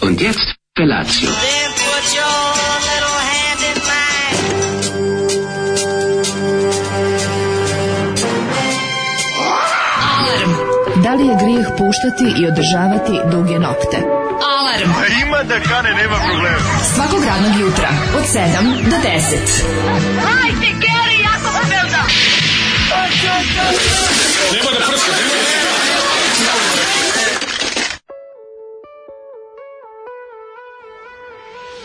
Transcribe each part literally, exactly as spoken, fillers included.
Und jetzt Felatio. Then put your little hand in mine. Alarm. Da li je grijeh puštati i održavati duge nokte? Alarm. A ima da kane, nema problema. Svakog radnog jutra od sedam do deset. Hajde, Geri, jako se velda. Nema da prska, nema da prska.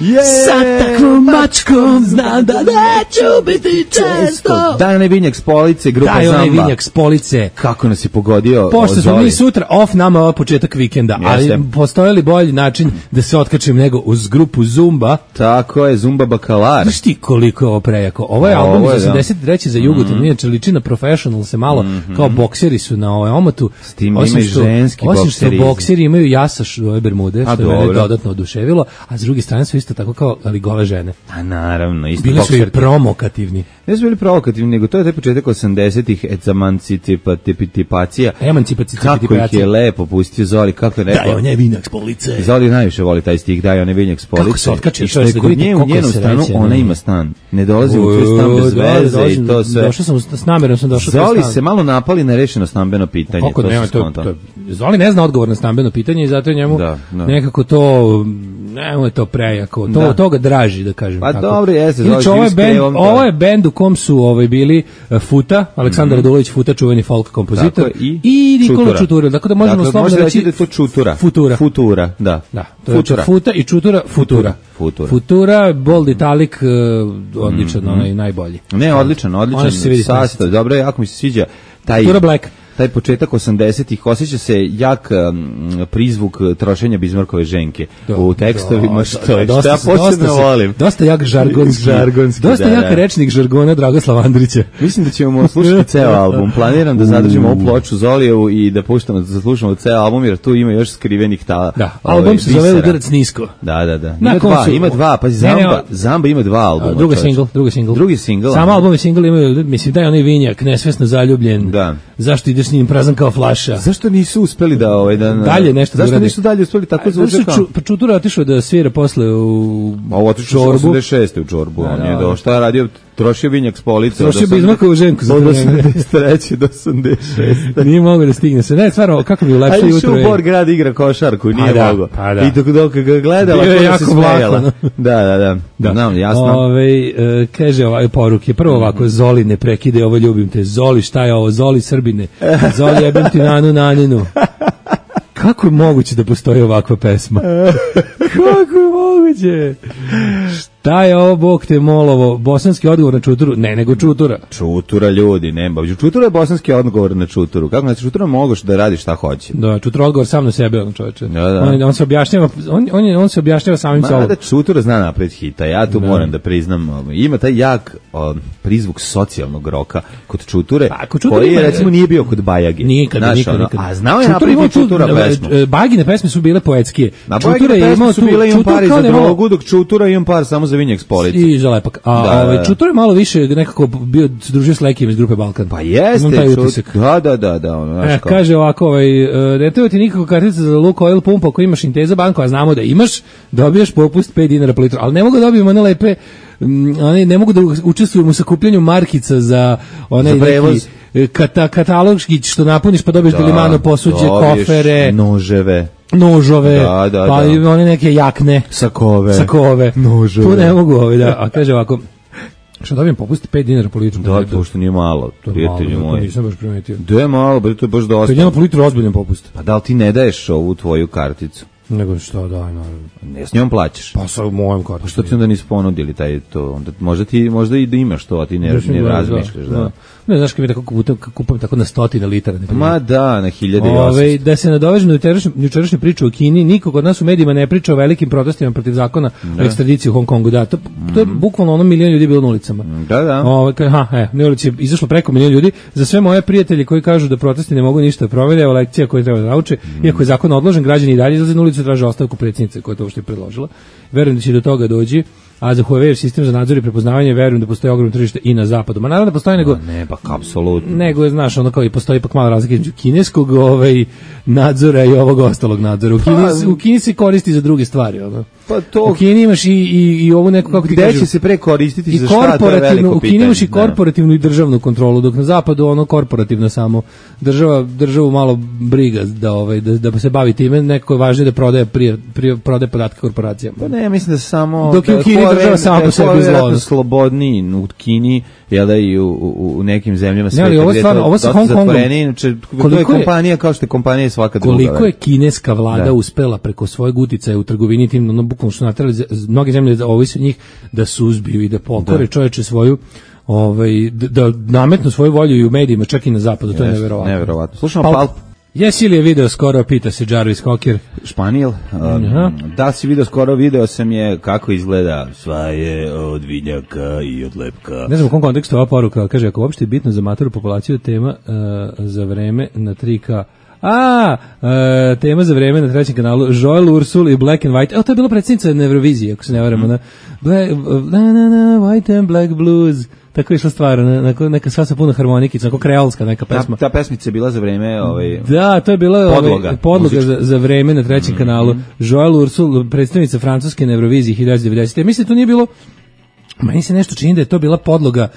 Yeah. Sa takvom mačkom znam da neću biti često. Daj onaj vinjak s police, grupa Daj Zamba. onaj vinjak s police. Kako nas je pogodio. Pošto smo mi sutra off, nama ovo početak vikenda, Jeste. ali postoji li bolji način da se otkačim nego uz grupu Zumba? Tako je, Zumba Bakalar. Znaš ti koliko je ovo prejako? Ovo je Ovo album je, iz da. osamdeset treće za Jugoton, mm. inače liči na Professional se malo, mm-hmm. kao bokseri su na ovaj omotu. S tim Osim ima i što- ženski Osim bokseri. što bokseri imaju jasaš ove bermude, A, što je mene dobro. dodatno oduševilo, a s druge strane su isto tako kao, ali gole žene. A naravno, isto Bili su i bokserke. promokativni. Ne su bili provokativni, nego to je taj početak osamdesetih emancipacija. Emancipacija. Kako ih je lepo pustio Zoli, kako je rekao. Daj, on je vinak s police. Zoli najviše voli taj stih, daj onaj vinjak s police. Kako se otkači, I što što je, je da kod vidite nje u koliko njenom se stanu, reće, ona ne. ima stan. Ne dolazi u tvoj stan bez Da, veze došao- i to sve. Došao sam, s namjerom sam došao. u tvoj Zoli stan. se malo napali na rešeno stambeno pitanje. Kako to nema, se to, skonta. to, Zoli ne zna odgovor na stambeno pitanje i zato je njemu Da, da. nekako to, nemo je to prejako, to, Da. to ga draži, da kažem Pa tako. dobro, jeste, Zoli Inače, ovo je živi s bend, krevom, to ovo je. je bend u kom su ovaj, bili uh, Futa, Aleksandar Radulović Futa, čuveni folk kompozitor, Tako je, i Nikola Čutura. Čutura, tako da možemo Dakle, slobodno možete reći reći da je to Čutura. Futura. Futura, da. Da, to je Futura. Futa i Čutura, Futura. Futura. Futura, Bold Italic, uh, odličan, onaj najbolji. Ne, odličan, Ono odličan što se vidi sastav. Dobro, jako mi se sviđa taj Futura Black. taj početak osamdesetih, osjeća se jak um, prizvuk trošenja Bizmarkove ženke Da, u tekstovima, da, što, da, je, što dosta ja se- dosta posebno se- volim. Dosta jak žargonski, Žargonski, dosta da, jak da. rečnik žargona Dragoslava Andrića. Mislim da ćemo slušati ceo album. Planiram da zadržimo ovu ploču Zolijevu i da puštamo, da slušamo ceo album, jer tu ima još skrivenih ta. Da, ovaj, album se zove bisera. Udarac nisko. Da, da, da. Na Ima dva, koncu- ima dva, pazi, Ne, ne, Zamba, o- Zamba ima dva albuma. Drugi čoveče. singl, drugi singl. Drugi singl. Samo aha. album i singl imaju, mislim, daj onaj vinjak, nesvesno zaljubljen. Da. Zašto ideš s njim prazan kao flaša? Zašto nisu uspeli da ovaj da Dalje nešto da Zašto urade? nisu dalje uspeli tako Zato zvuče što kao? Ču- pa Čutura otišao da svira posle u A ovo otišao Čorbu. osamdeset šeste u Čorbu, on je da. do šta je radio, trošio vinjak s police. Trošio od Bizmarkovu ženku za od to vreme. osamdeset treće do osamdeset šeste. Nije mogao da stigne se. Ne, stvarno, kako mi A ulepša išao jutro u je. Bor grad igra košarku, nije da, mogao. pa da. I dok dok ga gledala, Bio je kako se jako vlako, smejala. no. Da, da, da. Da. Znam, jasno. Ove, e, kaže ovaj poruke, prvo ovako, Zoli ne prekide, ovo ljubim te, Zoli šta je ovo, Zoli Srbine, Zoli jebim ti nanu naninu. Kako je moguće da postoji ovakva pesma? Kako je moguće? Šta je ovo, Bog te molovo, bosanski odgovor na Čuturu? Ne, nego Čutura. Čutura ljudi, nema. Čutura je bosanski odgovor na Čuturu. Kako na Čutura moguš da radi šta hoće? Da, Čutura odgovor sam na sebe, on čoveče. Da, da. On, on se objašnjava, on, on, je- on se objašnjava samim sobom. Mada Čutura zna napred hita, ja tu moram da priznam, ovaj, ima taj jak o, prizvuk socijalnog roka kod Čuture, Pa, kod Čuture koji ima- recimo nije bio kod Bajage. Nikada, Znaš, nikada, ono, nikada. A znao je Čutura napraviti imao tu- Čutura e, pesmu. e, Bagine pesme su bile poetskije. Na Čutura Bajage je imao pesme su tu- bile imam Čutura par i kao za da je malo- drogu, dok Čutura imam par samo za vinjak s police. I za lepak. A Da, da, ovaj da. Čutura je malo više nekako bio se družio s Lekijem iz grupe Balkan. Pa jeste, Imam taj Čut- utisak. da, da, da, da, ono, znaš E, kao. kaže ovako, ovaj, e, ne treba ti nikako kartica za Lukoil pumpu ako imaš Inteza banku, a znamo da imaš, dobiješ popust pet dinara po litru. Ali ne mogu da dobijem one lepe, mm, one, ne mogu da učestvujem u sakupljanju markica za onaj Za prevoz. neki e, kata, katalogski što napuniš pa dobiješ delimano posuđe, dobiješ kofere, noževe, nožove, Da, da, pa da. i one neke jakne, sakove, sakove. noževe. Tu ne mogu, ovaj, da. A kaže ovako, što dobijem popust pet dinara po litru. Da, to što nije malo, To je prijatelji malo, to moji. nisam baš primetio. Da je malo, bre, to je baš To je dosta. jedan po litru ozbiljan popust. Pa da li ti ne daješ ovu tvoju karticu? Nego što, daj, naravno. Ne, s njom plaćaš. Pa sa mojom kartom. Što ti onda nisu ponudili taj to? Onda možda ti možda i da imaš to, a ti ne, ne razmišljaš, da. Ne, znaš kad mi tako kupujem, kupujem tako na stotine litara. Ne Ma da, na hiljade i Ove, osamsto. da se nadovežem na jučerašnju- jučerašnju priču o Kini, niko kod nas u medijima ne priča o velikim protestima protiv zakona o ekstradiciji u Hong Kongu. Da, to, to je bukvalno ono milion ljudi bilo na ulicama. Da, da. Ove, ka- ha, e, na ulici je izašlo preko milion ljudi. Za sve moje prijatelje koji kažu da protesti ne mogu ništa da promene, evo lekcija koju treba da nauče. Iako je zakon odložen, građani i dalje izlaze na ulicu se traži ostavku predsjednice koja je to uopšte predložila. Verujem da će do toga doći. A za Huawei sistem za nadzor i prepoznavanje verujem da postoji ogromno tržište i na zapadu. Ma naravno da postoji nego ne, pa apsolutno. Nego znaš, ono kao i postoji ipak malo razlike između kineskog ovaj nadzora i ovog ostalog nadzora. U Kini, pa, u Kini se koristi za druge stvari, ono. Pa to u Kini imaš i i i ovu neku kako ti kažeš. Gde će se pre koristiti za šta, to je veliko u Kini imaš i korporativnu i državnu kontrolu, dok na zapadu ono korporativno samo država državu malo briga da ovaj da, da se bavi time, neko je važnije da prodaje prije, prije prodaje podatke korporacijama. Pa ne, ja mislim da samo dok u Kini država sama po sebi zlo. Slobodniji u Kini, jel da i u, u, u nekim zemljama sveta. Ne, ali ovo stvarno, ovo sa Hong Kongom. Inače, to je kompanija kao što je kompanija svaka druga. Koliko je kineska vlada da. uspela preko svojeg uticaja u trgovini tim, ono bukvalno su naterali mnoge zemlje da ovisi od njih da suzbiju i da pokore da. čoveče svoju ovaj da, da nametnu svoju volju i u medijima, čak i na zapadu, to je neverovatno. Neverovatno. Slušamo Pulp. Jesi li je video skoro, pita se Jarvis Cocker. Španijel. Um, da si video skoro, video sam je kako izgleda sva je od vinjaka i od lepka. Ne znam u kom kontekstu ova poruka, kaže, ako uopšte je bitno za matoru populaciju tema uh, za vreme na tri K. A, uh, tema za vreme na trećem kanalu, Joel Ursul i Black and White. Evo, to je bila predsjednica na Euroviziji, ako se ne varamo. Mm. Na, black, na, na, na, White and Black Blues. Tako je išla stvar, neka, neka sva sa puno harmonikica, neka kreolska neka pesma. Ta, ta pesmica je bila za vreme ovaj, da, to je bila podloga, ovaj, podloga za, za vreme na trećem mm-hmm. kanalu. Joel Ursul, predstavnica Francuske na Euroviziji hiljadu devetsto devedesete. Mislim, to nije bilo, meni se nešto čini da je to bila podloga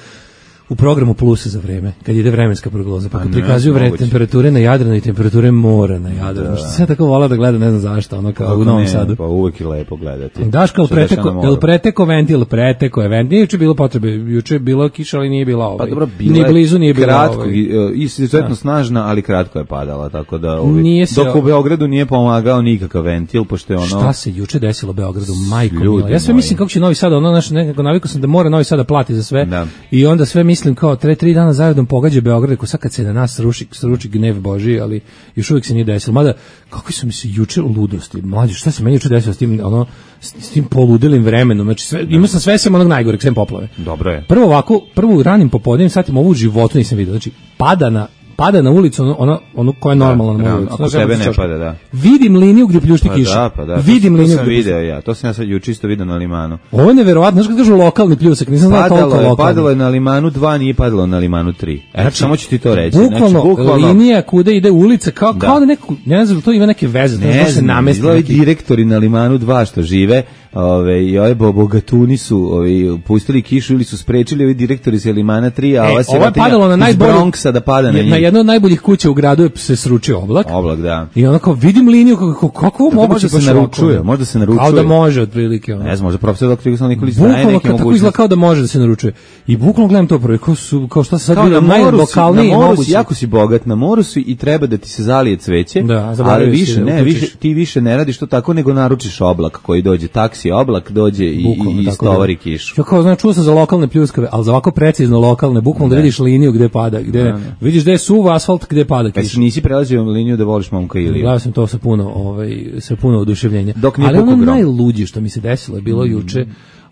u programu Plusa za vreme, kad ide vremenska prognoza, pa kad prikazuju vre, temperature na Jadranu i temperature mora na Jadranu. Da. Što se ja tako vola da gleda, ne znam zašto, ono kao u Novom Sadu. Pa uvek je lepo gledati. Daška, preteko, el preteko ventil, preteko je ventil. Nije juče bilo potrebe, juče je bila kiša, ali nije bila ovaj. Pa dobro, bila ni blizu nije bila kratko, ovaj. Izuzetno snažna, ali kratko je padala, tako da ovaj, dok u Beogradu nije pomagao nikakav ventil, pošto je ono... Šta se juče desilo u Beogradu, majko mila? Ja sve mislim kako će Novi Sad, ono naš nekako navikao sam da mora Novi Sad da plati za sve. Da. I onda sve mislim kao tre tri dana zaredom pogađa Beograd, ko sad kad se na nas sruši, sruči gnev Božji, ali još uvijek se nije desilo. Mada, kako su mi se juče ludosti, mlađe, šta se meni juče desilo s tim, ono, s, s tim poludelim vremenom, znači sve, imao sam sve sem onog najgoreg, sem poplave. Dobro je. Prvo ovako, prvo ranim popodnevnim satima ovu u životu nisam vidio, znači pada na pada na ulicu ono ono, ono koja je normalna na ulici. Ako tebe ne pada, da. Vidim liniju gdje pljušti pa kiša. Da, pa da. Vidim to, liniju. To sam video ja. To sam ja sad juče isto video na Limanu. Ovo je neverovatno, znači kad kažu lokalni pljusak, nisam znao toliko lokalni. Padalo je na Limanu dva, nije padalo na Limanu tri. Eto, znači, samo ću ti to reći. Bukvalno, znači, bukvalno linija kuda ide ulica kao da. kao da neko, ne znam, to ima neke veze, ne, ne se namesti. Neki direktori na Limanu dva što žive, ove i ove bogatuni su ove pustili kišu ili su sprečili ovi direktori sa Limana tri, a ova se ovo je padalo na najbolji Bronxa da pada na njih. Na jedno od najboljih kuća u gradu je se sručio oblak. Oblak, da. I onako vidim liniju kako kako moguće da se naručuje, možda se naručuje. Kao da može otprilike. Ne znam, možda profesor doktor Igor Nikolić daje neke mogućnosti. Tako izgleda kao da može da se naručuje. I bukvalno gledam to prvo, kao su kao šta se sad vidi najlokalniji moguće. Jako si bogat, na moru si i treba da ti se zalije cveće, da, ali više ne, više ti više ne radiš to tako nego naručiš oblak koji dođe, taksi oblak dođe i i istovari kišu. Ja kao znam, čuo sam za lokalne pljuskave, al za ovako precizno lokalne, bukvalno da vidiš liniju gde pada, gde ne, ne. vidiš gde je suv asfalt, gde pada kiša. Pa nisi prelazio liniju da voliš momka ili. Gledao sam to sa puno, ovaj sa puno oduševljenja. Ali ono najluđe što mi se desilo je bilo mm. juče,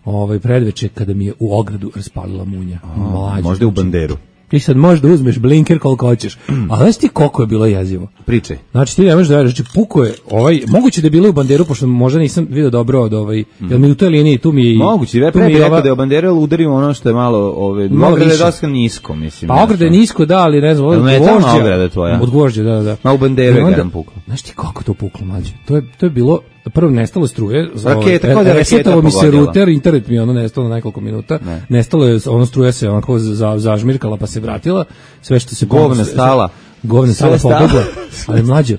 ovaj predveče kada mi je u ogradu raspalila munja. Mlađe, možda u banderu. Ti sad možeš da uzmeš blinker koliko hoćeš, mm. ali znaš ti koliko je bilo jezivo? Pričaj. Znači ti ne možeš da veriš, znači puko je, ovaj, moguće da je bilo u banderu, pošto možda nisam vidio dobro od ovaj, mm. jer mi u toj liniji, tu mi je... Moguće, ja pre bih rekao da je u banderu udario ono što je malo, ove, ograda je dosta nisko, mislim. Pa ograda je nisko, da, ali ne znam, od gvožđa. Od gvožđa, da, da. Ma u banderu je jedan puklo. Znaš ti kako to puklo, mlađe? To je, to je bilo... Prvo nestalo struje, raketa, kao da resetalo mi se ruter, internet mi je ono nestalo na nekoliko minuta, ne. nestalo je, ono struja se onako za, zažmirkala pa se vratila, sve što se... Govna stala. Govna stala pobegla, ali mlađe,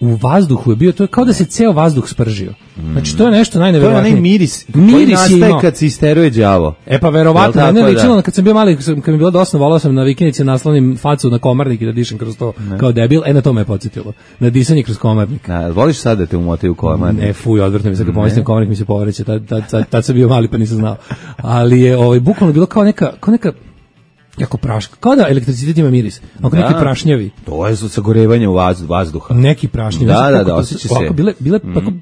u vazduhu je bio, to je kao da se ceo vazduh spržio. Znači to je nešto najneverovatnije. To je onaj miris, miris koji nastaje kad se isteruje đavo. E pa verovatno, ja, ne ličilo, kad sam bio mali, kad mi je bilo dosta, volao sam na vikendici naslonim facu na komarnik i da dišem kroz to ne. kao debil, e na to me je podsjetilo. Na disanje kroz komarnik. Na, voliš sad da te umotaju komarnik? Ne, fuj, odvrtno mi se, kad pomislim komarnik mi se povreće, tad, tad, tad, tad sam bio mali pa nisam znao. Ali je ovaj, bukvalno bilo kao neka, kao neka jako praška, kao da elektricitet ima miris, ako da, neki prašnjavi. To je sagorevanje u vazduha. Neki prašnjavi. Da, da, da, osjeća se. Ovako bile, bile mm. tako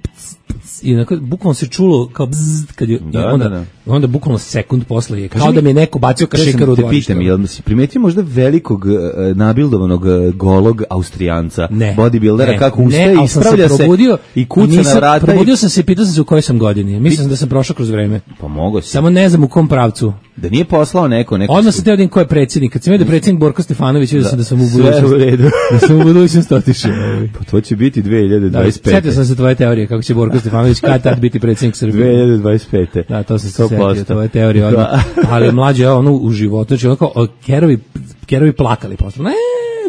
i onako, bukvalno se čulo kao bzz, kad je, Da, i onda, da, da. onda bukvalno sekund posle je, kao Kaži da mi- mi je neko bacio kašikaru u Te dvorište. pitam, jel si primetio možda velikog e, nabildovanog e, golog Austrijanca, Ne. bodybuildera, ne, kako ne, ustaje, ali sam ispravlja se, probudio, i kuca nisam- na vrata. Probudio I, sam se i pitao sam se u kojoj sam godini. Mislim da sam prošao kroz vreme. pa mogo si. Samo ne znam u kom pravcu. Da nije poslao neko, neko Odmah su- sam teo da vidim ko je predsjednik. Kad sam vidio da je predsjednik Borko Stefanović, vidio sam da sam u sve u budućnosti. redu. Da sam u budućnosti otišao. Pa to će biti dve hiljade Da, dvadeset pete. setio sam se tvoje teorije kako će Borko Stefanović kad tad biti predsjednik Srbije. dve hiljade dvadeset pete. Da, to sam se sto posto. setio, tvoje teorije odmah. Da. Ali mlađe, ono u životu, znači ono kao o, kerovi, kerovi plakali posle. Ne,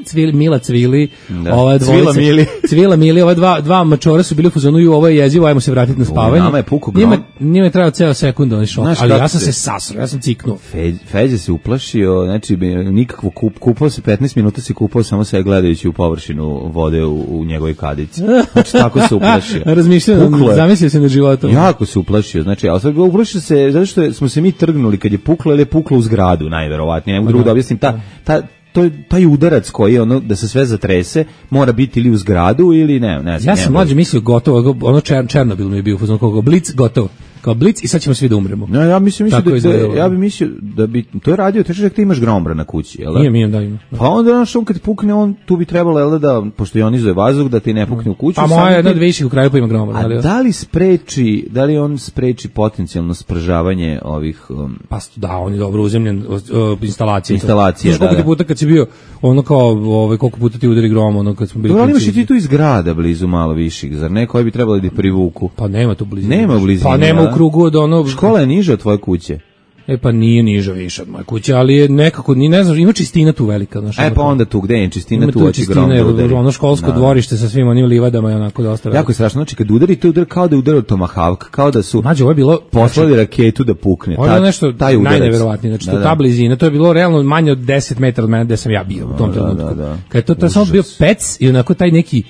cvili, Mila cvili, Da. ova dvojica. Cvila Mili. Cvila Mili, ova dva, dva mačora su bili u fazonu i ovo je jezivo, ajmo se vratiti na spavanje. nama je pukao Njima, grom. njima je trajao ceo sekund, onaj šok, Znaš ali kako ja sam se- se sasro, ja sam ciknuo. Fe- Feđa se uplašio, znači bi- nikakvo kup, kupao se petnaest minuta se kupao samo se gledajući u površinu vode u, u njegovoj kadici. Znači tako se uplašio. Razmišljao, Puklo je. zamislio se na životom. Jako se uplašio, znači, ali sad uplašio se zato što smo se mi trgnuli kad je puklo ili je puklo u zgradu, najverovatnije, ne mogu drugo da objasnim, ta, ta, to je taj udarac koji je ono da se sve zatrese, mora biti ili u zgradu ili ne, ne znam. Ja sam nema mlađe mislio gotovo, ono Čer, Černobil mi je bio u fazonu kao Blic, gotovo. Kao Blic i sad ćemo svi da umremo. No, ja mislim, mislim Tako da, izgledalo. da, ja bi mislio da bi to je radio, teško da ti imaš grombra na kući, jel da? Nije, nije, da ima. Pa onda znaš, on kad pukne, on tu bi trebalo, jel da, da pošto ionizuje vazduh, da ti ne pukne u kuću. Pa samo moja je jedna ti- od viših u kraju pa ima gromor. A ali- da li spreči, da li on spreči potencijalno spržavanje ovih um, Pa da, on je dobro uzemljen o, o, instalacije. Instalacije, Znaš koliko da, ti puta kad si bio, ono kao, ovaj, koliko puta ti udari grom, ono kad smo bili Dobro, ali imaš i klinci. ti tu iz grada blizu malo viših, zar ne, koji bi trebali da ih privuku? Pa nema tu blizine. Nema u blizini, Pa nema a? u krugu od ono... Škola je niža od tvoje kuće. E pa nije niža više od moje kuće, ali je nekako, ni ne znam, ima čistina tu velika. Znaš, E ono pa kao- onda tu gde je čistina, ima tu tu hoće čistina, grom da jer udari. ono školsko Da. dvorište sa svim onim livadama i onako dosta. Jako je strašno, znači kad udari, to udari kao da je udarao Tomahawk, kao da su Mađo, ovo je bilo... poslali raketu da pukne. Ovo je Ta- bilo nešto taj udarac. najneverovatnije, znači Da, to da. ta blizina, to je bilo realno manje od deset metara od mene gde sam ja bio u tom Da, trenutku. da, da. Kad je to, to je samo bio pec i onako taj neki,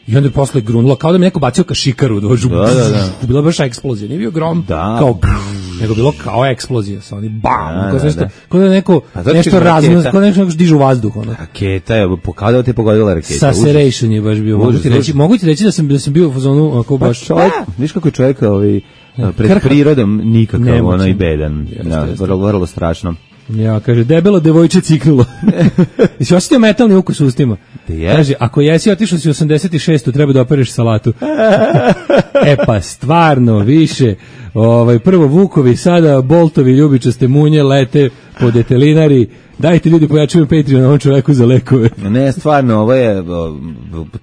i onda je posle grunulo, kao da mi neko bacio kašikaru, dođu, Da, da, da. bila baš eksplozija, nije bio grom, Da. kao, nego bilo kao eksplozija, sa oni bam, Da, kao, da, nešto, da. kao da neko, A zato nešto kažem, razno, raketa. kao da nešto dižu u vazduh, ono. Raketa je, pokazao da te pogodila raketa. Saceration je baš bio, mogu Užas, ti reći, užas. mogu ti reći da sam, da sam bio u fazonu, onako Pa baš, čovjek, viš kako je čovjek ovaj, pred krhak. prirodom nikakav, Nemoćan. onaj bedan. Jeste, Da, jeste. vrlo, vrlo strašno. ja, kaže, debelo devojče ciknulo. Jesi osjetio metalni ukus u ustima? Da je. Kaže, ako jesi otišao si u osamdeset šestu treba da opereš salatu. E pa, stvarno, više. Ovaj, prvo Vukovi, sada Boltovi, ljubičaste munje, lete po detelinari. Dajte ljudi, pojačujem Patreon na ovom čoveku za lekove. Ne, stvarno, ovo je, o,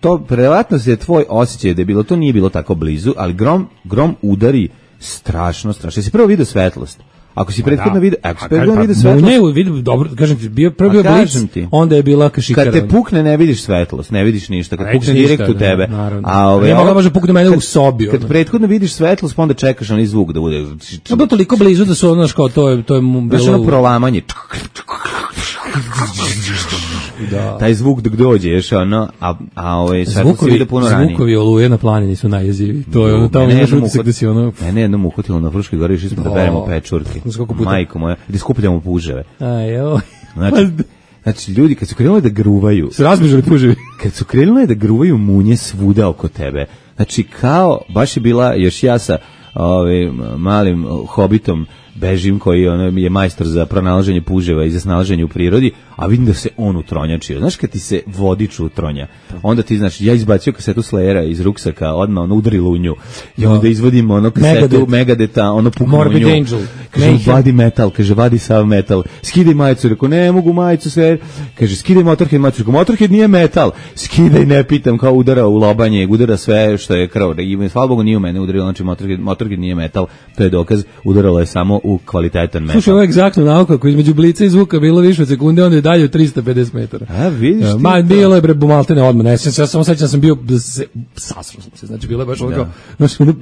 to, preverovatno se je tvoj osjećaj da je bilo, to nije bilo tako blizu, ali grom, grom udari strašno, strašno. Jesi prvo vidio svetlost? Ako si prethodno vidio, ako si prethodno vidio svetlost, Ne, vidim, dobro, kažem ti, bio, prvo A bio blic, kažem ti. onda je bila kašikara. kad te pukne ne vidiš svetlost, ne vidiš ništa, kad Ne vidiš pukne ništa, direkt u da, tebe. naravno. A ove, Nije mogla ovo- može pukne mene kad- u sobi, Kad ono. prethodno vidiš svetlost, pa onda čekaš onaj zvuk da bude. To je bilo toliko blizu da su ono, znaš, kao, to je, to je mu Znaš bilo... ono prolamanje. Da. Taj zvuk dok dođeš, ono, a, a ovaj, svetlost se Zvukovi, vide puno ranije. zvukovi oluje na planini su najjeziviji. To je ono, tamo Mene imaš jednom utisak uhvat- da si ono... Mene jednom uhvatilo na Fruškoj gori, išli smo da O, beremo pečurke. znaš koliko puta? Majko moja, da skupljamo puževe. Aj, evo. Znači, znači, ljudi kad su krenuli da gruvaju, Su razbežali puževi. kad su krenuli da gruvaju munje svuda oko tebe, znači kao, baš je bila, još ja sa ovim malim hobitom bežim koji ono, je majstor za pronalaženje puževa i za snalaženje u prirodi, a vidim da se on utronjačio. Znaš kad ti se vodič utronja, onda ti, znači, ja izbacio kasetu Slayera iz ruksaka, odmah ono udari lunju i onda izvodim ono kasetu Megadeth. Megadeta, ono puknu Morbid nju. Angel. Kaže, Mayhem. vadi metal, kaže, vadi sav metal, skidaj majicu, rekao, ne mogu majicu, sve, kaže, skidaj Motorhead majicu, rekao, Motorhead nije metal, skidaj, ne pitam, kao udara u lobanje, udara sve što je krv, i hvala Bogu nije u mene udarilo, znači Motorhead, Motorhead nije metal, to je dokaz, udaralo je samo u kvalitetan metal. Slušaj, ovo je egzaktno nauka, ako između blica i zvuka bilo više od sekunde, onda je dalje od trista pedeset metara. A, vidiš ti Ma, to? bilo je bre bumaltene odmah, ne, sjećam se, ja samo sećam da sam bio, da se, sasro sam se, znači bilo je baš ono kao, znači, ono,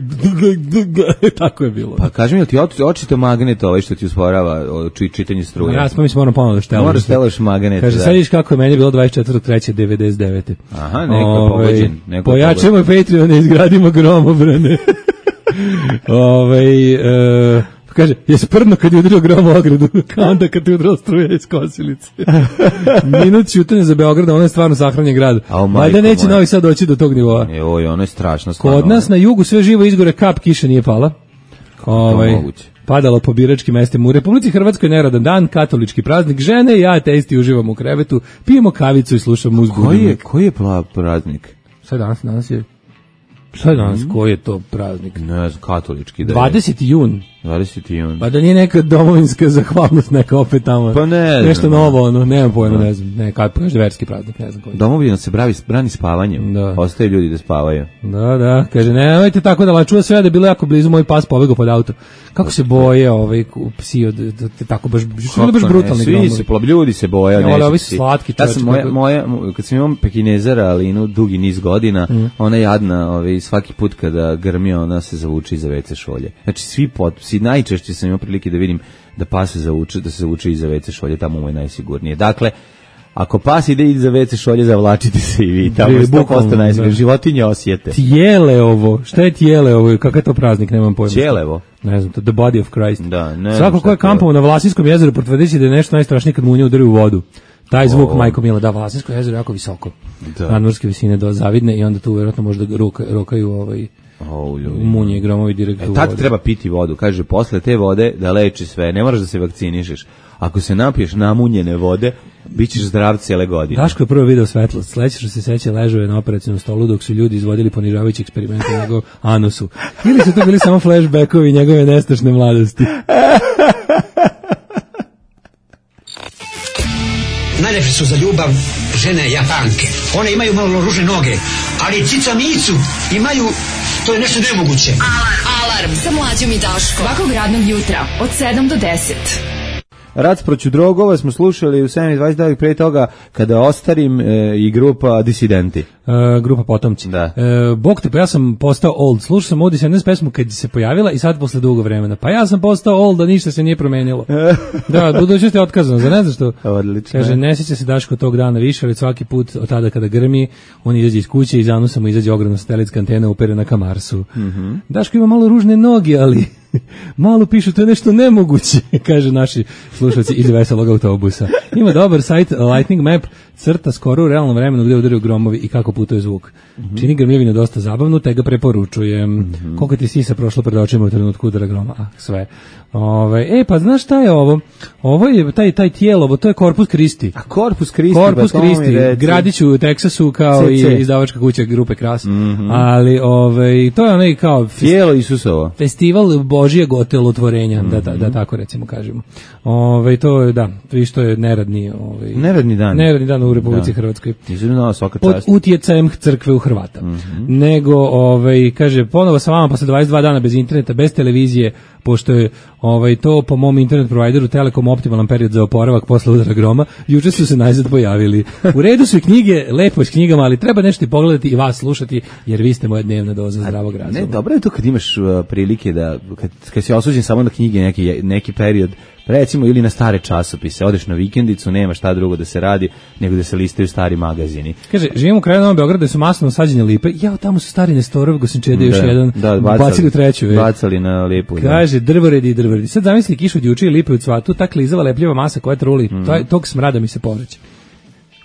tako je bilo. Pa kaži mi, jel ti oč- očito magnet ovaj što ti usporava o, či, čitanje struje? Ja sam moram ponovno da štelam. Moraš stelaš magnet. Kaže, da. sad vidiš kako je meni bilo dvadeset četvrtog trećeg devedeset devete Aha, neko je pogođen, neko je Pojačamo Patreon i izgradimo gromobrane. Ove, e, kaže, je sprdno kad je udario grom u ogradu, kao onda kad ti udrao struja iz kosilice. Minut ćutanja za Beograd, ono je stvarno sahranjen grad. Valjda neće Novi Sad doći do tog nivoa. Joj, ono je strašno. Kod nas na jugu sve živo izgore, kap kiše nije pala. Ovaj, padalo po biračkim mestima. U Republici Hrvatskoj neradan dan, katolički praznik, žene i ja ateisti uživamo u krevetu, pijemo kavicu i slušamo muzgu. Koji je, koji je praznik? Sad danas, danas je... Šta je danas, koji je to praznik? Ne znam, katolički. Da je. dvadeseti jun. dvadeseti jun. Pa da nije neka domovinska zahvalnost, neka opet tamo. Pa ne znam. Nešto novo, ono, nemam pojma, ne znam. Ne, kad kažeš verski praznik, ne znam koji. Domovina se bravi, brani spavanjem. Da. Ostaje ljudi da spavaju. Da, da, kaže, nemojte tako da lačuva sve da je bilo jako blizu, moj pas pobegao pod auto. Kako se boje ovaj psi od tako baš baš brutalni gromovi. Svi se plob, ljudi se boje, ne. Ovi slatki čovječe. Ja sam moja, moja, kad sam imao Pekinezera, ali inu dugi niz godina, mm. ona jadna, ovaj, svaki put kada grmi, ona se zavuče iza ve ce šolje. Znači, svi potpisi, najčešće sam imao prilike da vidim da pas se zavuče, da se zavuče iza ve ce šolje, tamo mu je najsigurnije. Dakle, ako pas ide iza ve ce šolje, zavlačite se i vi. Tamo je sto posto najsigurnije. Životinje osjete. Tijele ovo. Šta je tijele ovo? Kakav je to praznik? Nemam pojma. Tijelevo. Ne znam, to the body of Christ. Da, ne. Svako ko je kampovao na Vlasinskom jezeru potvrdići da je nešto najstrašnije kad munje udari u vodu. Taj zvuk, oh. Majko Mila, da, Vlasinsko jezero je jako visoko. Da. Nadmorske visine do zavidne i onda tu vjerojatno možda ruka, rokaju ovaj oh, munje i gromovi direkt u vodu. Tad treba piti vodu, kaže, posle te vode da leči sve, ne moraš da se vakcinišeš. Ako se napiješ namunjene vode, bit ćeš zdrav cijele godine. Daško je prvo video svetlost. Sledeće što se seća, ležao je na operacijnom stolu dok su ljudi izvodili ponižavajući eksperimente na njegov anusu. Ili su to bili samo flashbackovi njegove nestašne mladosti. Najlepše su za ljubav žene Japanke. One imaju malo ružne noge, ali cica micu imaju, to je nešto nemoguće. Alarm, alarm sa Mlađom i Daškom. Svakog radnog jutra od sedam do deset. Rat proću drogova smo slušali u sedam i dvadeset devet pre toga kada ostarim e, i grupa Disidenti. E, grupa Potomci. Da. E, Bog te, pa ja sam postao old. Slušao sam ovdje sedamnaest pesmu kad se pojavila i sad posle dugo vremena. Pa ja sam postao old, da ništa se nije promenilo. Da, budućnost je otkazano. Za ne znaš što? Odlično. Kaže, ne sjeća se Daško tog dana više, ali svaki put od tada kada grmi, on izađe iz kuće i iz anusa mu izađe ogromna satelitska antena uperena ka Marsu. Mm-hmm. Daško ima malo ružne noge, ali malo pišu, to je nešto nemoguće, kaže naši slušalci iz veselog autobusa. Ima dobar sajt Lightning Map, crta skoro u realnom vremenu gde udaraju gromovi i kako putuje zvuk. Mm-hmm. Čini grmljevinu dosta zabavnu, te ga preporučujem. Mm-hmm. Koliko ti sisa prošlo pred očima u trenutku udara groma? Ah, sve. Ove, e, pa znaš šta je ovo? Ovo je taj, taj tijelo, ovo, to je Corpus Christi. A Corpus Christi? Corpus Christi, gradiću u Teksasu kao C C. I izdavačka kuća grupe Kras. Mm-hmm. Ali ove, to je onaj kao... Tijelo Isusovo. Festival Božijeg otelotvorenja, mm-hmm. da, da, da tako recimo kažemo. Ove, to je, da, vi što je neradni... Ove, neradni dan. Neradni dan u Republici da. Hrvatskoj. Izvrno, svaka pod čast. utjecajem crkve u Hrvata. Mm-hmm. Nego, ovaj, kaže, ponovo sa vama posle dvadeset dva dana bez interneta, bez televizije, pošto je ovaj, to po mom internet provideru Telekom optimalan period za oporavak posle udara groma, juče su se najzad pojavili. U redu su i knjige, lepo je s knjigama, ali treba nešto i pogledati i vas slušati, jer vi ste moja dnevna doza zdravog razuma. Ne, dobro je to kad imaš uh, prilike da, kad, kad si osuđen samo na knjige neki, neki period, recimo ili na stare časopise, odeš na vikendicu, nema šta drugo da se radi nego da se listaju stari magazini. Kaže, živimo u kraju Novog Beograda gde su masno sađene lipe. Jao, tamo su stari Nestorov, Gosinčede, još jedan, da, bacali, bacili u treću. Je. Bacali na lipu. Kaže, drvoredi i drvoredi. Sad zamisli kišu od juče i lipe u cvatu, ta klizava lepljiva masa koja truli, mm. to, tog smrada mi se povreće.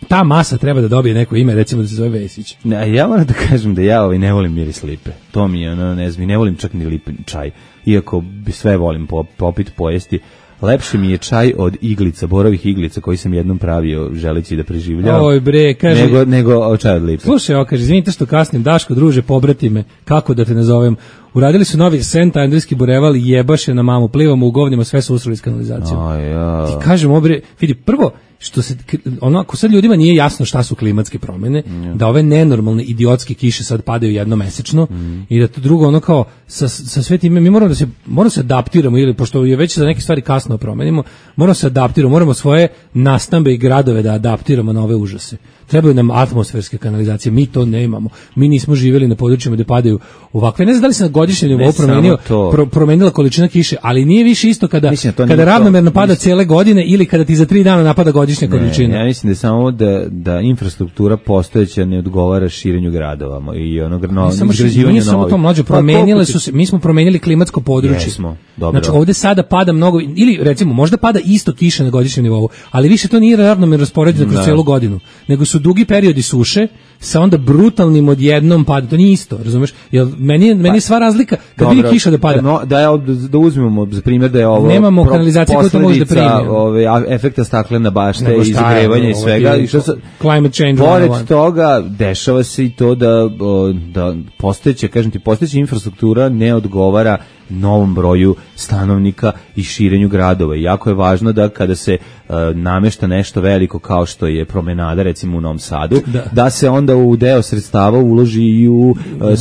Ta masa treba da dobije neko ime, recimo da se zove Vesić. Ne, ja moram da kažem da ja ovaj ne volim miris lipe. To mi je, ono, ne znam, ne volim čak ni lipin čaj. Iako bi sve volim popiti, pojesti. Lepše mi je čaj od iglica, borovih iglica koji sam jednom pravio želeći da preživljavam. Oj bre, kaže, nego, nego čaj od lipe. Slušaj, ovo kaže, izvinite što kasnim, Daško, druže, pobrati me, kako da te nazovem. Uradili su novi Sent Andrijski bureval, jebaše na mamu, plivamo u govnima, sve su usruli s kanalizacijom. Oh, ja. Ti kažem, obre, vidi, prvo, što se, ono, ako sad ljudima nije jasno šta su klimatske promene, mm. da ove nenormalne idiotske kiše sad padaju jednomesečno mm. i da to drugo, ono kao, sa, sa sve time, mi moramo da se, moramo se adaptiramo, ili, pošto je već za neke stvari kasno promenimo, moramo se adaptiramo, moramo svoje nastambe i gradove da adaptiramo na ove užase. Trebaju nam atmosferske kanalizacije, mi to ne imamo. Mi nismo živjeli na područjima gde padaju ovakve. Ne znam da li se na godišnjem nivou promenio, pro, promenila količina kiše, ali nije više isto kada, mislim, kada ravnomerno pada mislim, cijele godine ili kada ti za tri dana napada godišnja ne, količina. Ja mislim da je samo da, da infrastruktura postojeća ne odgovara širenju gradova i onog no, izgrađivanju novih. Samo to mlađe, promenile su se, mi smo promenili klimatsko područje. Jesmo, Dobro. Znači ovde sada pada mnogo, ili recimo možda pada isto kiša na godišnjem nivou, ali više to nije ravnomerno raspoređeno kroz celu godinu, nego su dugi periodi suše sa onda brutalnim odjednom pada. To nije isto, razumeš? Jel meni je, meni je sva razlika kad Dobro, vidi kiša da pada. No, da ja da uzmemo za primjer da je ovo Nemamo kanalizacije koja to može da primi. Ove efekta staklene bašte Nego i šta je, zagrevanja i ovo svega je i što se climate change pored one. toga dešava se i to da o, da postojeća, kažem ti, postojeća infrastruktura ne odgovara novom broju stanovnika i širenju gradova. I jako je važno da kada se uh, namešta nešto veliko kao što je promenada recimo u Novom Sadu, da, da se onda u deo sredstava uloži i u, uh,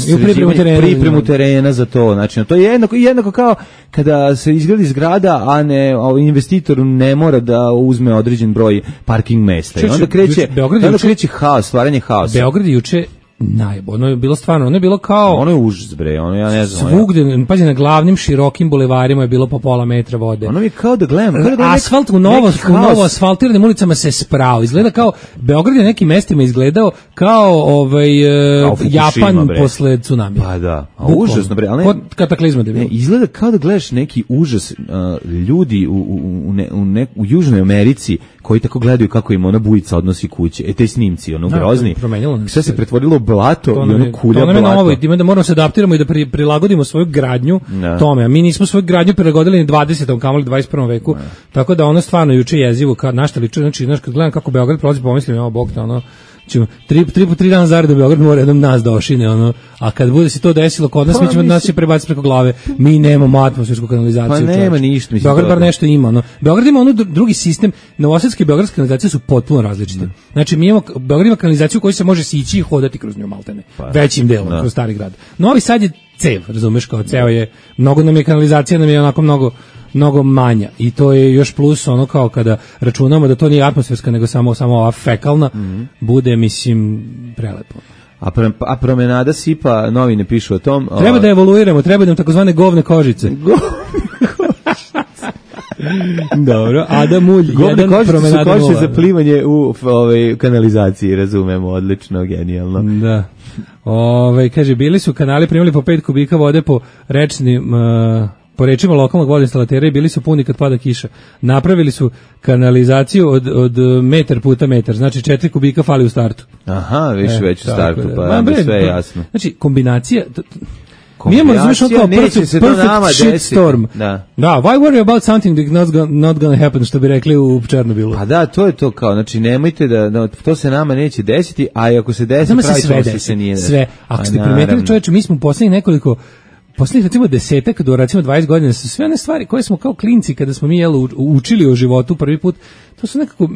I u pripremu terena, pripremu terena za to. Znači, to je jednako, jednako kao kada se izgradi zgrada, a ne a investitor ne mora da uzme određen broj parking mesta. I onda kreće, Beograd onda juče, kreće haos, stvaranje haosa. Beograd juče najbolje, ono je bilo stvarno, ono je bilo kao... Ono je užas, bre, ono ja ne znam. Svugde, pazi, na glavnim širokim bulevarima je bilo po pola metra vode. Ono mi je kao da gledam... Kao da gledam asfalt u novo, u novo asfaltiranim ulicama se sprao. Izgleda kao, Beograd je na nekim mestima izgledao kao ovaj, kao Japan bre. Posle tsunamija. Pa da, a užasno, bre. Ali ne, kod kataklizma da je bilo. Ne, izgleda kao da gledaš neki užas uh, ljudi u, u, u, ne, u, ne, u Južnoj Americi koji tako gledaju kako im ona bujica odnosi kuće. E, te snimci, ono, grozni. Sve se pretvorilo u blato i ono kulja blato. To nam je novo, ima da moramo se adaptiramo i da pri, prilagodimo svoju gradnju ne. Tome. A mi nismo svoju gradnju prilagodili ni dvadesetom kamoli dvadeset prvom veku. Ne. Tako da ono stvarno juče jezivo, kad našta liče, znači, znaš, kad gledam kako Beograd prolazi, pomislim, evo, Bog te, ono, ćemo, tri, tri po tri dana zareda Beograd mora jednom nas da ošine, ono, a kad bude se to desilo kod nas, pa, mi ćemo nas će prebaciti preko glave, mi nemamo atmosfersku kanalizaciju. Pa nema ništa, mislim. Beograd bar nešto ima, ono. Beograd ima ono drugi sistem, novosadske i beogradske kanalizacije su potpuno različite. Ne. Znači, mi imamo, Beograd ima kanalizaciju koju se može sići i hodati kroz nju maltene, pa, većim delom, ne. Kroz stari grad. Novi Sad je cev, razumeš, kao ceo je, mnogo nam je kanalizacija, nam je onako mnogo, mnogo manja i to je još plus ono kao kada računamo da to nije atmosferska nego samo samo ova fekalna, mm-hmm. bude mislim prelepo. A, pre, a promenada sipa, novine pišu o tom. Treba o... da evoluiramo, treba nam takozvane govne kožice. Dobro, Adam Mulj, jedan promenada su košice za plivanje u ovaj kanalizaciji, razumemo, odlično, genijalno. Da. Ove, kaže, bili su kanali primili po pet kubika vode po rečnim... Uh, po rečima lokalnog vodoinstalatera i bili su puni kad pada kiša. Napravili su kanalizaciju od, od metar puta metar, znači četiri kubika fali u startu. Aha, više e, već u startu, da. Pa nam je sve jasno. Znači, kombinacija... T, t, mi imamo razumiješ kao perfect, perfect shit storm. Da. Da, why worry about something that's not gonna, not gonna happen, što bi rekli u Černobilu. Pa da, to je to kao, znači nemojte da, da to se nama neće desiti, a ako se desi, pravi sve to se nije desiti. Sve, ako ste primetili čovječe, mi smo u poslednjih nekoliko Poslednjih recimo desetak do recimo dvadeset godina su sve one stvari koje smo kao klinci kada smo mi jel, učili o životu prvi put, to su nekako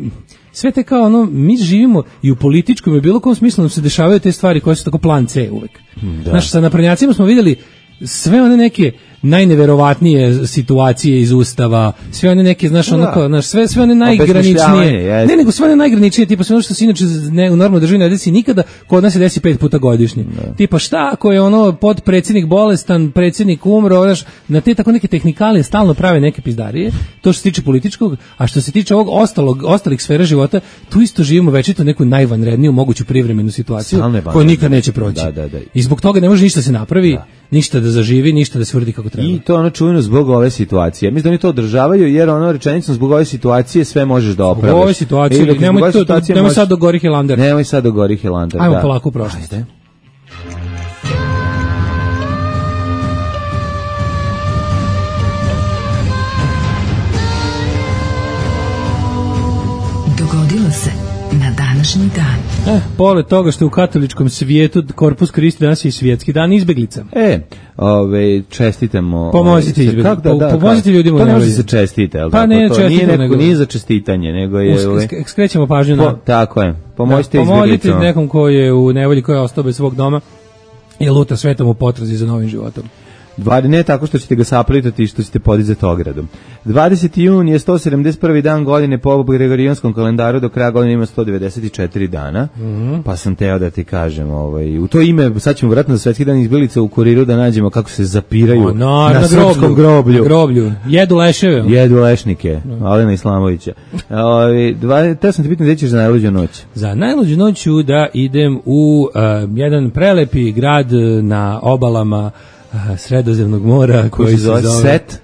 sve te kao ono, mi živimo i u političkom i bilo kom smislu nam se dešavaju te stvari koje su tako plan C uvek. Da. Znaš, sa naprednjacima smo vidjeli sve one neke najneverovatnije situacije iz Ustava, sve one neke, znaš, ono kao, znaš, sve, sve one najgraničnije, ne, nego sve one najgraničnije, tipa sve ono što se inače ne, u normalnoj državi ne desi nikada, kod nas se desi pet puta godišnje. Ne. Tipa šta ako je ono podpredsjednik bolestan, predsjednik umro, znaš, na te tako neke tehnikalije stalno prave neke pizdarije, to što se tiče političkog, a što se tiče ovog ostalog, ostalih sfera života, tu isto živimo večito neku najvanredniju moguću privremenu situaciju, koju nikad neće proći. Da, da, da. I zbog toga ne može ništa se napravi, da. Ništa da zaživi, ništa da se uradi kako treba. I to ono čujeno zbog ove situacije. Mislim da oni to održavaju jer ono rečenicom zbog ove situacije sve možeš da opraviš. Zbog ove situacije, e, nemoj, to, nemoj sad do Gori Hilander. Nemoj sad do Gori Hilander, da. Ajmo polako u prošlost. Ajde. Dogodilo se na današnji dan. Eh, pored toga što u katoličkom svijetu Korpus Kristi danas je i svjetski dan izbeglica. E, ove, čestitamo. Pomozite izbeglicama. Da, da, pomozite ljudima. To ne može se čestite, ali pa tako? Ne, to čestite, nije, neko, nego, nije za čestitanje, nego je... Ove, skrećemo pažnju na... Po, tako je, pomozite da, izbeglicama. Pomozite nekom koji je u nevolji, koji je ostao bez svog doma i luta svetom u potrazi za novim životom. Ne tako što ćete ga saplitati i što ćete podizati ogradom. dvadeseti jun je sto sedamdeset prvi dan godine po Gregorijanskom kalendaru, do kraja godine ima sto devedeset četiri dana, mm-hmm. Pa sam teo da ti kažem, ovaj, u to ime, sad ćemo vratno za svetski dan izbjeglica u kuriru da nađemo kako se zapiraju o, no, na, na srpskom groblju. Na groblju. Jedu leševe. Jedu lešnike, no. Alena Islamovića. Ovaj, te sam ti pitan gdje ćeš za najluđu noć? Za najluđu noću da idem u uh, jedan prelepi grad na obalama Sredozemnog mora koji, koji se zove Set.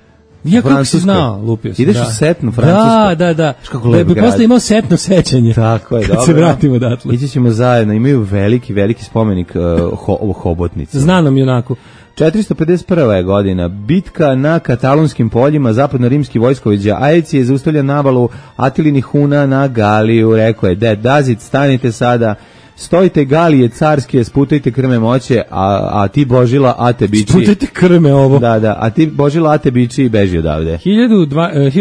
Ja kako si Francuskoj. znao, lupio sam. Ideš da. u setnu Francusku. Da, da, da. Kako Da lep bi grad. posle imao setno sećanje. Tako je, kad dobro. se vratimo odatle. Ići ćemo zajedno, imaju veliki, veliki spomenik uh, ho, hobotnici. Znanom junaku. četiristo pedeset prva je godina, bitka na katalonskim poljima, zapadno-rimski vojskovođa Ajeci je zaustavlja navalu Atilinih Huna na Galiju, rekao je, Ded Dazit, stanite sada, stojite Galije carske, sputajte krme moće, a, a ti Božila, a te bići. Sputajte krme ovo. Da, da, a ti Božila, a te bići i beži odavde. hiljadu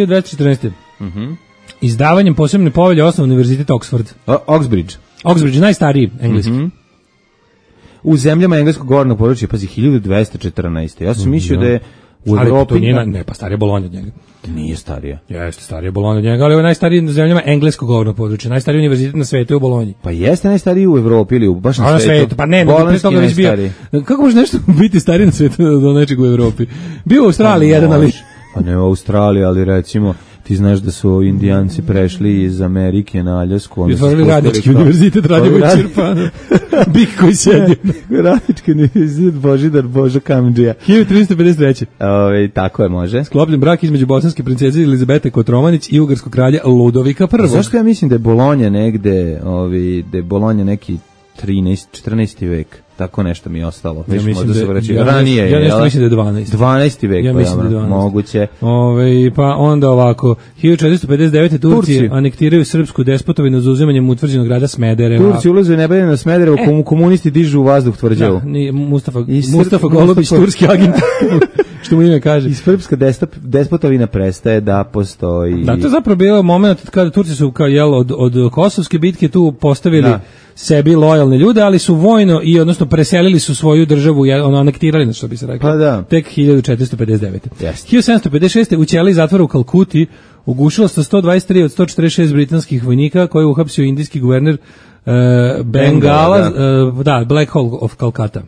dvesta četrnaeste. Mhm. Izdavanjem posebne povelje osnovan Univerzitet Oxford. O, Oxbridge. Oxbridge, najstariji engleski. Mhm. U zemljama engleskog govornog područja, pazi, hiljadu dvesta četrnaeste. Ja sam mislio da je u Ali Evropi... to nije, na- ne, pa starije Bolonja od njega. Nije starija. Jeste, starije Bolonja od njega, ali ovo je najstariji na zemljama engleskog govornog područja. Najstariji univerzitet na svetu je u Bolonji. Pa jeste najstariji u Evropi ili u, baš A na na svetu? svetu, pa ne, nego pre Bolonjski toga već bio. najstariji. Kako može nešto biti stariji na svetu do nečeg u Evropi? Bio u Australiji jedan, ali... Pa ne u Australiji, ali recimo ti znaš da su Indijanci prešli iz Amerike na Aljasku. I onda su otvorili spustili radnički kao- univerzitet Radivoj Radi- Čirpana. Bik koji sedi. Radnički univerzitet Božidar Božo Kamdžija. hiljadu tristo pedeset treće. Ove, tako je, može. Sklopljen brak između bosanske princeze Elizabete Kotromanić i ugarskog kralja Ludovika A prvog. zašto ja mislim da je Bolonja negde, ovi, da je Bolonja neki trinaesti, četrnaesti vek? Tako nešto mi je ostalo. Ja Viš, mislim možda da se je- vraća. ja Ranije nešto- ja je, nešto jel? mislim da je dvanaesti. dvanaesti vek, Ja pa mislim da je dobro, dvanaesti. moguće. Ove, pa onda ovako, hiljadu četiristo pedeset devete. Turci, Turci. anektiraju srpsku despotovinu za uzimanjem utvrđenog grada Smedereva. Turci ulaze u nebeljeno Smederevo, komu- komunisti dižu u vazduh tvrđavu. Da, ni Mustafa, I Srp- Mustafa Golubić, Mustafa- turski agent, što mu ime kaže. I srpska destop, despotovina prestaje da postoji. Da, to je zapravo bilo moment kada Turci su kao jel od od Kosovske bitke tu postavili Da. sebi lojalne ljude, ali su vojno i odnosno preselili su svoju državu, jel, ono anektirali, na što bi se reklo. Pa da. Tek hiljadu četiristo pedeset devete. Jeste. hiljadu sedamsto pedeset šeste. u ćeliji zatvora u Kalkuti ugušilo se sto dvadeset tri od sto četrdeset šest britanskih vojnika koje je uhapsio indijski guverner uh, Bengala, Bengala, uh, da, Black Hole of Calcutta.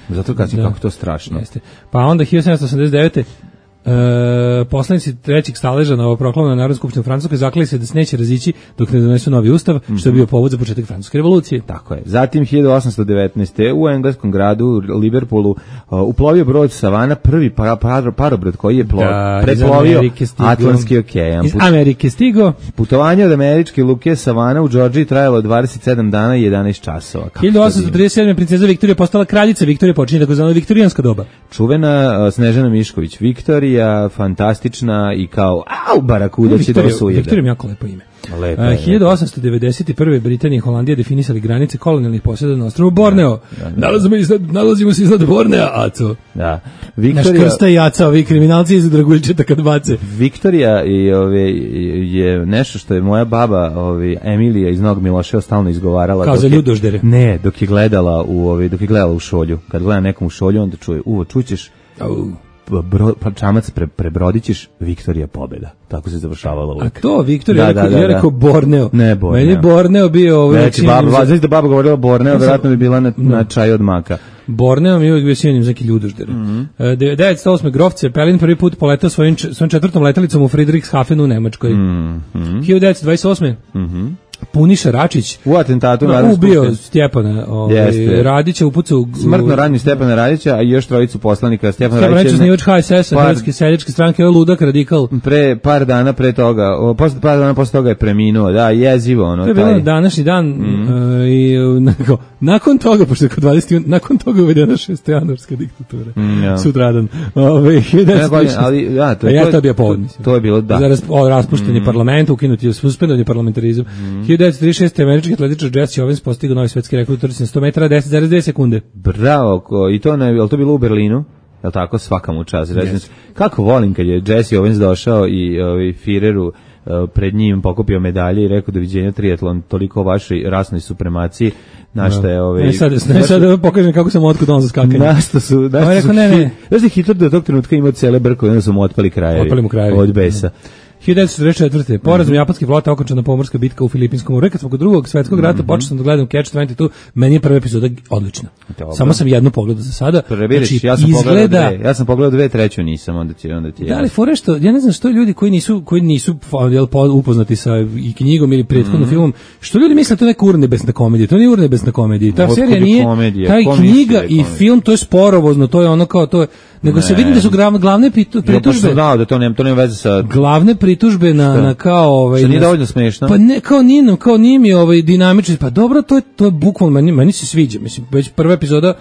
Zato kažem Da. kako to strašno. Jeste. Pa onda hiljadu sedamsto osamdeset devete. E, poslanici trećeg staleža novoproklamljene Narodne skupštine Francuske zakleli se da se neće razići dok ne donesu novi ustav, što je bio povod za početak francuske revolucije. Tako je. Zatim hiljadu osamsto devetnaeste. u engleskom gradu Liverpoolu uh, uplovio brod Savana, prvi para, para, parobrod koji je plo, Da, iz preplovio Amerike stigo. Atlantski okean. Iz Put- Amerike stigo. Putovanje od američke luke Savana u Džordžiji trajalo dvadeset sedam dana i jedanaest časova. Kako hiljadu to osamsto divno. trideset sedme. princeza Viktorija postala kraljica. Viktorija počinje takozvano viktorijansko doba. Čuvena uh, Snežana Mišković, Viktorija, fantastična i kao, au, barakuda će da Viktorija, vas ujede. Viktorija mi jako lepo ime. Lepo Uh, je, hiljadu osamsto devedeset prve. Britanija i Holandija definisali granice kolonijalnih posjeda na ostrvu Borneo. Nalazimo, iznad, nalazimo se iznad Bornea, Aco. Da. Naš Viktorija, krsta i Aca, ovi kriminalci iz Draguljčeta kad bace. Viktorija i ove je nešto što je moja baba, ove Emilija iz Novog Miloševa stalno izgovarala. Kao dok za je- ljudoždere. Ne, dok je gledala u ove dok je gledala u šolju. Kad gleda nekom u šolju, onda čuje, uvo, čućeš Au. bro, pa čamac pre, prebrodićeš, Viktorija pobeda. Tako se završavalo A uvijek. to, Viktorija, Da, ja rekao, da, da, ja rekao da. Borneo. Ne, Borneo. Meni je Borneo bio ovo. Znači, baba, znači da baba govorila Borneo, Ja sam- vjerojatno bi bila na, na čaj od maka. Borneo mi je uvijek bio sinonim za neki ljudožder. Mhm. E, devetsto osme. Grof Cepelin prvi put poletao svojim, č- svojom četvrtom letelicom u Friedrichshafenu u Nemačkoj. Mhm. hiljadu devetsto dvadeset osme. Puniša Račić U atentatu no, Narodne ubio skupštine. Stjepana ovaj, Jeste. Radića, upucao u- Smrtno ranio Stjepana Radića, a i još trojicu poslanika. Stjepan Stjepan Radić Radić, je osnivač H S S-a, par- Hrvatske seljačke stranke, ovo ludak radikal. pre par dana pre toga, o, posle par dana posle toga je preminuo. Da, jezivo ono To je bilo taj. današnji dan Mhm. e, i e, nakon, nakon toga, pošto je kod dvadeset juna, nakon toga je uvedena šestojanuarska diktatura. Mm, ja. Sutradan. Ove, hiljadu devetsto trideset šeste. ali da, to A je ja to, to je bio povod, mislim. To je bilo da. Za ras, o, raspuštanje parlamenta, ukinuti je suspendovanje parlamentarizam. hiljadu devetsto trideset šeste. američki atletičar Jesse Owens postigao novi svetski rekord u trci na sto metara, deset zarez dve sekunde. Bravo, ko, i to ne, je li to bilo u Berlinu? Je li tako, svaka mu čast. Yes. Kako volim kad je Jesse Owens došao i ovaj Fireru uh, pred njim pokupio medalje i rekao doviđenja triatlon, toliko o vašoj rasnoj supremaciji, na šta je ovaj... Ne sad, ne sad da pokažem kako sam otkud on za skakanje. Na što su... Na On je što su rekao, ne, ne. Znaš da je Hitler do tog trenutka imao cele brkove, onda su mu otpali krajevi. Otpali mu krajevi. Od besa. hiljadu devetsto četrdeset četvrte. Porazom japanske flote okončana pomorska bitka u Filipinskom moru. Kad smo kod drugog svetskog rata počeo sam da gledam Catch dvadeset dva, meni je prva epizoda odlična. Dobro. Samo sam jednu pogledao za sada. Previdiš, Znači, ja sam pogledao izgleda dve. Ja sam pogledao dve, treću nisam, onda ti onda ti. Da, ali jasno. fore što, ja ne znam što ljudi koji nisu, koji nisu jel, po- upoznati sa i knjigom ili prethodnim filmom, što ljudi misle da to je neka urnebesna komedija, to nije urnebesna komedija, ta Otkud serija je nije, komedija? taj Ko misli da knjiga je i komedija? film, to je sporovozno, to je ono kao, to je, nego Ne. se vidi da su gra- glavne pitu- Ja baš sam pritužbe, znao da to nema, to nema veze sa... glavne pritužbe na, Šta? na kao ovaj Što nije na- dovoljno smešno? Pa ne, kao nije, nam- kao nije mi ovaj dinamično, pa dobro, to je to je bukvalno meni, meni se sviđa, mislim već prva epizoda.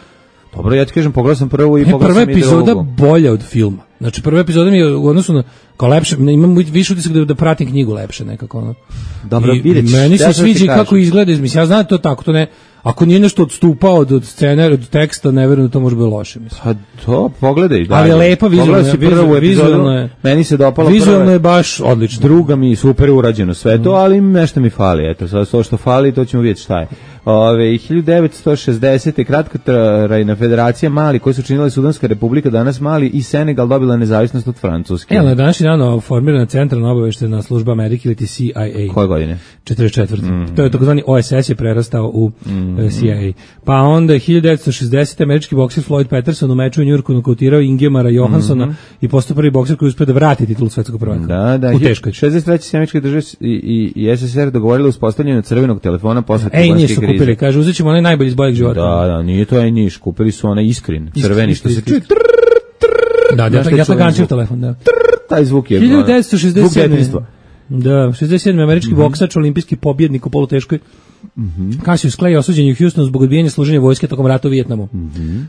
Dobro, ja ti kažem, pogledao sam prvu i E, pogledao prva sam i epizoda drugu. bolja od filma. Znači prva epizoda mi je u odnosu na kao lepše, ne, imam više utisak da, da pratim knjigu lepše nekako ono. Dobro, I vidjet ćeš, meni ja se sad ti sviđa i kako kažem. izgleda, mislim ja znam da to tako, to ne, ako nije nešto odstupao od, od scene, od teksta, ne verujem da to može biti loše, mislim. Pa to, pogledaj dalje. Ali je lepa vizualno, Pogledaj si prvu vizualno- epizodu, vizualno je- meni se dopalo Vizualno prva. je baš odlično. Druga mi super urađeno sve to, ali nešto mi fali. Eto, sad to što fali, to ćemo vidjeti šta je. Ove, hiljadu devetsto šezdesete kratkotrajna federacija Mali, koju su činile Sudanska republika, danas Mali i Senegal dobila nezavisnost od Francuske. E, na današnji dan formirana centralna obaveštena služba Amerike ili ti C I A. Koje godine? četrdeset četvrte. Mhm. To je takozvani O S S je prerastao u Mhm. eh, C I A. Pa onda hiljadu devetsto šezdesete američki bokser Floyd Patterson u meču u Njujorku nokautirao Ingemara Johanssona i postao prvi bokser koji uspio da vrati titulu svetskog prvaka. Mhm. Da, da. U teškoj. šezdeset treće se američke države i, i, i S S R dogovorili uspostavljanje crvenog telefona posle Ej, kubanske nisu krize. kupili, kaže, uzet ćemo onaj najbolji iz boljeg života. Da, da, nije to aj niš, kupili su onaj iskrin, crveni, što se iskrin, čuje, iskrin. Da, ja, Znaš taj ja čuveni tagančio zvuk? telefon, da. taj zvuk je... hiljadu devetsto zvuk šezdeset sedme. detinjstva. Da, šezdeset sedme američki Mhm. boksač, olimpijski pobjednik u poluteškoj. Cassius Clay osuđen je u Houstonu zbog odbijanja služenja vojske tokom rata u Vijetnamu.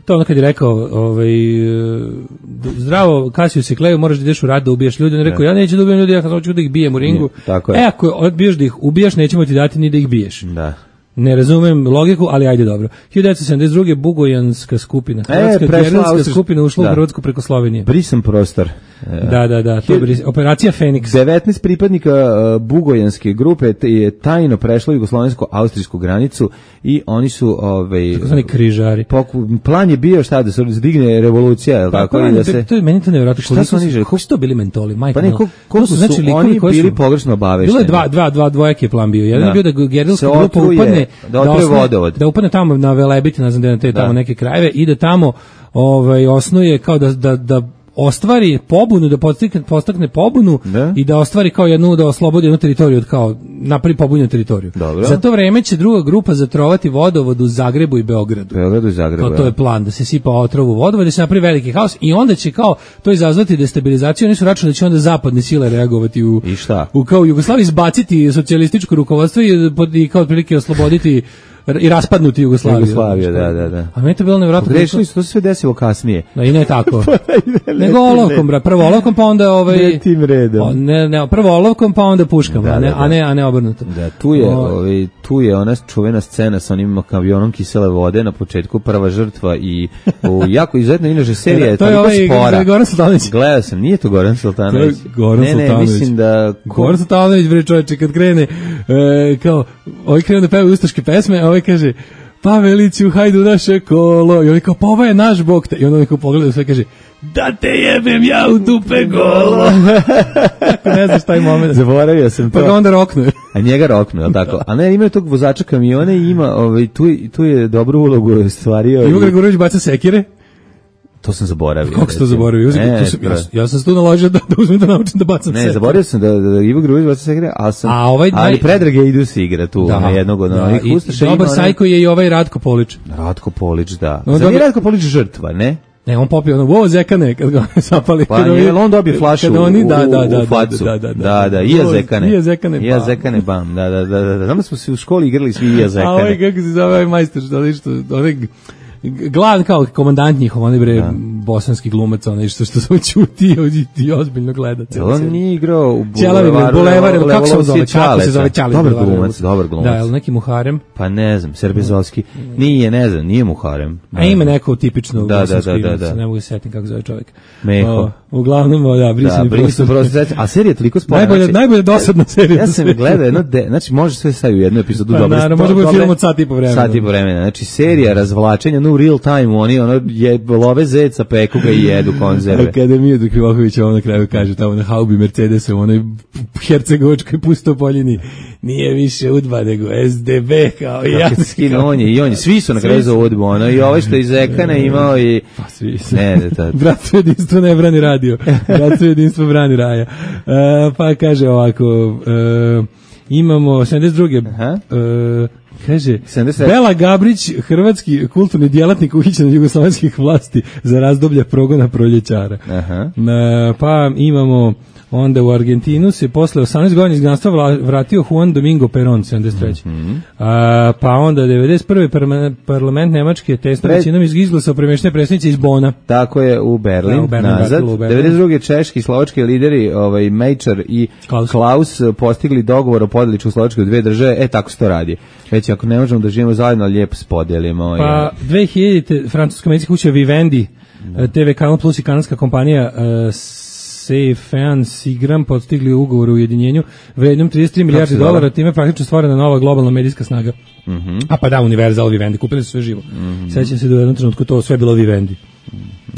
To je ono kad je rekao, ovaj, e, zdravo, Cassius Clay, moraš da ideš u rat da ubiješ ljude. On je rekao, ja neću da ubijem ljudi, ja hoću da ih bijem u ringu. Ne, tako je. E, ako odbiješ da ih ubijaš, nećemo ti dati ni da ih biješ. Da. Ne razumem logiku, ali ajde dobro. hiljadu devetsto sedamdeset druge. Bugojanska skupina. Hrvatska prešla geriljska Austriš- skupina ušla da. u Hrvatsku preko Slovenije. Brisan prostor. E, Da, da, da. To je bris- operacija Feniks. devetnaest pripadnika uh, bugojanske grupe te- je tajno prešlo jugoslovensko-austrijsku granicu i oni su ovaj Takozvani križari. poku- plan je bio šta da se zdigne revolucija, je li tako, Pa, i da to- se to je meni to nevjerojatno. Šta Koliko su oni želi? Kako su to bili mentoli, majka? Pa ne, mila. koliko- To koliko su likovi oni koji bili su- pogrešno obavešteni? Bilo je dva, dva, dva, dvojaki je plan bio. Jedan Da. je bio da gerilska Se grupa otruje, upadne, da otruje osnuje- vodovod. da upadne tamo na Velebit, ne znam gde na te tamo Da. neke krajeve, i da tamo ovaj, osnuje kao da, da, da ostvari pobunu, da podstakne, postakne pobunu Da. i da ostvari kao jednu, da oslobodi jednu teritoriju od kao, napravi pobunjenu teritoriju. Dobro. Za to vreme će druga grupa zatrovati vodovod u Zagrebu i Beogradu. Beogradu i Zagrebu. Kao to je plan, da se sipa otrov u vodovod, da se napravi veliki haos i onda će kao to izazvati destabilizaciju, oni su računali da će onda zapadne sile reagovati u, I šta? u kao u Jugoslaviji izbaciti socijalističko rukovodstvo i, pod- i kao otprilike osloboditi r- i raspadnuti Jugoslaviju. Jugoslavija, da, da, da. A meni je to bilo nevjerojatno. Pogrešili su, to se sve desilo kasnije. Da, i ne tako. Ne Nego tim olovkom, bra, prvo olovkom, pa onda ovaj Ne tim redom. O, ne, ne, prvo olovkom, pa onda puškama, Da, a ne, da, da. a ne, a ne obrnuto. Da, tu je, O, ovaj, tu je ona čuvena scena sa onim avionom kisele vode na početku, prva žrtva i u jako izuzetno inače serija je To je toliko ovaj spora. Goran Sultanović. Gledao sam, nije to Goran Sultanović. To je Goran ne, ne, Sultanović. mislim da... Goran Sultanović, bre čovječe, kad krene, e, kao, ovaj krene da peva ustaške pesme, a ovaj kaže, Paveliću, hajdu naše kolo, i oni kao, pa ovo je naš bog, te. I onda oni kao pogledaju sve, kaže, da te jebem ja u dupe golo. Ako ne znaš taj moment. Zaboravio sam to. Pa ga onda roknu. A njega roknu, je li tako? A ne, ima tog vozača kamiona i ima, ovaj, tu, tu je dobru ulogu stvario. Ivo i- Gregorović baca sekire. To sam zaboravio. Kako si to recimo. zaboravio? Uzim, Ne, to sam, ja, to- ja sam se tu naložio da, da uzmem da naučim da bacam Ne, sekire. zaboravio sam da, da, da Ivo Grujić baca se igra, ali sam, A ovaj ali naj- Predrag je idu se igra tu, na jednog od da, onih i- ustaša. i Dobar ima onaj- sajko je i ovaj Ratko Polić. Ratko Polić, da. No, Zar nije dobro- Ratko Polić žrtva, ne? Ne, on popio ono, wo, zekane, kad ga zapali. Pa kad nije, ovi- jel on dobije flašu kad oni, u, da, da, u, da, u facu. Da, da, da, da, i ja Wo, zekane. I ja zekane, I ja bam. zekane, bam, da, da, da, da, da. Znam da smo se u školi igrali svi i ja A ovaj, zekane. kako se zove ovaj majster, što, onaj što, onaj g- glavan kao komandant njihov, onaj bre, bosanski glumac, onaj što, što samo ćuti i, i ozbiljno gleda. Jel on nije igrao u Ćelavi, bre, Bulevar, ili kako se on zove, Levolovci kako se Čaleta? zove, Ćale. Dobar Bulevar, glumac, dobar glumac. Da, jel neki Muharem? Pa ne znam, Serbezovski. Nije, ne znam, nije Muharem. A ima neko tipično Da, da, bosansko da, ime, da, da. se ne mogu se setiti kako zove čovjek. Meho. O, uglavnom, o, da, Da, brisani brisam prostor. prosto. A serija je toliko spora. Najbolja, znači, najbolja dosadna serija. Ja na sam svijetu. gledao jedno, de, znači može sve staviti u jednu epizodu. Pa, dobro, naravno, može biti film od sat i po vremena. Sat i po vremena. Znači serija razvlačenja, no u real time, oni ono je love zeca, peku ga i jedu konzerve. Akademija do Krivokovića on na kraju kaže tamo na haubi Mercedesom, onoj hercegovačkoj pustopoljini, nije više udba nego S D B kao i ja. Kako se skinu, on je i on je, svi su na kraju za udbu, ono, i ovaj što je iz Ekana imao i... Pa svi se. Ne, ne, to... Bratstvo jedinstvo ne brani radio. Bratstvo jedinstvo brani raja. E, pa kaže ovako, e, imamo sedamdeset druge Aha. E, Kaže, sedamdeset Bela Gabrić, hrvatski kulturni djelatnik uhićen od jugoslovenskih vlasti za razdoblje progona proljećara. Aha. E, pa imamo onda u Argentinu se posle osamnaest godina izgnanstva vla- vratio Juan Domingo Perón, sedamdeset treće. Mm-hmm. A, pa onda devedeset prve parma- parlament Nemačke testom Pred- većinom izglasao premještene predsjednice iz Bona. Tako je u Berlin, Da, u Berlin nazad. vratilo u Berlin. devedeset druge češki i slovački lideri, ovaj Mejčar i Klaus. Klaus, postigli dogovor o podeli Češkoslovačke u dve države. E, tako se to radi. Već ako ne možemo da živimo zajedno, lijepo spodelimo. Pa dve hiljadite francuska medicinska kuća Vivendi, T V Kanal Plus i kanadska kompanija uh, Sefean Sigram postigli ugovor o ujedinjenju vrednom trideset tri milijarde se zove? dolara, time je praktično stvorena nova globalna medijska snaga. Mhm. A pa da, Universal Vivendi, kupili su sve živo. Mhm. Sećam se da u jednom trenutku to sve bilo Vivendi.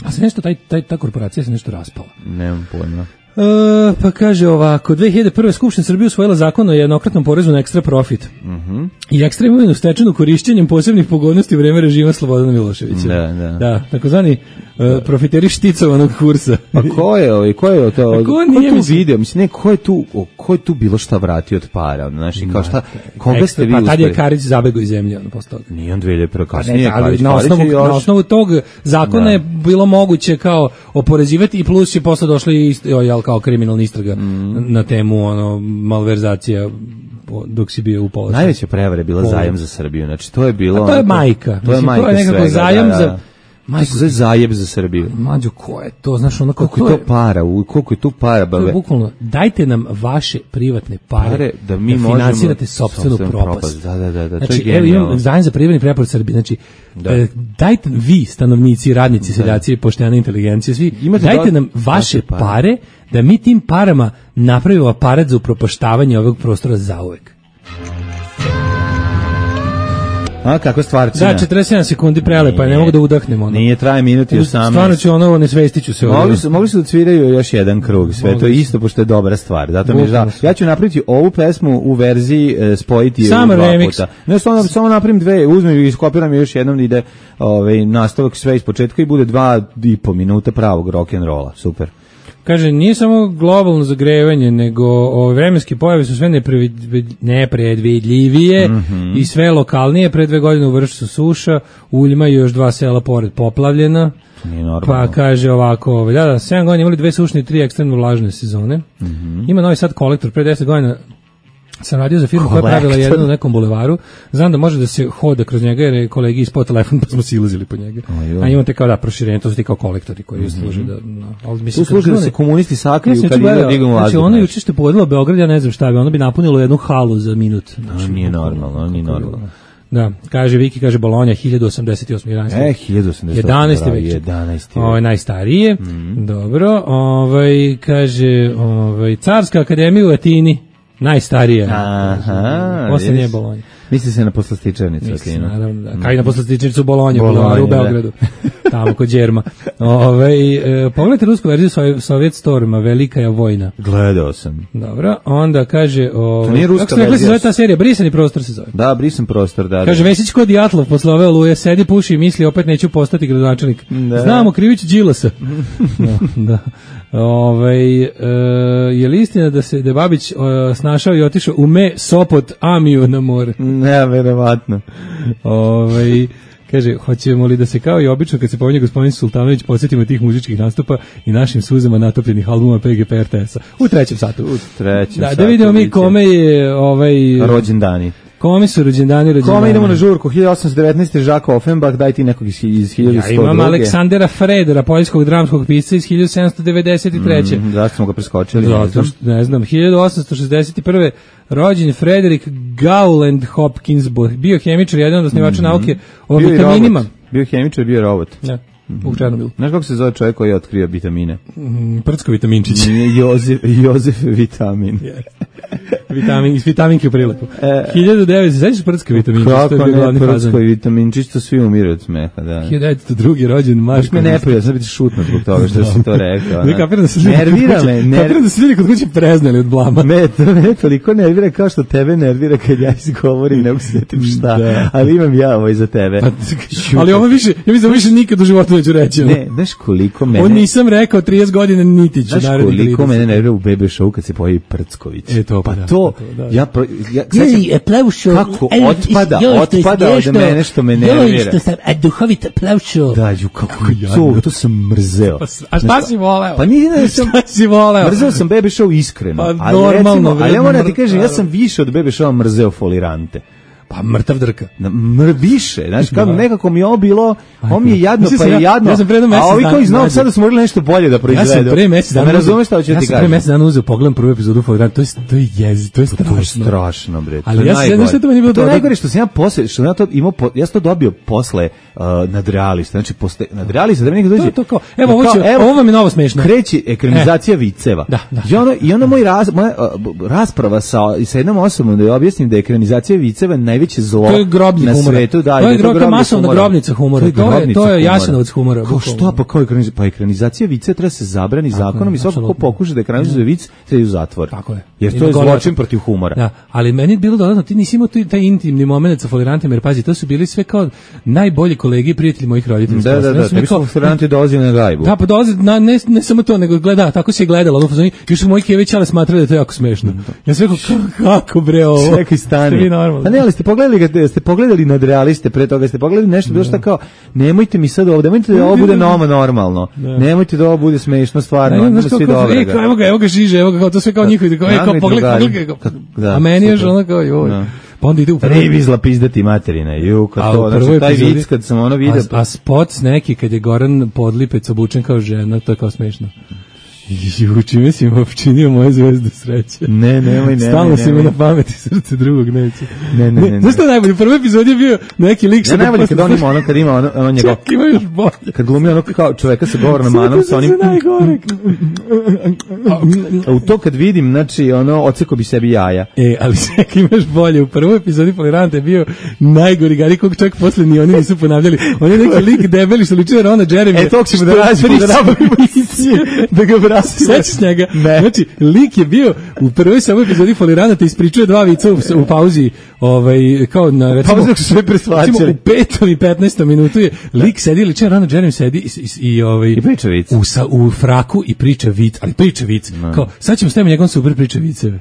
A se nešto, taj, taj, ta korporacija se nešto raspala. Nemam pojma. E, pa kaže ovako, dve hiljade prve Skupština Srbije usvojila zakon o jednokratnom porezu na ekstra profit. Mhm. I ekstra imovinu stečenu korišćenjem posebnih pogodnosti u vreme režima Slobodana Miloševića. Da, da. Da, takozvani uh, profiteri šticovanog kursa. Pa ko je ovaj, ko je to? Pa ko ko nije, tu mislim? video? Mislim, ne, ko je tu, o, ko je tu bilo šta vratio od para? Znači, kao šta, koga Ekstra- ste vi Pa tad je uspeli? Karić zabegao iz zemlje, ono, posle toga. Nije on dve hiljade prve Pa ne, kasnije, ali Karić, na, Karić osnovu, je još... na osnovu tog zakona Da. je bilo moguće kao oporezivati i plus je posle došli ist, o, jel, kao kriminalna istraga Mm. na temu ono, malverzacija po- dok si bio u položaju. Najveća prevara je bila Pol- zajam za Srbiju. Znači, to je bilo... A to je onako- majka. To je Mislim, majka to je nekako svega, zajam da, da. za- Majko, to je zajeb za Srbiju. Mađo, ko je to? Znaš, ono kao, Koliko je to para? u- Koliko je tu para? To je Bave? bukvalno, dajte nam vaše privatne pare, Pare da mi možemo- finansirate sopstvenu sopstvenu propast. propast. Da, da, da, da, to je Znači, evo genijalno. imam zajem za privatni preporod Srbije. Znači, Da. e, dajte vi, stanovnici, radnici, seljaci, poštena inteligencija, svi, Imate dajte do- nam vaše vaše pare. pare da mi tim parama napravimo aparat za upropaštavanje ovog prostora zauvek. A, kako stvarcina? Da, četrdeset sedam sekundi prelepa, ne Nije. mogu da udahnem ono. Nije, traje minut i osamnaest. Stvarno ću ono, nesvestiću se. Mogli ovdje. su, mogli su da cviraju još jedan krug, sve to Mogli su. isto, pošto je dobra stvar. Zato mi je žao. Bukvalno su. Ja ću napraviti ovu pesmu u verziji e, spojiti je u Samo dva remix. puta. Ne, samo, samo napravim dve, uzmem i iskopiram je još jednom da ide ovaj, nastavak sve iz početka i bude dva i po minuta pravog rock'n'rolla. Super. Kaže, nije samo globalno zagrevanje, nego ove vremenske pojave su sve neprevid- nepredvidljivije Mhm. i sve lokalnije. Pre dve godine u Vršcu suša, u Uljima i još dva sela pored poplavljena. Nije normalno. Pa kaže ovako, ovaj, da, da, sedam godina imali dve sušne i tri ekstremno vlažne sezone. Mhm. Ima Novi Sad kolektor, pre deset godina sam radio za firmu koja je pravila Kolektor. jednu u nekom bulevaru. Znam da može da se hoda kroz njega jer je kolegi ispao telefon pa smo silazili po njega. Ajoj. A imate kao da proširenje, to su ti kao kolektori koji služe da... No, ali mislim, Tu služi kad da se čune- komunisti sakriju Ja sam kad juče ide gledao, dignu znači vazduh. ono znaš. juče što je pogodilo Beograd, ja ne znam šta bi, ono bi napunilo jednu halu za minut. Znači, A, nije bukvalno, normalno, ono nije kako normalno. bilo. Da, kaže Viki, kaže Bolonja, hiljadu osamdeset osam. E, hiljadu osamdeset osam. jedanaesti već. jedanaesti Ovo je najstarije. Mhm. Dobro, ovaj, kaže, ovaj, Carska akademija u Atini, najstarija. Aha, Posle nije vidiš. Bolonja. Misli se na poslastičarnicu. Mislim, Atinu. naravno, da. Kao i na poslastičnicu u Bolonji, u Bolonji, Bulevaru u da. Beogradu, tamo kod Đerma. Ove, e, pogledajte rusku verziju Sov- Sovjet Storma, Velika je vojna. Gledao sam. Dobro, onda kaže... O, To nije ruska kako ste rekli se verzija. zove ta serija? Brisani prostor se zove. Da, brisam prostor, da. Kaže, da. Vesić kod Jatlov posle ove oluje, sedi, puši i misli, opet neću postati gradonačelnik. Da. Znamo, Krivić Đilasa. da, da. Ove, e, je li istina da se da je Babić e, snašao i otišao u Me, Sopot, Amiju na more? Ne, verovatno. Ove, kaže, hoćemo li da se kao i obično kad se pominje gospodin Sultanović podsjetimo tih muzičkih nastupa i našim suzama natopljenih albuma P G P R T S-a u trećem satu. U trećem Da, da satu vidimo mi biće kome je ovaj rođendani. kome su rođendani rođendani. Kome idemo na žurku? hiljadu osamsto devetnaeste. Žako Offenbach, daj ti nekog iz, iz hiljadu sto Ja druge. imam Aleksandera Fredera, poljskog dramskog pisca iz hiljadu sedamsto devedeset treće. Mm, zašto smo ga preskočili? ne Zato znam. što, ne znam, hiljadu osamsto šezdeset prve rođen Frederick Gowland Hopkins, bio hemičar, jedan od osnivača nauke o Bio i vitaminima. robot. Bio hemičar, bio robot. Da, u Černobilu. Znaš kako se zove čovjek koji je otkrio vitamine? Mm, Prcko vitaminčić. Nije Jozef, Jozef Vitamin. Vitamin, iz vitaminke u prilepu. E, hiljadu devetsto, znaš Prcko vitaminčić? to je Kako bio ne, glavni Prcko fazon. i Vitamin, čisto svi umiru od smeha, da. hiljadu devetsto drugi rođen Baš Marko. me ne prija, sad biti šutno zbog toga što si to rekao. Ne da. kapiram da se ljudi Nervira kod me, kuće- nervira kapiram da se ljudi kod kuće preznali od blama. Me, to me toliko nervira kao što tebe nervira kad ja izgovorim, ne mogu se sjetim šta, Da. ali imam ja ovo iza tebe. Pa, ali ovo više, ja mislim da više nikad u životu neću reći. ono. Ne, znaš koliko mene... On nisam rekao trideset godina niti ću Znaš narednih koliko trideset. mene nervira u Bebe Show kad se pojavi Prcković. E, to pa da. to to, da. ja, pro- ja Joj, e, Plavšo, kako e, otpada, joj, što je otpada od smiješno, mene što me joj, nervira. što sam, a duhovita Plavšo. Da, ju, kako to, to sam mrzeo. A šta si voleo? Pa nije da sam, Šta si voleo? mrzeo sam Bebe Show iskreno. Pa ali normalno, recimo, bre, ali ja moram da ti mr- kažem, ja sam više od Bebe Showa mrzeo folirante. Pa mrtav drka. Na, mr, više, znači kako Da. nekako mi je ovo bilo, ovo mi je jadno Mislim pa sam je ja- jadno, ja sam pre jedno a mesec ovi dana kao iz Novog mlađe. Sada su morali nešto bolje da Ja proizvedu. sam pre mesec Da dana me uzeo- razumeš šta hoću ja ti sam pre kažem. mesec dana uzeo, pogledam prvu epizodu Folirant, to je, to je jezi, to je To je strašno. strašno, bre. To Ali je ja se- najgore. znaš šta to meni bilo To je dobro? najgore što sam ja posle, što sam ja to imao, po- ja sam to dobio posle uh, nadrealista. Znači, posle nadrealista, da mi neko dođe... To je to kao, evo, ovo kao, će- ovo vam je novo smešno. Kreće ekranizacija viceva. Da, da. I ono, i ono moj raz, moja uh, b- rasprava sa, sa jednom osobom da je objasnim da je ekranizacija viceva najveće zlo To je grobnik na humora. svetu. Da, To je i da gro- to je grobnik masovna humora. grobnica humora. To je- grobnica to je humora. Jasenovac humora, Kao bukvalno. što, pa kao ekranizacija, pa ekranizacija vice treba se zabrani zakonom i svako ko apsolutno. pokuša da ekranizuje vic, sve u zatvor. Tako je. Jer I to je na gole- zločin protiv humora. Da, ali meni je bilo dodatno, ti nisi imao tu- taj intimni moment sa Folirantima, jer pazi, to su bili sve kao najbolji kolege i prijatelji mojih roditelja. Da, da, da, tebi su Foliranti dolazili na gajbu. Da, pa dolazi, na, ne, ne samo to, nego gleda, tako se je gledalo, ono, fazoni, još su moji kevići, ali smatrali da je to jako smešno. Ja sam rekao, "Ka- kako bre ovo? Čekaj, stani. Ste vi normalni?" Pa ne, ali ste pogledali ga, ste pogledali nadrealiste pre toga, ste pogledali nešto bilo šta kao, nemojte mi sad ovde, nemojte da ovo bude novo normalno. Nemojte da ovo bude smešno stvarno, Ne, ima znaš, kao, svi kao, dobro. e, kao, evo ga, evo ga žiže, evo ga, kao to sve kao njihovi, kao, e, kao, Nagli pogledaj, drugari. pogledaj, kao, Da, a meni je super. ono kao, joj. Da. Pa onda ide u prvi- Revizla pizdati materina, ju, kad A to, u znači, prvoj taj epizodi- vic kad sam ono vidio, A, a spot s neki kad je Goran Podlipec obučen kao žena, to je kao smešno. Ju, čime si im opčinio moje zvezde sreće. Ne, nemoj, nemoj, Stalno si mi nemoj. na pameti, srce drugog neće. Ne, ne, ne, ne. Znaš što je najbolje? U prvoj epizodi je bio neki lik ja sa... najbolje kad on ima ono, kad ima ono, ono njegov, Čak, ima još bolje. kad glumi ono kao čoveka sa govornom manom, sa onim, Sve najgore. a u to kad vidim, znači, ono, oceko bi sebi jaja. E, ali čekaj, imaš bolje. U prvoj epizodi Foliranta je bio najgori gari kog čak posle ni oni nisu ponavljali. On je neki lik debeli što liči na Rona Jeremy. E, tog ćemo da nađemo, da nabavimo da ga vratimo. Sećaš njega? Ne. Znači, lik je bio u prvoj samoj epizodi Folirana te ispričuje dva vica u, u pauzi, ovaj, kao na, recimo, Pauzi dok su sve presvačali. recimo u petom i petnaestom minutu je lik sedi, liči na Rona Jeremy, sedi i, i, i, ovaj, I priča vic. u, sa, u fraku i priča vic, ali priča vic. Kao, sad ćemo staviti njegov super priča viceve.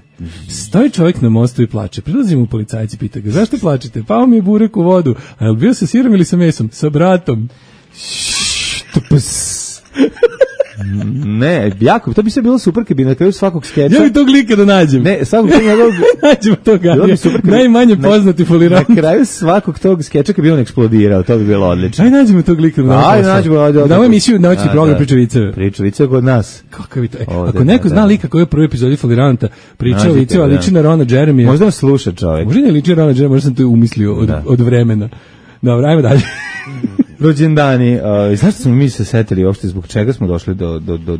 Stoji čovjek na mostu i plače. Prilazi mu policajci, pita ga, zašto plačete? Pao mi je burek u vodu. A jel bio sa sirom ili sa mesom? Sa bratom. Ne, jako, to bi se bilo super kad bi na kraju svakog skeča. Ja bi tog lika da nađem. Ne, svakog tog njegovog... Nađemo tog Bilo bi super kad bi- najmanje na- poznati Folirant. Na kraju svakog tog skeča kad bi on eksplodirao, to bi bilo odlično. Aj nađemo tog lika da nađemo. Ajde, nađemo, ajde, ajde. Da ovo emisiju noćni Da, program da. priča viceve. Priča viceve kod nas. Kakav je to? E, Ovde, ako neko da, zna da. lika koji je u prvoj epizodi Foliranta pričao Nađite viceva, ga, da. liči na Rona Jeremy. Možda nas sluša čovjek. Možda ne liči na Rona Jeremy, možda sam to umislio od, Da. od vremena. Dobro, ajmo dalje. Rođendani, uh, znaš što smo mi se setili uopšte zbog čega smo došli do, do, do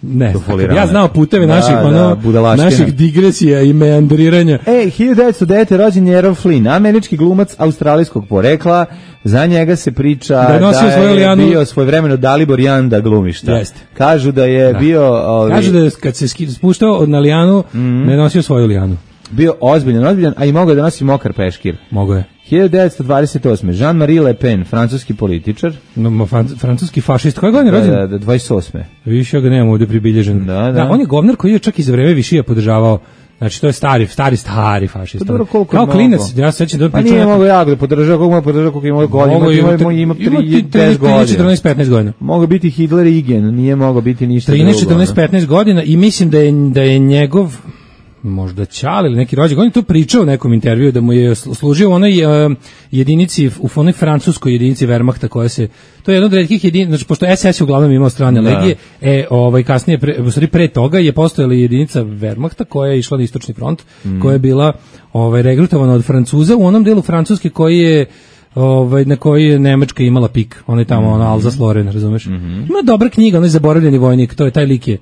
Ne, do znam, Folirana. ja znao puteve Da, naših, da, ono, budalaština. naših digresija i meandriranja. E, hiljadu devetsto devete. rođen je Errol Flynn, američki glumac australijskog porekla. Za njega se priča Da je nosio svoju je lijanu. bio svojevremeno Dalibor Janda glumišta. Jeste. Kažu da je Da. bio ovi, Kažu da je kad se ski- spuštao od na lijanu, Mhm. ne nosio svoju lijanu. bio ozbiljan, ozbiljan, a i mogao je da nosi mokar peškir. Mogo je. hiljadu devetsto dvadeset osme. Jean-Marie Le Pen, francuski političar. No, ma, fran- francuski fašist. Koje godine je Da, rođen? da, da, dvadeset osme. Više ja ga nemam ovdje pribilježen. Da, da. on je govnar koji je čak i za vreme Višija podržavao. Znači, to je stari, stari, stari fašista. Pa dobro, koliko Kao je klinac, mogao? ja se sećam da on Pa pričao nije nekom- mogao jako da podržava, koliko ima podržava, koliko ima godina, Mogao ima, je ima, ima, ima ti trideset godina. četrnaest petnaest godina. Mogao biti Hitler i Igen, nije mogao biti ništa trinaest drugo. četrnaest ono. petnaest godina i mislim da je, da je njegov možda Ćale ili neki rođak, on je to pričao u nekom intervjuu da mu je sl- služio u onoj uh, jedinici, u onoj francuskoj jedinici Wehrmachta koja se, to je jedna od retkih jedinica, znači pošto es es je uglavnom imao strane Da. legije, e, ovaj, kasnije, pre, u stvari pre toga je postojala jedinica Wehrmachta koja je išla na istočni front, Mm. koja je bila ovaj, regrutovana od Francuza u onom delu Francuske koji je ovaj na koji je Nemačka imala pik, on je tamo, Mhm. ono Alsace-Lorraine, razumeš? Ima dobra knjiga, onaj zaboravljeni vojnik, to je taj lik je.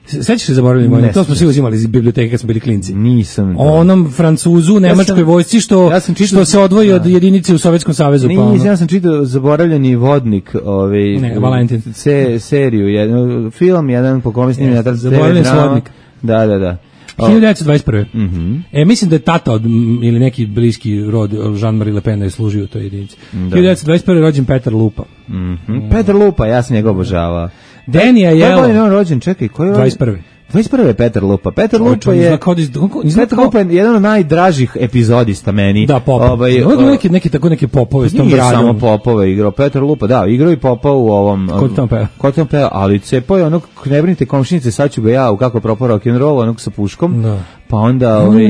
Sećaš se zaboravljeni vojnik? To smo svi uzimali iz biblioteke kad smo bili klinci. Nisam. da. O onom Francuzu, nemačkoj sam- vojsci što, ja sam čitao- što se odvoji od da. jedinice u Sovjetskom savezu. Pa Nisam, ono. ja sam čitao zaboravljeni vodnik, ovaj, Ne, Valentin. Se, seriju, jedan, film, jedan po kome snimljen, Jeste, jedan Zaboravljeni te ve drama. svodnik. Da, da, da. O, hiljadu devetsto dvadeset prve. mhm. E, mislim da je tata od, m, ili neki bliski rod Jean-Marie Le Pen je služio u toj jedinici. hiljadu devetsto dvadeset prve. rođen Petar Lupa. Mhm. Petar Lupa, ja sam njega obožavao. Denija Koje godine je Jelo. on rođen? Čekaj, koji je rođen? dvadeset prve. dvadeset prve je Petar Lupa. Petar Lupa je Petar Lupa je jedan od najdražih epizodista meni. Da, pop. Ovaj, Ovo je neki, neki, tako neke popove s tom nije braljom. samo popove igrao. Petar Lupa, da, igrao i popa u ovom... Ko tam peva? Ko tam peva, ali cepao je onog, ne brinite komšinice, sad ću ga ja, u kako propao rock'n'roll, onog sa puškom. Da. Pa onda, ovaj,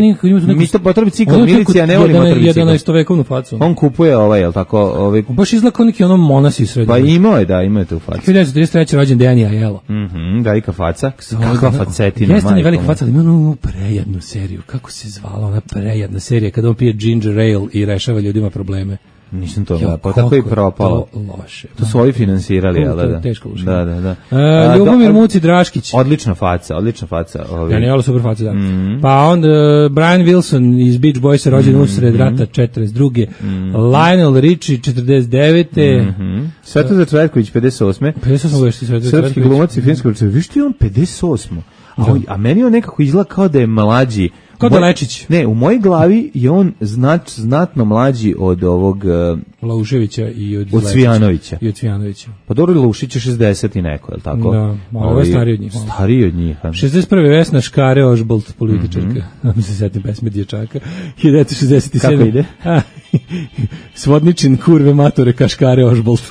mi to potra bicikl, milicija ne voli motor bicikl. jedanaestovekovnu facu. On kupuje ovaj, jel tako, ovaj... Baš izgleda kao neki ono monasi srednji. Pa imao je, da, imao je tu facu. hiljadu devetsto trideset treće rođen Dejan Ajelo. Mhm, velika faca. Kakva facetina, jeste mi velika faca, ali ima onu prejednu seriju. Kako se zvala ona prejedna serija kada on pije ginger ale i rešava ljudima probleme. Nisam to gledao, pa tako i propalo. To loše. To su ovi finansirali, jel da? Teško loše. Da, da, da. E, Ljubomir Muci Draškić. Odlična faca, odlična faca. Ovi. Ja, nije super faca, da. Mm-hmm. Pa onda uh, Brian Wilson iz Beach Boysa, rođen mm-hmm. usred rata četrdeset druge. Mm-hmm. Lionel Richie četrdeset devete. Mm-hmm. Svetozar Cvetković pedeset osme. pedeset osme godište Svetozar Cvetković. Srpski glumac i filmski režiser. Viš ti on pedeset osam. A, a meni on nekako izgleda kao da je mlađi. Kao da Lečić. Ne, u mojoj glavi je on znat, znatno mlađi od ovog... Uh, Lauševića i od, od Cvijanovića. I od Cvijanovića. Pa dobro, Laušić je šezdeset i neko, je li tako? Da, ovo je stariji od njih. Stariji od njih. šezdeset prve Vesna Škare Ožbolt, političarka. Mm -hmm. se setim pesme Dječaka. hiljadu devetsto šezdeset sedme. Kako ide? Svodničin kurve matore Kaškare Ožbolt.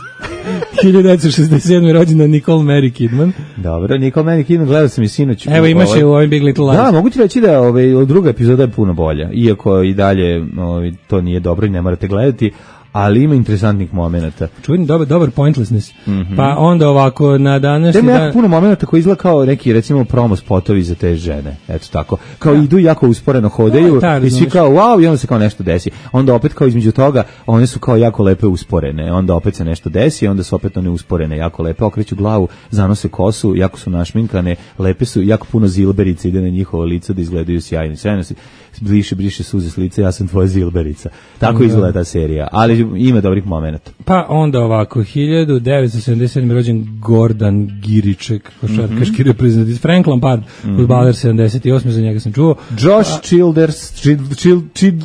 hiljadu devetsto šezdeset sedme rođena Nicole Mary Kidman. Dobro, Nicole Mary Kidman, gledao sam i sinoć. Evo imaš je u ovim Big Little Lies. Da, mogu ti reći da ovaj, druga epizoda je puno bolja, iako i dalje ovaj, to nije dobro i ne morate gledati, ali ima interesantnih momenata. Čujem dobar, dobar pointlessness. Mm -hmm. Pa onda ovako na današnji dan... Ima jako puno momenata koji izgleda kao neki, recimo, promo spotovi za te žene. Eto tako. Kao ja. Idu jako usporeno hodaju da, i svi kao wow, i onda se kao nešto desi. Onda opet kao između toga, one su kao jako lepe usporene. Onda opet se nešto desi, onda su opet one usporene, jako lepe. Okreću glavu, zanose kosu, jako su našminkane, lepe su, jako puno zilberica ide na njihovo lice da izgledaju sjajni. Sjajno se bliše, briše suze s lice, ja sam tvoja zilberica. Tako da. Izgleda ta serija. Ali ima dobrih momenata. Pa onda ovako, hiljadu devetsto sedamdeset sedme rođen Gordan Giriček, košarkaški mm -hmm. reprezentativ, Frank Lampard, mm -hmm. fudbaler sedamdeset osme, za njega sam čuo. Josh A, Childers, Childress,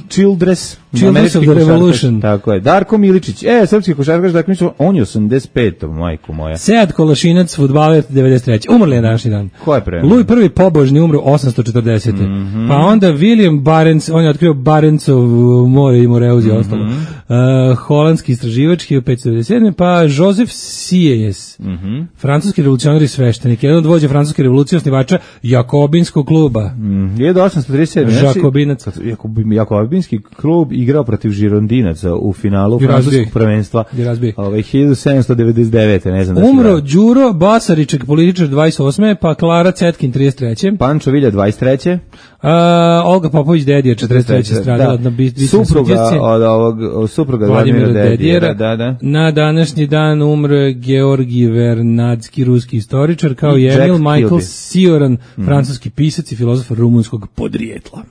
Childress, Childress of the Revolution. Tako je. Darko Miličić, e, srpski košarkaš, dakle, on je osamdeset pet, majko moja. Sead Kolašinac, fudbaler devedeset treće. Umrli je današnji dan. Ko je pre? Louis prvi pobožni umro osamsto četrdesete. Mm -hmm. Pa onda William Barents, on je otkrio Barentsov more i Moreuz i ostalo. Mm -hmm. uh, holandski istraživač hiljadu petsto devedeset sedme. Pa Joseph Sieyes, mm -hmm. francuski revolucionar i sveštenik, jedan od vođa francuske revolucije, osnivača Jakobinskog kluba. Mm, hiljadu osamsto trideset sedme. Jakobinac. Jakobinski klub igrao protiv Žirondinaca u finalu francuskog prvenstva. Ove, hiljadu sedamsto devedeset devete. Ne znam da umro Đuro Basariček, političar dvadeset osme. Pa Klara Cetkin trideset treće. Pančo Vilja dvadeset treće. Uh, Olga Popović Dedija četrdeset treće stradala na bitci supruga od ovog supruga Vladimira Dedijera, da, da. Na današnji dan umro Georgi Vernadski, ruski istoričar, kao i Emil Michael Cioran, mm. francuski pisac i filozof rumunskog podrijetla.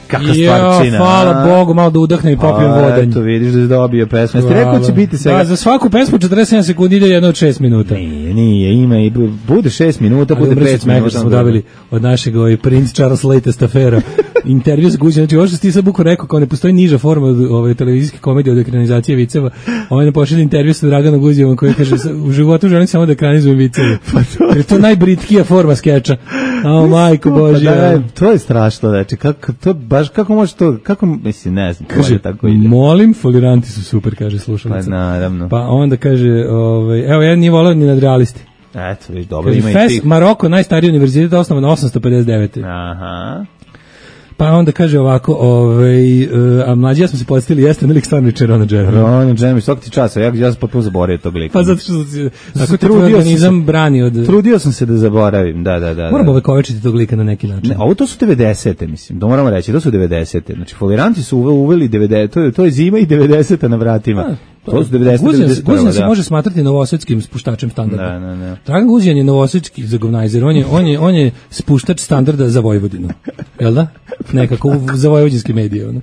Kakva stvarčina. Hvala Bogu, malo da udahnem i popijem vodanj. Eto, vidiš da je dobio pesmu. Jeste rekao će biti svega... Da, za svaku pesmu četrdeset sedam sekundi ide jedno od šest minuta. Nije, nije, ima i bude šest minuta, bude pet minuta. Što smo dobili od našeg ovaj, Prince Charles latest afera. Intervju s Guđenom, znači ovo što ti sad buko rekao, kao ne postoji niža forma od ove televizijske komedije od ekranizacije viceva. Ovaj ne pošalje intervju sa Draganom Guđevom koji kaže u životu želim samo da ekranizujem viceve. Pa to jer to najbritkija forma skeča. O majko Božja. Pa da, to je strašno, znači kako to baš kako može to, kako mislim, ne znam, kaže tako ide. Molim, foliranti su super, kaže slušalica. Pa naravno. Pa onda kaže, ovaj, evo ja nije volao ni nadrealisti. Eto, viš, dobro, ima i Fes, tih. Maroko, najstariji univerzitet, osnovan osamsto pedeset devete. Aha. Pa onda kaže ovako, ovaj, uh, a mlađi ja smo se podsjetili, jeste na lik stvarno Rona Jeremy. Rona Jeremy, svaki ti časa, ja, ja sam potpuno zaboravio tog lika. Pa zato što si, ako te tvoj organizam brani od... Trudio sam se da zaboravim, da, da, da. Moramo ovekovečiti tog lika na neki način. Ne, ovo to su devedesete, mislim, da moramo reći, to su devedesete. Znači, foliranti su uveli devedesete, to je, to je zima i devedeseta na vratima. A, to, to su devedesete, devedeset prva, Guzjan se može smatrati novosadskim spuštačem standarda. Da, da, da. Dragan Guzjan je novosadski zagovnajzer, on je, on je, on je spuštač standarda za Vojvodinu. Jel da? Nekako za vojvođanske medije. Ono.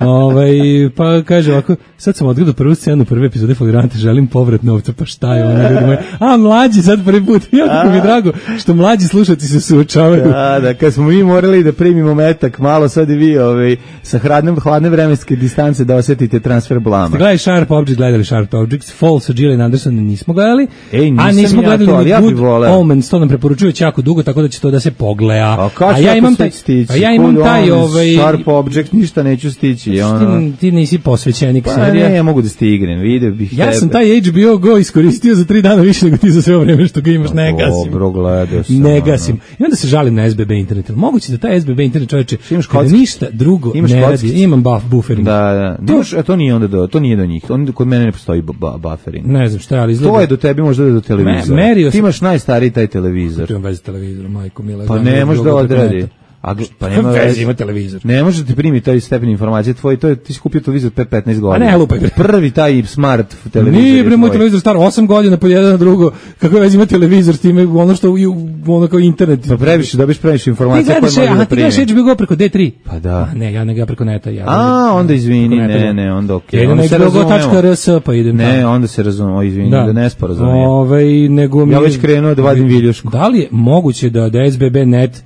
Ovaj, pa kaže ovako, sad sam odgledao prvu scenu prve epizode Folirante, želim povrat novca, pa šta je ono, ljudi moji? A, mlađi sad prvi put, jako mi je drago što mlađi slušati se suočavaju. Da, da, kad smo mi morali da primimo metak, malo sad i vi ovaj, sa hladne, hladne vremenske distance da osjetite transfer blama. Gledali Sharp Objects, gledali Sharp Objects, Fall sa Gillian Anderson nismo gledali, Ej, nisam a nismo ja gledali to, ali ni ja bi Good voleo. Omens, to nam preporučuju već jako dugo, tako da će to da se pogleda. A, A ja imam taj, a ja imam taj ovaj Sharp Object, ništa neću stići. Ono... Ti, ti nisi posvećenik pa, serija. ne, ja mogu da stignem, vidio bih Ja tebe. sam taj H B O Go iskoristio za tri dana više nego ti za sve vreme što ga imaš, ne gasim. Dobro, gledao sam. Ne gasim. I onda se žalim na S B B internet. Moguće da taj S B B internet, čoveče, imaš kada kockice? ništa drugo Imaš ne radi. kockice? Imam buff, buffering. Da, da. To- Imaš, a to nije onda do, to nije do njih. On, kod mene ne postoji bu- bu- buffering. Ne znam šta je, ali izgleda. To je do tebi možda do televizora. Me- merio Ti sam- imaš najstariji taj televizor. Imam veze s televizorom, majko mila. Pa znam ne da može da drugo preko odradi. neta. A gl- pa Kakve nema veze veze. ima televizor? Ne može da ti primi taj stepen informacije tvoj, to je ti si kupio televizor pre petnaest godina. ne lupaj, bre. Prvi taj smart televizor. Nije je bre moj tvoj. televizor star osam godina po jedan na drugo. Kako veze ima televizor s time, ono što i u- ono kao internet. Pa previše, dobiš previše Ti informacija koje gledaš, može aha, da ti gledaš primi. H B O Go preko D tri. Pa da. A ne, ja ne ga preko neta. Ja A, onda izvini, preko neta ne, gledam. ne, onda okej. Ja idem Onda na se H B O Go tačka razumemo. R S pa idem Ne, tamo. onda se razumemo, o, izvini, da, ne sporazumije. Ovaj, nego mi Ja je- već krenuo da vadim viljušku. Da li je moguće da, da S B B net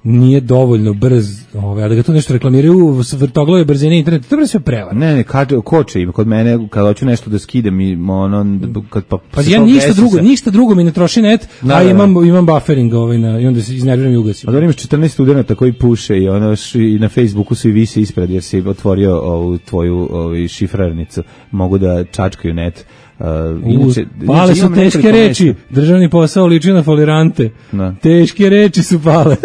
nije dovoljno brz, ovaj, a da ga tu nešto reklamiraju s vrtoglove brzine interneta, to je sve prevara. Ne, ne, kaže, koče ima kod mene, kad hoću nešto da skidam i ono, kad pa... Pa se ja to ništa desi drugo, se- ništa drugo mi ne troši net, Da, a da, da. imam, imam buffering ovaj na, i onda se iznerviram i ugasim. A da imaš četrnaest studenata koji puše i ono š- i na Facebooku svi vise ispred jer si otvorio ovu tvoju ovu šifrarnicu, mogu da čačkaju net. Uh, Uz, inače, pale inače su imam teške nekoliko reči, mesta. državni posao liči na folirante. Da. Teške reči su pale.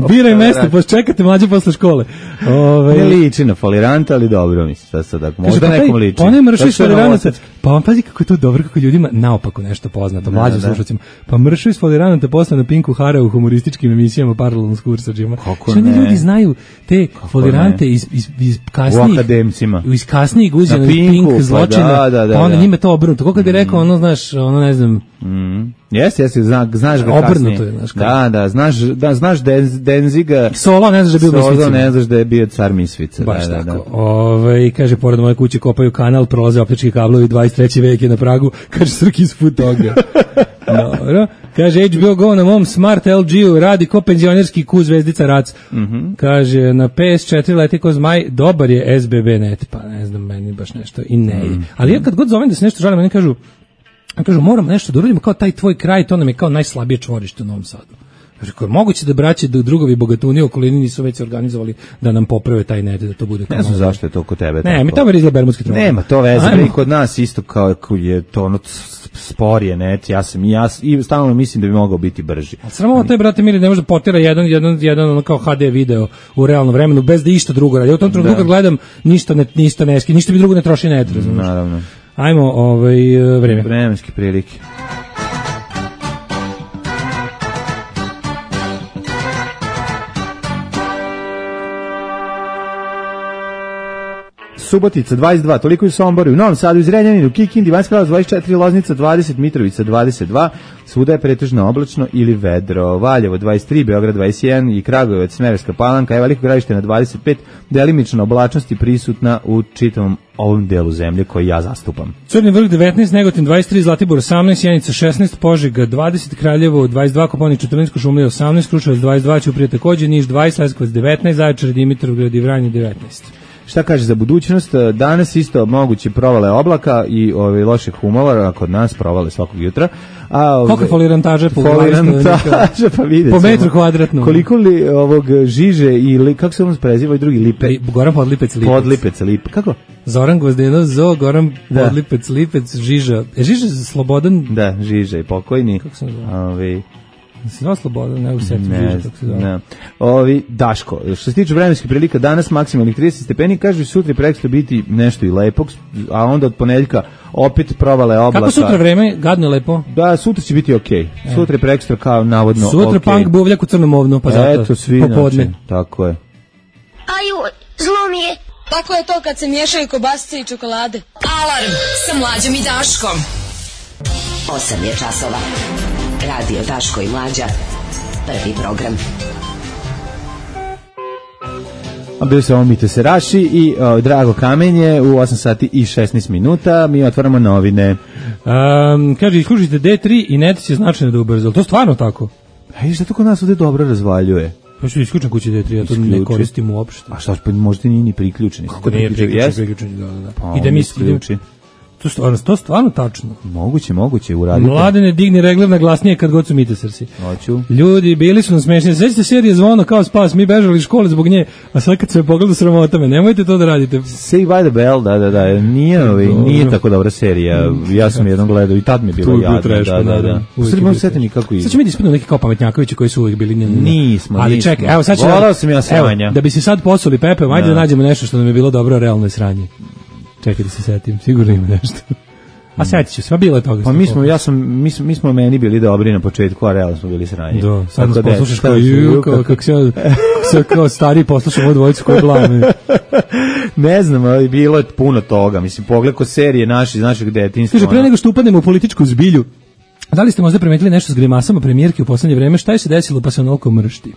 Biraj mesto, pa čekate mlađe posle škole. Ove, Ne liči na foliranta, ali dobro mi se sad sad tako. Kaže, Možda pa taj- nekom liči. Pa onaj mršavi Zato što je foliranata, novosadski. pa vam pazi kako je to dobro, kako ljudima naopako nešto poznato, mlađim da. slušacima. Pa mršavi foliranata posle na Pinku Hara u humorističkim emisijama paralelno s kursađima. Kako Što oni ne? ljudi znaju te folirante ne? iz, iz, iz U kasnijih, akademcima. iz kasnijih uzina Na Pink, Pinku, pa zločina, da, da, da, pa onda da. njima to obrnuto. Kako kad bi rekao, ono, znaš, ono, ne znam, Jeste, jeste, zna, znaš ga Obrnuto kasnije. je, znaš kako. Da, da, znaš, da, znaš Denz, Denziga. Solo, ne znaš da je bio Solo, Mislicima. ne znaš da je bio car Misvica. Baš da, da, tako. da. Ovaj, kaže, pored moje kuće kopaju kanal, prolaze optički kablovi, dvadeset treći vek je na Pragu, kaže Srkis put toga. Dobro. Kaže, H B O Go na mom Smart L G-u radi ko penzionerski ku zvezdica Rac. Kaže, na P S četiri leti ko zmaj, dobar je S B B net, pa ne znam, meni baš nešto i ne. Ali ja kad god zovem da se nešto žalim, oni kažu, kažu, moram nešto da uradimo kao taj tvoj kraj, to nam je kao najslabije čvorište u Novom Sadu. Kaže, ako je moguće da braće da drugovi bogatuni u okolini nisu već se organizovali da nam poprave taj net, da to bude kao Ne znam malo- zašto je to kod tebe. Ne, tako. mi tamo izgleda bermudski trougao. Nema to veze, Ajmo. bre, i kod nas isto kao kao je to ono s- sporije net, ja sam i ja s- i stalno mislim da bi mogao biti brži. Samo to je, brate mili, ne može da potira jedan, jedan, jedan ono kao H D video u realnom vremenu bez da išta drugo radi. Ja u tom trenutku kad gledam ništa ne, ništa ne ski, ništa mi drugo ne troši net, razumiješ? Naravno. Ajmo, ovaj, e, vreme. Vremenske prilike. Subotica dvadeset dva, toliko je u Somboru, u Novom Sadu, u Zrenjaninu, Kikindi, Banjska Karlovac dvadeset četiri, Loznica dvadeset, Mitrovica dvadeset dva, svuda je pretežno oblačno ili vedro. Valjevo dvadeset tri, Beograd dvadeset jedan i Kragujevac, Smederevska Palanka, je Veliko Gradište na dvadeset pet, delimična oblačnost je prisutna u čitavom ovom delu zemlje koji ja zastupam. Crni vrh devetnaest, Negotin dvadeset tri, Zlatibor osamnaest, Sjenica šesnaest, Požega dvadeset, Kraljevo dvadeset dva, Koponik četrnaest, Kuršumlija osamnaest, Kruševac dvadeset dva, Ćuprija takođe, Niš dvadeset, Leskovac devetnaest, Zaječar, Dimitrovgrad i Vranje devetnaest. Šta kaže za budućnost? Danas isto moguće provale oblaka i ove loše humora, a kod nas provale svakog jutra. A ove, Koliko je folirantaže po glavi Folirantaže, pa vidjet Po ćemo. metru kvadratnom. Koliko li ovog žiže i li, kako se on preziva i drugi lipe? Li- Goran Podlipec Lipec. Podlipec, lipe. Kako? Zoran Gvozdeno, Zo, Goran Da. Podlipec Lipec, Žiža. Je Žiža Slobodan? Da, žiže i pokojni. Kako se zove? Ove, Se zove Slobodan, ne u setu ne, Žiža, kako se zove. ne. Ovi, Daško, što se tiče vremenskih prilika, danas maksimalnih trideset stepeni, kaže sutra i prekstra biti nešto i lepog, a onda od ponedeljka opet provale oblaka. Kako sutra vreme? Gadno lepo. Da, sutra će biti okej. Sutra je prekstra kao navodno Sutra okej. punk buvljak u crnom ovnu, pa zato. Eto, svi popodne. znači, tako je. Aju, zlo mi je. Tako je to kad se miješaju kobasice i čokolade. Alarm sa Mlađom i Daškom. osam je časova. Radio Daško i Mlađa. Prvi program. A bili se ovo Mite Seraši i o, Drago Kamenje u osam sati i šesnaest minuta. Mi otvaramo novine. Um, kaže, iskužite D tri i net će značajno da ubrzo. To stvarno tako? Ej, što to kod nas ovde dobro razvaljuje? Pa što isključen kući D tri, ja to ne koristim uopšte. A šta, pa možda nije ni priključeni. Kako nije priključen, priključen, da, da. Pa, I da mi isključi. To stvarno, to stvarno tačno. Moguće, moguće, uradite. Mladene, digni regler na glasnije kad god su Mite Srsi. Hoću. Ljudi, bili su nam smešni. Sećate serije Zvono kao spas, mi bežali iz škole zbog nje, a sad kad se pogleda sramota me, nemojte to da radite. Saved by the Bell, da, da, da, nije, ovaj, nije tako dobra serija. Ja sam jednom gledao i tad mi je bilo jadno. Da, da, da. U Srbiji možda setim nikako ide. Sad će mi da ispinu neki kao pametnjakovići koji su uvijek bili njeni. Nismo, ali nismo. čekaj, evo sad će Volao sam ja sranja. Da bi se sad posuli Pepe, ajde da nađemo nešto što nam je bilo dobro, realno je sranje. Čekaj da se setim, sigurno ima nešto. A setit ću se, bilo je toga. Pa mi smo, ja sam, mi smo, mi smo meni bili dobri na početku, a realno smo bili sranji. Da, sad nas poslušaš kao ju, kao, kako se kao stari poslušamo ovu dvojicu koji blame. Ne znam, ali bilo je puno toga. Mislim, pogled ko serije naši iz našeg detinjstva. Kaže, pre nego što upadnemo u političku zbilju, da li ste možda primetili nešto s grimasama premijerke u poslednje vreme? Šta je se desilo pa se onoliko mršti?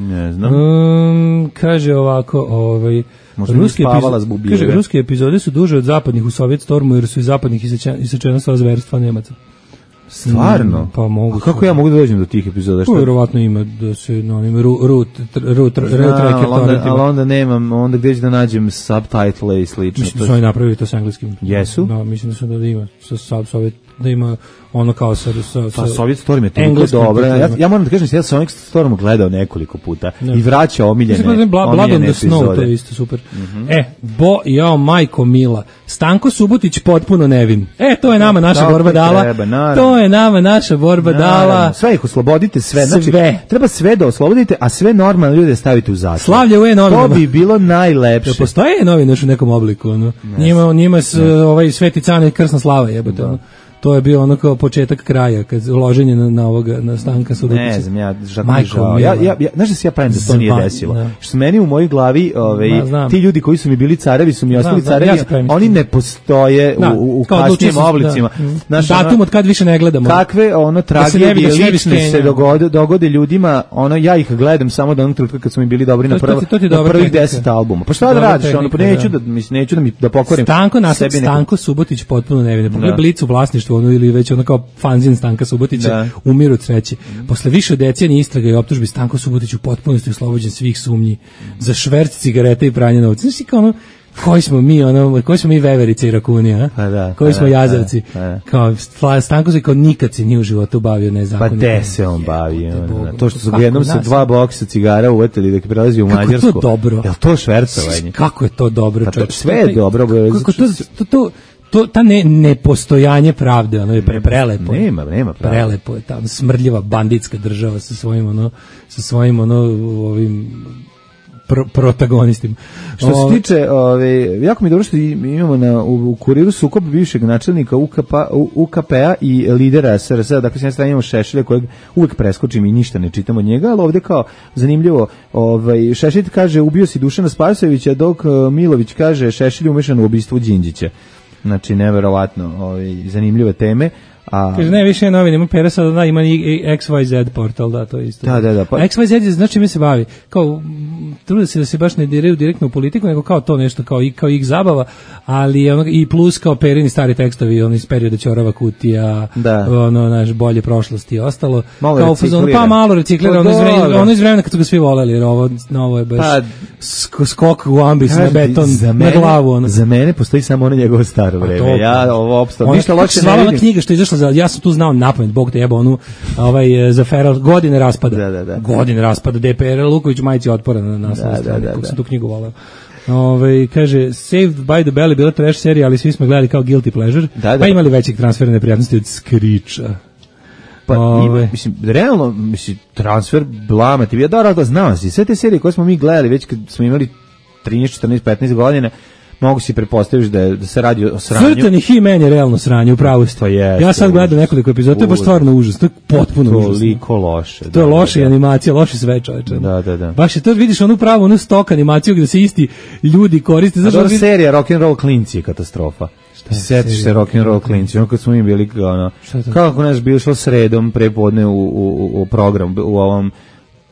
Ne znam. Um, kaže ovako, ovaj... Ruske, epizo- kaže, ruske epizode su duže od zapadnih u Sovjet Stormu jer su iz zapadnih isečena sva zverstva Nemaca. Stvarno? Mm, pa mogu. A kako ja mogu da dođem do tih epizoda? Što? Vjerovatno ima da se na onim root, root, root tracker torrentima. Ali onda nemam, onda gdje ću da nađem subtitle i slično. Mislim da su oni napravili to s engleskim. Jesu? Da, mislim da su da ima sa Sovjet, da ima ono kao sa... sa, sa pa Sovjet Storm je toliko dobro. Ja, ja moram da kažem, ja sam Sovjet Storm gledao nekoliko puta ne. I vraćao omiljene, mislim, omiljene Blood on the epizode. Snow, to je isto super. Mm-hmm. E, bo, jao, majko mila, Stanko Subotić potpuno nevin. E, to je nama naša tako borba dala. Treba, to je nama naša borba naravno. Dala. Sve ih oslobodite, sve. Znači, sve. Treba sve da oslobodite, a sve normalne ljude stavite u zatvor. Slavlje u e-novinama. To bi bilo najlepše. Da postoje e-novine u nekom obliku. Ono. Njima, njima s, ovaj Sveti Cane i Krsna slava jebote. Ono. To je bio ono kao početak kraja, kad uloženje na, na ovoga, na Stanka Subotića. Ne znam, ja žako mi žao. Ja, ja, ja, znaš da se ja pravim da to nije desilo. Da. Što meni u mojoj glavi, ovaj, Ma, ti ljudi koji su mi bili carevi, su mi ostali znam, carevi, ja oni ne postoje da, u, u kasnijim oblicima. Da. Znaš, datum ono, od kad više ne gledamo. Kakve ono tragedije da lične se dogode, dogode ljudima, ono, ja ih gledam samo do onog trenutka kad su mi bili dobri na, prvo, na prvih deset albuma. Pa šta da radiš? Ono, pa neću da, mislim, neću da mi da pokvarim sebi. Stanko Subotić potpuno nevine. Pogledaj Blic u vlasništvu ono ili već ono kao fanzin Stanka Subotića da. Umiru od sreće. Mm. Posle više decenija istraga i optužbi Stanko Subotić u potpunosti oslobođen svih sumnji mm. za šverc cigareta i pranje novca. Znači kao ono koji smo mi ono koji smo mi veverice i rakuni, a? Pa da, koji smo da, jazavci. Da, da. Kao Stanko se kao nikad se nije u životu bavio nezakonitim. Pa de se on bavio. To što su jednom sa dva boksa cigara uvetili dok prelazi u Mađarsku. Kako to dobro? Jel to švercovanje? Kako je to dobro, pa čovječ? Sve je dobro. Kako to to to to ta ne nepostojanje pravde, ono je pre, prelepo. Nema, nema pravde. Prelepo je ta smrdljiva banditska država sa svojim ono sa svojim ono ovim pro, protagonistima. Što se tiče, ove, jako mi je dobro što imamo na, u, u kuriru sukob bivšeg načelnika U K P, U K P-a i lidera S R S-a, dakle s jedne strane imamo Šešelja kojeg uvek preskočim i ništa ne čitam od njega, ali ovde kao zanimljivo, ovaj, Šešelj kaže ubio si Dušana Spasojevića, dok Milović kaže Šešelj umešan u ubistvo Đinđića. Znači, neverovatno, ovaj, zanimljive teme. A... Kaže, ne, više je novin, ima Pera sada, da, ima i X Y Z portal, da, to je isto. Da, da, da. Pa... X Y Z je, znači, mi se bavi, kao, trude se da se baš ne diraju direktno u politiku, nego kao to nešto, kao, kao ih zabava, ali ono, i plus kao Perini stari tekstovi, ono iz perioda Ćorava kutija, da. Ono, naš, bolje prošlosti i ostalo. Malo kao, reciklira. Pa malo reciklira, ono, ono, ono iz vremena kad su ga svi voleli, jer ovo, ovo je baš pa, skok u ambis na beton, mene, na glavu. Ono. Za mene postoji samo ono njegovo staro vreme. Ja ovo opstao, ništa loše ne vidim. Knjiga što je izašla za, ja sam tu znao napamet, Bog te jeba, onu ovaj, za Feral, godine raspada. Da, da, da. Godine raspada, D P R Luković majici otpora na naslovnoj strani, kako sam tu knjigu volao. Ove, kaže, Saved by the Bell je bila trash serija, ali svi smo gledali kao guilty pleasure, da, da. Pa imali većeg transfera neprijatnosti od Skriča. Pa, Ove. mislim, realno, mislim, transfer blama, ti bi ja dobro da znao si, sve te serije koje smo mi gledali, već kad smo imali trinaest, četrnaest, petnaest godine, mogu si pretpostaviti da, da se radi o sranju. Crtani He-Man je realno sranje, upravo ste. Je, ja sad gledam nekoliko epizoda, to je baš stvarno užas, to je potpuno užasno. Toliko loše. To je da, loša da, animacija, loše sve čoveče. Da, da, da. Baš je to, vidiš onu pravu, onu stok animaciju gde se isti ljudi koriste. Znaš, ova serija Rock'n'Roll Klinci je katastrofa. Sjetiš se Rock'n'Roll Klinci, ono kad smo mi bili, ono, kako nas bilo šlo sredom prepodne u, u, u program, u ovom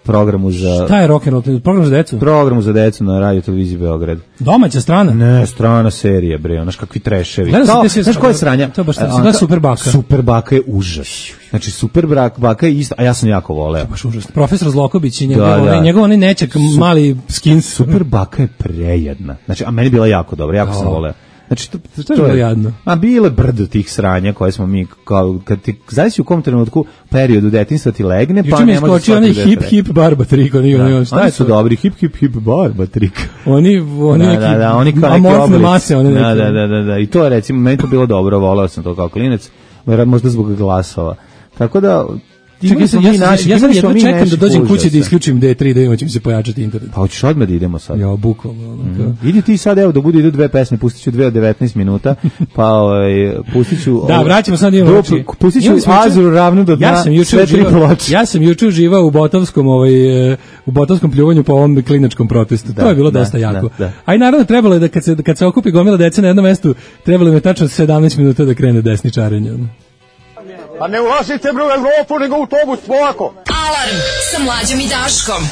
programu za... Šta je rock and roll? Program za decu? Programu za decu na Radio Televiziji Beograd. Domaća strana? Ne, strana serija, bre, znaš kakvi treševi. Kao, znaš koja je sranja? To je baš da Super Baka. Super Baka je užas. Znači, Super Baka je isto, a ja sam jako voleo. Baš užasno. Profesor Zlokobić i njegov, da, da. njegov onaj nečak Su, mali skins. Super Baka je prejedna. Znači, a meni je bila jako dobra, jako oh. sam voleo. Znači, to, to, to je bilo jadno. A bile brdo tih sranja koje smo mi, kao, kad ti, zavisi u kom trenutku periodu detinjstva ti legne, pa ne može skoči onaj hip hip barba trik, oni, da. oni, šta oni je su to? Dobri, hip hip hip barba trik. Oni, oni da, neki, da, da, oni kao neki oblik. Mase, one da, da, da, da, da, i to je recimo, meni to bilo dobro, voleo sam to kao klinec, možda zbog glasova. Tako da, Čekaj, ja, ja, naši, ja sam jedno čekam da dođem kući da isključim D tri, da ima će mi se pojačati internet. Pa hoćeš odmah da idemo sad? Ja, bukvalno. Mm. Idi ti sad, evo, da budu idu dve pesme, pustit ću dve od devetnaest minuta, pa ovaj, pustit ću... Da, vraćamo sad imamo oči. Pustit ću Azuru ravnu do dna, ja sam sve tri ploče. Ja sam juče uživao u botovskom, ovaj, u botovskom pljuvanju po ovom kliničkom protestu. Da, to je bilo da, dosta jako. Da, da. A i naravno trebalo je da kad se, kad se okupi gomila dece na jednom mestu, trebalo je tačno sedamnaest minuta da krene desničarenje. A ne ulazite bre u Evropu, nego u autobus, polako. Alarm sa Mlađom i Daškom.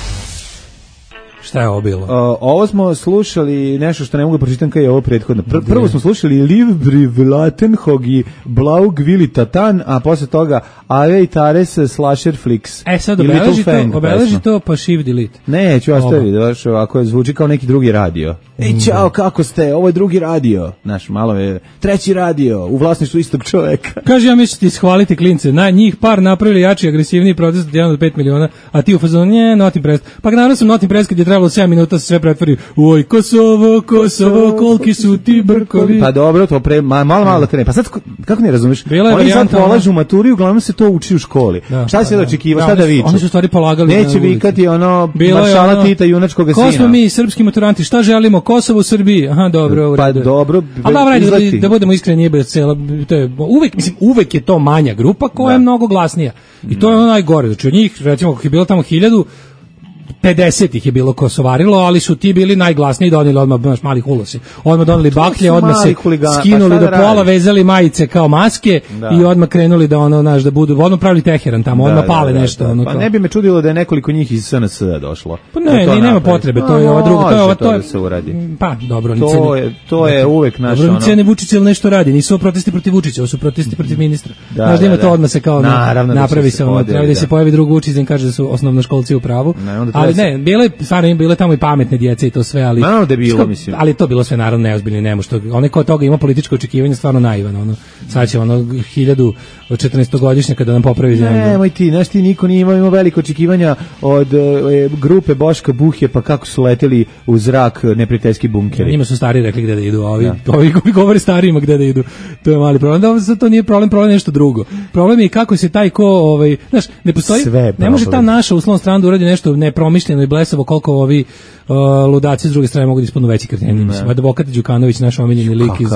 Šta je ovo bilo? Uh, ovo smo slušali nešto što ne mogu da pročitam kao je ovo prethodno. Pr prvo smo slušali Livbri Vlatenhog i Blaug Vili Tatan, a posle toga Ave i Tares Slasher Flix. E sad obeleži to, obeleži to pa shift delete. Ne, ću ostaviti, daš, ovako zvuči kao neki drugi radio. Ej, čao, kako ste? Ovo je drugi radio. Naš, malo je treći radio, u vlasništvu istog čoveka. Kaže, ja mislim ti shvaliti klince, na njih par napravili jači, agresivniji protest od jedan do pet miliona, a ti u fazonu, nje, not impressed. Pa naravno sam not impressed kad je trebalo sedam minuta se sve pretvori, oj, Kosovo, Kosovo, koliki su ti brkovi. Pa dobro, to pre, malo, malo da krene. Pa sad, kako ne razumeš? Oni sad polažu maturi, uglavnom se to uči u školi. Da, šta se da očekiva, šta da viču? Oni su stvari polagali. Neće vikati ono, maršala ono, Tita, junačkog sina. Ko smo mi, srpski maturanti, šta želimo? Kosovo u Srbiji. Aha, dobro, u redu. Pa dobro, ali da, da, da budemo iskreni, nije cela, to je uvek, mislim, uvek je to manja grupa koja da. je mnogo glasnija. I to je ono najgore. Znači od njih, recimo, kako je bilo tamo hiljadu, pedeset ih je bilo kosovarilo, ali su ti bili najglasniji, doneli odmah baš mali hulosi. Odmah doneli baklje, odmah se huligana, skinuli pa do pola, vezali majice kao maske da. i odmah krenuli da ono, znaš, da budu, odmah pravili Teheran tamo, odmah da, pale da, nešto. Da, ono, pa kao. Ne bi me čudilo da je nekoliko njih iz S N S došlo. Pa ne, ni nema potrebe, to je ova druga, to je ova, to je, da se uradi. Pa, dobro, to je, to je uvek naš ono. Dobro, ne Vučić ili nešto radi, nisu protesti protiv Vučića, ovo su protesti protiv ministra. Znaš da ima to odmah se kao napravi se, treba da se pojavi drug Vučić i kaže da su osnovnoškolci u pravu. Ali ne, bile stvarno im bile tamo i pametne djece i to sve, ali naravno da je bilo, mislim. Ali to bilo sve naravno neozbiljno, nemo što onaj ko od toga ima političko očekivanje stvarno naivan, ono. Sad će ono hiljadu četrnaestogodišnjaka kada nam popravi zemlju. Nemoj ti, znaš ti niko nije imao, imao veliko očekivanja od e, grupe Boška Buhje, pa kako su leteli u zrak neprijateljski bunkeri. Njima su stari rekli gde da idu, ovi, ja. ovi koji govore starijima gde da idu. To je mali problem. Da, to nije problem, problem je nešto drugo. Problem je kako se taj ko, ovaj, znaš, ne postoji, ne može ta naša uslovna strana da uradi nešto nepromišljeno i blesavo koliko ovi uh, ludaci s druge strane mogu da ispadnu veći kreteni. Mislim, advokat Đukanović, naš omiljeni lik iz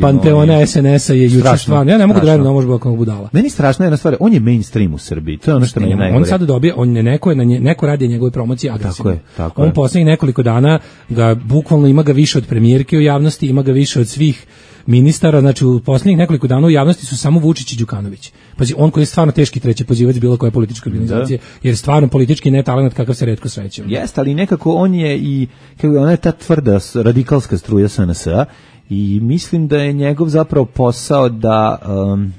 Panteona S N S-a je juče stvarno. Ja ne mogu da verujem da može biti kako budala. Meni strašna jedna stvar, on je mainstream u Srbiji. To je ono što meni najgore. On sad dobije, on ne neko je na nje, neko radi njegove promocije agresivno. Tako je, tako on je. poslednjih nekoliko dana ga bukvalno ima ga više od premijerke u javnosti, ima ga više od svih ministara, znači u posljednjih nekoliko dana u javnosti su samo Vučić i Đukanović. Pazi, on koji je stvarno teški treći pozivac bilo koje političke organizacije, da. jer stvarno politički ne talent kakav se retko sreće. Jeste, ali nekako on je i, kako ona je ta tvrda radikalska struja S N S-a i mislim da je njegov zapravo posao da, um,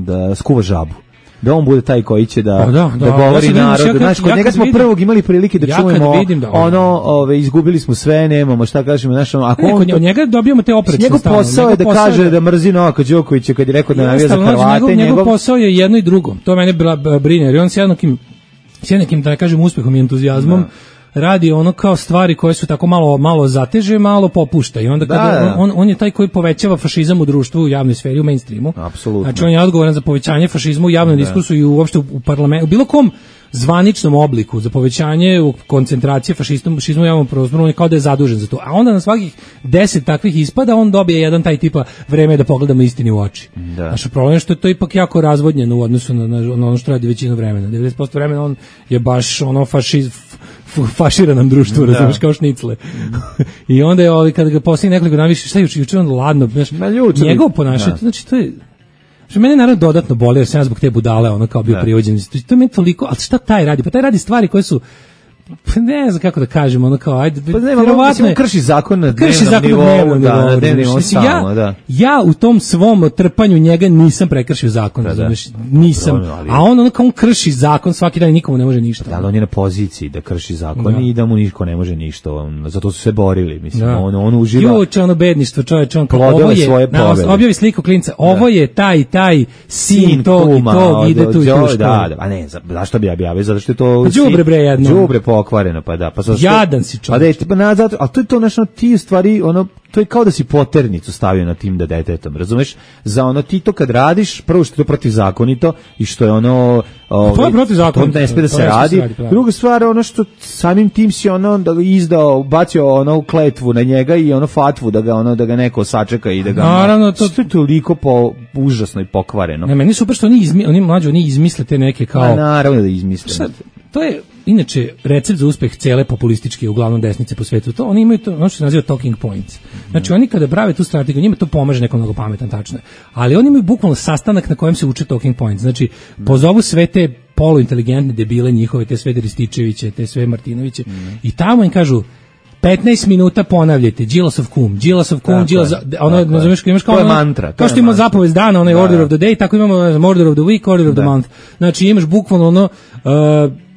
da skuva žabu. Da on bude taj koji će da, da, da, da govori ja narodu. Znaš, kod ja njega smo vidim, prvog imali prilike da ja čujemo vidim da ono, ove, izgubili smo sve, nemamo, šta kažemo, znaš, ono, ako ne, on... Od njega dobijamo te oprečne njegov posao je da kaže da, da mrzi Novaka Đokovića kad je rekao da navija za Hrvate. Njegov, njegov, njegov posao je jedno i drugo. To mene brine, jer on s jednakim, s jednakim, da ne kažem, uspehom i entuzijazmom, da. radi ono kao stvari koje su tako malo malo zateže, malo popušta i onda kada da, da. On, on je taj koji povećava fašizam u društvu, u javnoj sferi, u mainstreamu. Apsolutno. Znači on je odgovoran za povećanje fašizma u javnom da. diskursu i uopšte u, u parlamentu, u bilo kom zvaničnom obliku za povećanje u koncentracije fašizma, fašizma u javnom prostoru, on je kao da je zadužen za to. A onda na svakih deset takvih ispada on dobije jedan taj tipa vreme da pogledamo istini u oči. Da. Naš problem je što je to ipak jako razvodnjeno u odnosu na, na, na ono što radi većinu vremena. devedeset posto vremena on je baš ono fašiz fašira nam društvo, da. razumiješ, kao šnicle. I onda je ovaj, kada ga poslije nekoliko dana više, šta juče, juče on ladno, znaš, njegov ponašanje, znači to je, što mene naravno dodatno boli, jer sam ja zbog te budale, ono kao bio privođen, to je meni toliko, ali šta taj radi? Pa taj radi stvari koje su, ne znam kako da kažem, ono kao, ajde, pa ne, verovatno krši zakon na dnevnom nivou, da, na dnevnom nivou samo, da. Ja u tom svom trpanju njega nisam prekršio zakon, da, razumeš, nisam, da, ali, a on ono kao on krši zakon svaki dan i nikomu ne može ništa. Da, ali on je na poziciji da krši zakon da. I da mu niko ne može ništa, on, zato su se borili, mislim, da. on, on uživa. Juče ono bedništvo, čoveče, on kao, ovo je, na, objavi sliku klinca, ovo je taj, taj, sin tog i tog, ide tu i tu školu. Da, a ne, zašto bi ja objavio, zato što je to... Đubre bre jedno. Đubre pokvareno, pa da. Pa jadan si čovjek. Pa da, pa na, zato, a to je to nešto, ti stvari, ono, to je kao da si poternicu stavio na tim da detetom, razumeš? Za ono, ti to kad radiš, prvo što je to protivzakonito i što je ono... Ovaj, to je protivzakonito. To ne smije da se radi. Druga stvar, ono što samim tim si ono da izdao, bacio ono kletvu na njega i ono fatvu da ga ono da ga neko sačeka i da ga... Naravno, to, to je toliko po, užasno i pokvareno. Ne, meni super što oni, izmi, oni mlađi, oni izmisle te neke kao... A, naravno da izmisle. Sad, to je inače recept za uspeh cele populističke uglavnom desnice po svetu. To oni imaju to, ono što se naziva talking points. Znači oni kada prave tu strategiju, njima to pomaže nekom mnogo pametan, tačno je. Ali oni imaju bukvalno sastanak na kojem se uče talking points. Znači pozovu sve te poluinteligentne debile njihove, te sve Rističeviće, te sve Martinoviće mm. i tamo im kažu petnaest minuta ponavljajte Đilasov kum, Đilasov kum, Đilasov, ono, nazoveš kao imaš kao ono, mantra, kao što ima zapovest dana, onaj da, order of the day, tako imamo order of the week, order of da. the month. Znači imaš bukvalno ono uh,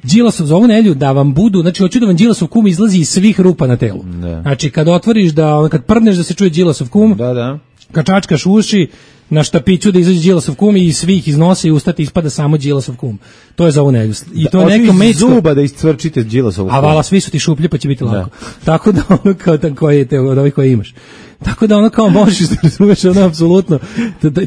Đilasov za ovu nedelju da vam budu, znači hoću da vam Đilasov kum izlazi iz svih rupa na telu. Da. Znači kad otvoriš da, kad prdneš da se čuje Đilasov kum, da, da. Kad čačkaš uši, na štapiću da izađe Đilasov kum i svih iznosi i ustati ispada samo Đilasov kum. To je za ovu nedelju. I to da, je neko mečko. Zuba da iscvrčite Đilasov kum. A vala, svi su ti šuplje pa će biti lako. Da. Tako da ono kao koje te od ovih koje imaš. Tako da ono kao možeš da razumeš ono apsolutno.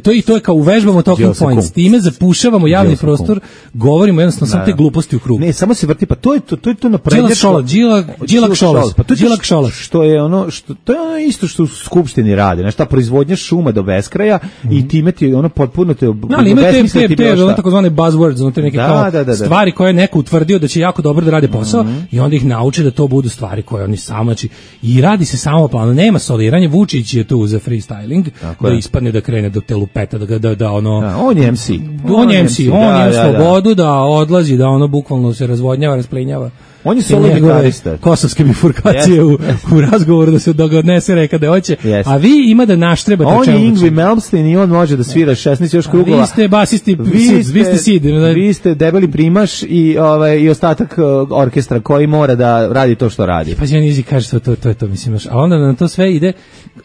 To i to je kao uvežbamo talking points. Time zapušavamo javni prostor, govorimo jednostavno samo te gluposti u krug. Ne, samo se vrti, pa to je to, to je to naprednjačko. Đilak Šolak, Đilak, Đilak Šolak, pa to je Đilak Šolak. Što je ono što to je ono isto što u skupštini rade, znači ta proizvodnja šuma do beskraja mm -hmm. i time ti ono potpuno te no, ali ima te te te ono takozvane buzzwords, ono te neke da, kao da, da, da. stvari koje je neko utvrdio da će jako dobro da rade posao mm -hmm. i onda ih nauče da to budu stvari koje oni samo znači i radi se samo plano, nema soliranja, Vučić je tu za freestyling, tako da je. Ispadne da krene do telupeta, da, da, da ono... Da, on je em ce. On, on je em ce, on da, je da, slobodu da. da odlazi, da ono bukvalno se razvodnjava, rasplinjava. On je solo gitarista. Kosovske bifurkacije yes. u, u razgovoru da se da ga odnese reka da hoće. Yes. A vi ima da naštrebate on čemu. On je Ingrid Malmsteen i on može da svira šesnaest još krugova. Vi ste basisti, vi ste, vi ste sid. Vi ste debeli primaš i, ovaj, i ostatak orkestra koji mora da radi to što radi. Pa Đan Izi kaže to, to, to je to, mislim. A onda na to sve ide,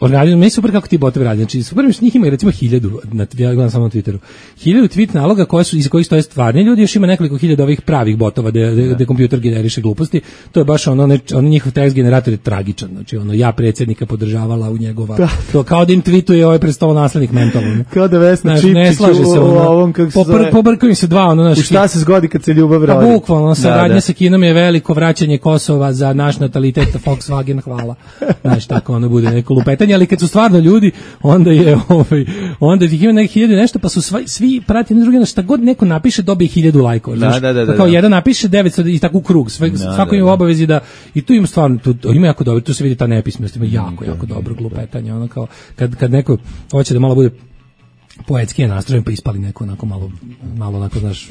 organizam, meni super kako ti botovi radi. Znači, super mi što njih ima recimo hiljadu, na, ja gledam samo na Twitteru, hiljadu tweet naloga koje su, iz kojih stoje stvarni ljudi, još ima nekoliko hiljada ovih pravih botova gde kompjuter generiše gluposti. To je baš ono, ne, ono njihov tekst generator je tragičan, znači ono ja predsjednika podržavala u njegova, da. To kao da im tweetuje ovaj predstavo naslednik mentalno. Kao da Vesna Čipčić ne slaže se ono, ovom kako se popr, zove. Pobrkaju se dva ono, naš, u šta se zgodi kad se ljubav rodi. Pa bukvalno, saradnja da, da. sa Kinom je veliko, vraćanje Kosova za naš natalitet, Volkswagen, hvala. Znaš, tako ono bude neko lupetanje, ali kad su stvarno ljudi, onda je ovaj, onda ih ima neki hiljadu nešto, pa su svi, svi prati na drugi, na šta god neko napiše dobije hiljadu lajkova. Da, da, da, da, kao jedan napiše devetsto i tako u krug, sve, da, svako ima obavezi da i tu ima stvarno tu ima jako dobro, tu se vidi ta nepismenost, ima jako jako dobro glupetanje, ono kao kad kad neko hoće da malo bude poetski nastrojen pa ispali neko onako malo malo onako znaš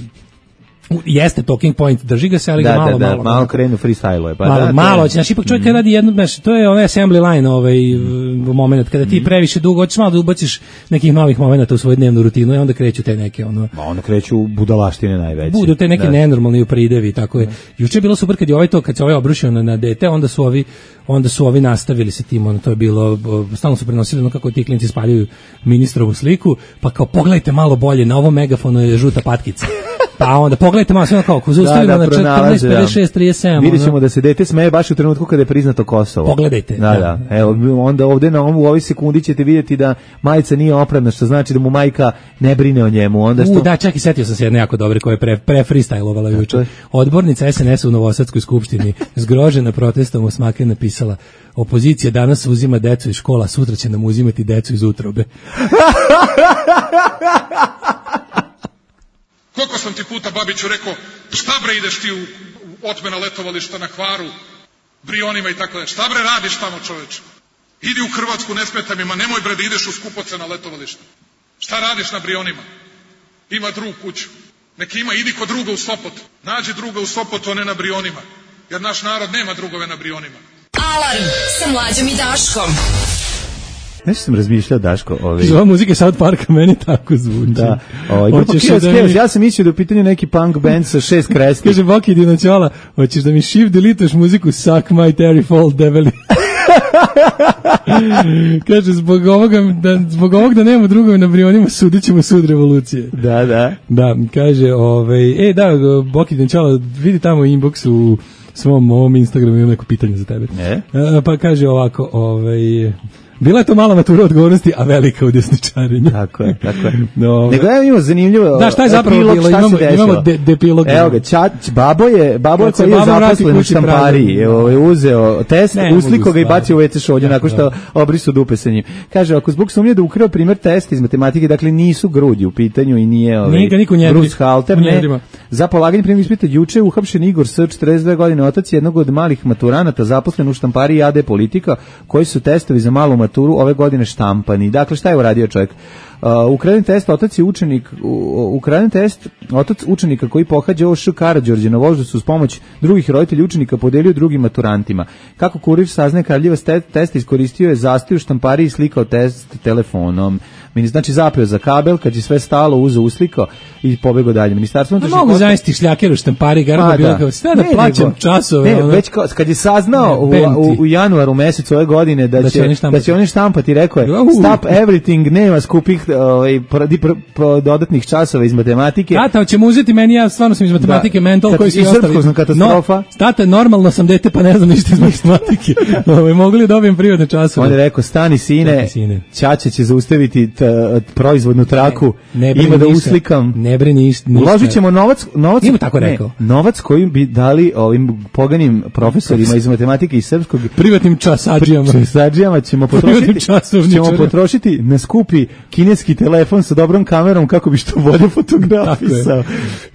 jeste talking point, drži ga se, ali da, ga malo, da, da, malo, malo krenu freestyle-uje. Pa malo, da, malo, znači, ipak čovjek mm. radi jedno, znači, to je onaj assembly line, ovaj, mm. moment, kada ti previše dugo, hoćeš malo da ubaciš nekih novih momenta u svoju dnevnu rutinu i onda kreću te neke, ono... Ma onda kreću budalaštine najveće. Budu te neke da. nenormalni upridevi, tako je. Mm. Juče je bilo super kad je ovaj to, kad se ovaj obrušio na, na dete, onda su ovi, onda su ovi nastavili sa tim, ono, to je bilo, stalno su prenosili, ono, kako ti klinci spaljuju ministrovu sliku, pa kao, pogledajte malo bolje, na ovom megafonu je žuta patkica. Pa onda pogledajte malo sve kako zaustavimo da, da, na četrnaest pedeset šest trideset sedam. Vidjet ćemo da se dete smeje baš u trenutku kada je priznato Kosovo. Pogledajte. Da, da. da. Evo, onda ovde na ovu, u ovoj sekundi ćete vidjeti da majica nije opremna, što znači da mu majka ne brine o njemu. Onda što... U, da, čak i setio sam se jedne jako dobre koje je pre, pre freestylovala juče. Odbornica es en es u Novosadskoj skupštini zgrožena protestom u Smake napisala: opozicija danas uzima decu iz škola, sutra će nam uzimati decu iz utrobe. Koliko sam ti puta, Babiću, rekao, šta bre ideš ti u otmena letovališta na Hvaru, Brionima i tako da. Šta bre radiš tamo, čoveče? Idi u Hrvatsku, ne smeta mi, ma nemoj bre da ideš u Skupovce na letovalište. Šta radiš na Brionima? Ima drug kuću. Neki ima, idi kod druga u Sopot. Nađi druga u Sopotu, a ne na Brionima. jer naš narod nema drugove na Brionima. Alarm sa Mlađom i Daškom. Nešto sam razmišljao, Daško. Ovaj... Ova muzika South Parka meni tako zvuči. Da. Ovaj, grupa Chaos, da mi... Ja sam mislio da u pitanju neki punk band sa šest kresti. Kaže Boki Dinoćola, hoćeš da mi shift delitaš muziku Suck My Terry Fall Devil. Kaže, zbog ovoga da, zbog ovog da nemamo drugove na Brionima, sudit ćemo sud revolucije. Da, da. Da, kaže, ovaj, e, da, Boki Dinoćola, vidi tamo inbox u svom ovom Instagramu, imam neko pitanje za tebe. Ne? A, pa kaže ovako, ovaj... Bila je to mala matura odgovornosti, a velika u desničarenju. Tako je, tako je. No, nego ja imamo zanimljivo. Da, šta je zapravo epilog, bilo? Imamo, imamo de, depilog. Evo ga, ča, babo je, babo je koji je zaposlen u štampariji, je uzeo test, usliko ga i bacio u ve ce šolju, nakon što obrisu dupe sa njim. Kaže, ako zbog sumnje da ukrao primjer testa iz matematike, dakle nisu grudi u pitanju i nije ovaj, Bruce Halter, ne, za polaganje primjer ispita juče uhapšen Igor S, četrdeset dve godine, otac jednog od malih maturanata, zaposlen u štampariji A D Politika, koji su testovi za malu maturu ove godine štampani. Dakle, šta je uradio čovjek? Uh, ukraden test, otac je učenik, uh, ukraden test, otac učenika koji pohađa O Š Karađorđe na Voždovcu uz pomoć drugih roditelja učenika podelio drugim maturantima. Kako kurir saznaje, Kraljevac test iskoristio je zastoj u štampariji i slikao test telefonom. Znači zapeo za kabel, kad je sve stalo, uzeo, uslikao i pobegao dalje. Ministarstvo unutrašnjih poslova. Mogu zaista šljakeri u štampari, garantno bilo kao sve da plaćam časove. Ne, već kao, kad je saznao u, u, u januaru mesecu ove godine da, da će, će da će oni štampati, rekao je stop everything, nema skupih ovaj, dodatnih časova iz matematike. Tata, hoćemo uzeti meni, ja stvarno sam iz matematike, da, mental koji su ostali. Katastrofa. No, tata, normalno sam dete, pa ne znam ništa iz matematike. Ovaj, mogli dobijem prirodne časove. On je rekao, stani sine, sine. Ćaća će zaustaviti proizvodnu traku, ne, ne ima da ništa, uslikam. Ne brini ništa. Uložit ćemo novac, novac, Nima tako rekao. Ne, novac koji bi dali ovim poganim profesorima iz matematike i srpskog privatnim časadžijama. Časadžijama ćemo potrošiti, ćemo potrošiti na skupi kineski telefon sa dobrom kamerom kako bi što bolje fotografisao.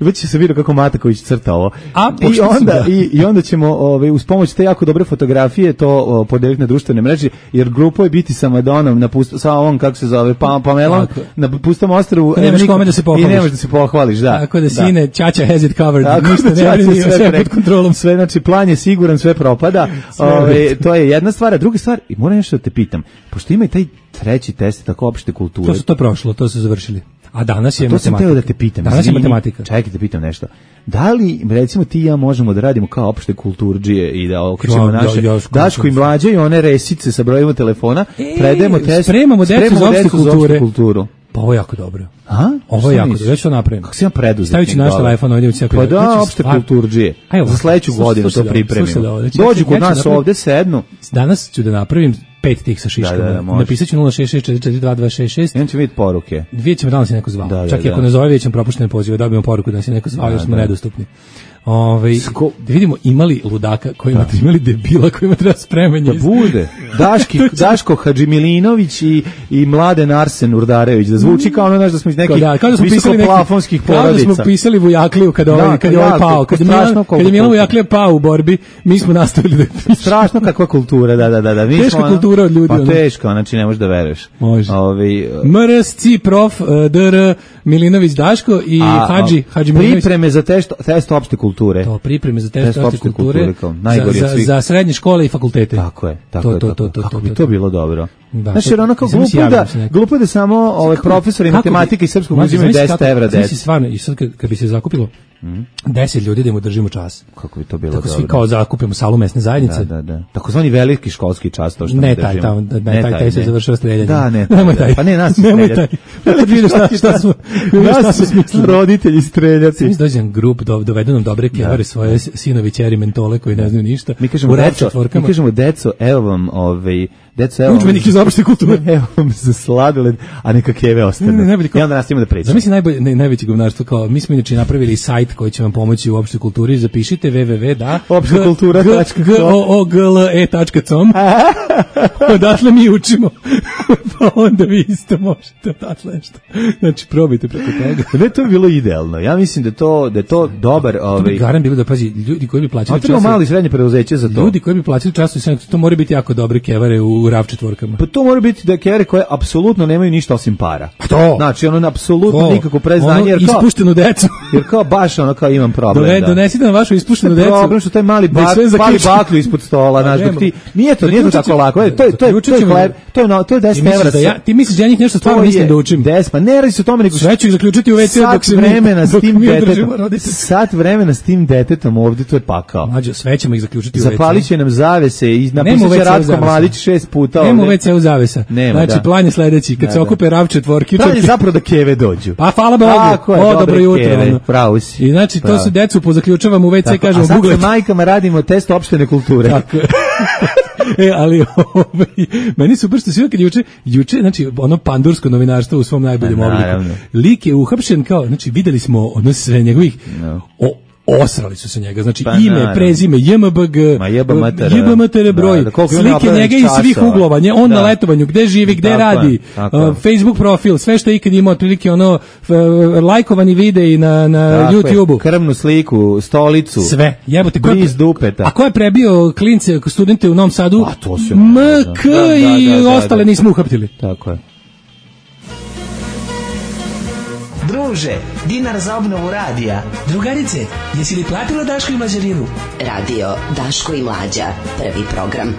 Već će se vidi kako Mataković crta ovo. A, I onda da. i, i onda ćemo ovaj uz pomoć te jako dobre fotografije to o, podeliti na društvene mreže, jer grupa je biti sa Madonom na pust, sa ovom kako se zove pa Pamelom na pustom ostrvu nemaš kome da se pohvališ. I nemaš da se pohvališ, da. Tako da sine, Ćaća has it covered. Tako ništa ne brini, sve, sve pod kontrolom. Sve, znači plan je siguran, sve propada. Ove, to je jedna stvar, a druga stvar, i moram nešto da te pitam, pošto ima i taj treći test tako opšte kulture. To su to prošlo, to su završili. A danas je a to matematika. To sam teo da te pitam. Danas je matematika. Čekaj, da pitam nešto. Da li, recimo, ti i ja možemo da radimo kao opšte kulturdžije i da okrećemo naše ja, ja, Daško i Mlađe i one resice sa brojima telefona, e, predajemo test, spremamo decu za opšte kulture. kulturu. Pa ovo je jako dobro. A? Ovo je jako dobro. Ja ću to napravim. Kako si ja preduzetnik? Staviću naš telefon ovdje u cijelom. Pa da, opšte kulturdžije. Za sledeću godinu to pripremimo. Dođu kod nas ovde, sednu. Danas ću da napravim pet tih sa šiškama. Da, da, da, napisat ću nula šest šest četiri četiri dva dva šest šest. Jedan će vidjeti poruke. Vidjet ćemo da nas je neko zvao. Da, da, čak i ako ne zove, vidjet ćemo propuštene pozive, dobijemo poruku da nas je neko zvao, jer smo nedostupni. Ove, Sko... da vidimo imali ludaka kojima da. imali debila kojima treba spremanje. Da bude. Daški, Daško Hadžimilinović i, i Mladen Arsen Urdarević. Da zvuči kao ono, znaš, da smo iz nekih da, da visokoplafonskih porodica. Kao da smo pisali Vujakliju kad, ovaj, da, kad je ovaj pao. Kad je Milan, kad je Milan Vujaklija pao u borbi, mi smo nastavili da pišemo. Strašno kakva kultura, da, da, da. da. Mi teška smo, kultura od ljudi. Pa ono. Teško, znači ne možeš da veruješ. Može. Ovi, uh... M R S C prof dr Milinović Daško i a, Hadži Hadžimilinović. Pripreme za test, test opšte kulture. To pripreme za test opšte kulture, kulture za, za, za srednje škole i fakultete. Tako je, tako to, je. To, to, to, kako to, bi to, to bilo dobro. Da, znači, ono kao glupo da, glupo da samo ovaj profesori matematike i srpskog uzimaju deset evra deset. Znači, stvarno, i sad kad, kad bi se zakupilo mm. deset ljudi da im održimo čas. Kako bi to bilo tako dobro. Tako svi kao zakupimo salu mesne zajednice. Da, da, da. Takozvani veliki školski čas, to što ne taj, taj, ne, taj, taj, taj se završava streljanjem. Da, ne, nemoj taj. Pa ne, nas nemoj taj. Kad vidiš šta, šta smo, nas su smislili. Roditelji streljaci. Mi dođem grup, dovedu nam dobre kevare, svoje sinovi, ćeri, mentole koji ne znaju ništa. Mi kažemo, deco, mi kažemo, deco, evo vam, ovaj, deco, evo udžbenik iz opšte kulture. Evo vam za sladoled, a neka keve ostane. Ne, ne, ne, I onda nastavimo da pričamo. Zamisli najbolje, ne, najveće govnarstvo, kao mi smo inače napravili sajt koji će vam pomoći u opštoj kulturi, zapišite www da opštekultura tačka com odatle mi učimo. Pa onda vi isto možete odatle nešto. Znači, probajte preko toga. Ne, to je bilo idealno. Ja mislim da to da je to dobar, ovaj. To bi garan bilo da pazi ljudi koji bi plaćali čas. A malo i srednje preduzeće za to. Ljudi koji bi plaćali čas, to mora biti jako dobre kevare u rav četvorkama. Pa to mora biti da kevere koje apsolutno nemaju ništa osim para. To. Znači, ono apsolutno To. nikako preznanje, Ono jer kao ispuštenu decu. jer kao baš ono kao imam problem. Dove, da. Donesite nam vašu ispuštenu decu. Problem što taj mali Da ih bak, sve pali zaključi. baklju ispod stola, znaš, dok ti nije to, nije to tako lako. E, To je to je to je hleb, to je no, to je Ti deset misliš evra. da ja, ti misliš da ja njih nešto stvarno mislim da učim? Des, pa ne radi se o tome, nego Sve ću ih zaključiti u ve ce dok sat se mi- vremena s dok tim mi detetom. održimo roditelje. Sat vremena s tim detetom ovde, to je pakao. Mlađo, sve ćemo ih zaključiti u ve ce. Zapalit će nam zavese i Nema u napisat ve će ce-u Ratko zavesa. Mladić šest puta. Nema u ovde. ve ce-u zavesa. Nema, Znači, da. plan je sledeći. Kad Da, se da. okupe rav četvorki, Plan je četiri- zapravo da keve dođu. Pa hvala Bogu. Tako je, O, dobre dobro jutro. keve, ono. pravo si. I znači, to Pravo. su decu pozaključavamo u ve ce, Tako, kažemo a sad Google. sa majkama radimo test opštene kulture. Tako je. E, ali ovaj, meni super što svi kad juče, juče, znači, ono pandursko novinarstvo u svom najboljem Pa, obliku. naravno. Lik je uhapšen kao, znači, videli smo ono sve njegovih, No. o, osrali su se njega, znači Pa, ime, naravno. prezime, je em be ge, Ma jebe mater, je be mater broj, da, da, koliko ima slike napravljenih njega iz svih časova. uglova, nje, on Da. na letovanju, gde živi, gde Tako je, radi, tako je. uh, Facebook profil, sve što je ikad imao, otprilike ono, f, lajkovani videi na, na Tako je, YouTubeu. krvnu sliku, stolicu. Sve, jebote, ko je, Bliz dupeta. a ko je prebio klince, studente u Novom Sadu? A, to se M može, K da. Da, da, i da, da, ostale da. nismo uhaptili. Tako je. Druže, dinar za obnovu radija. Drugarice, jesi li platila Daško i Mlađarinu? Radio Daško i Mlađa, prvi program.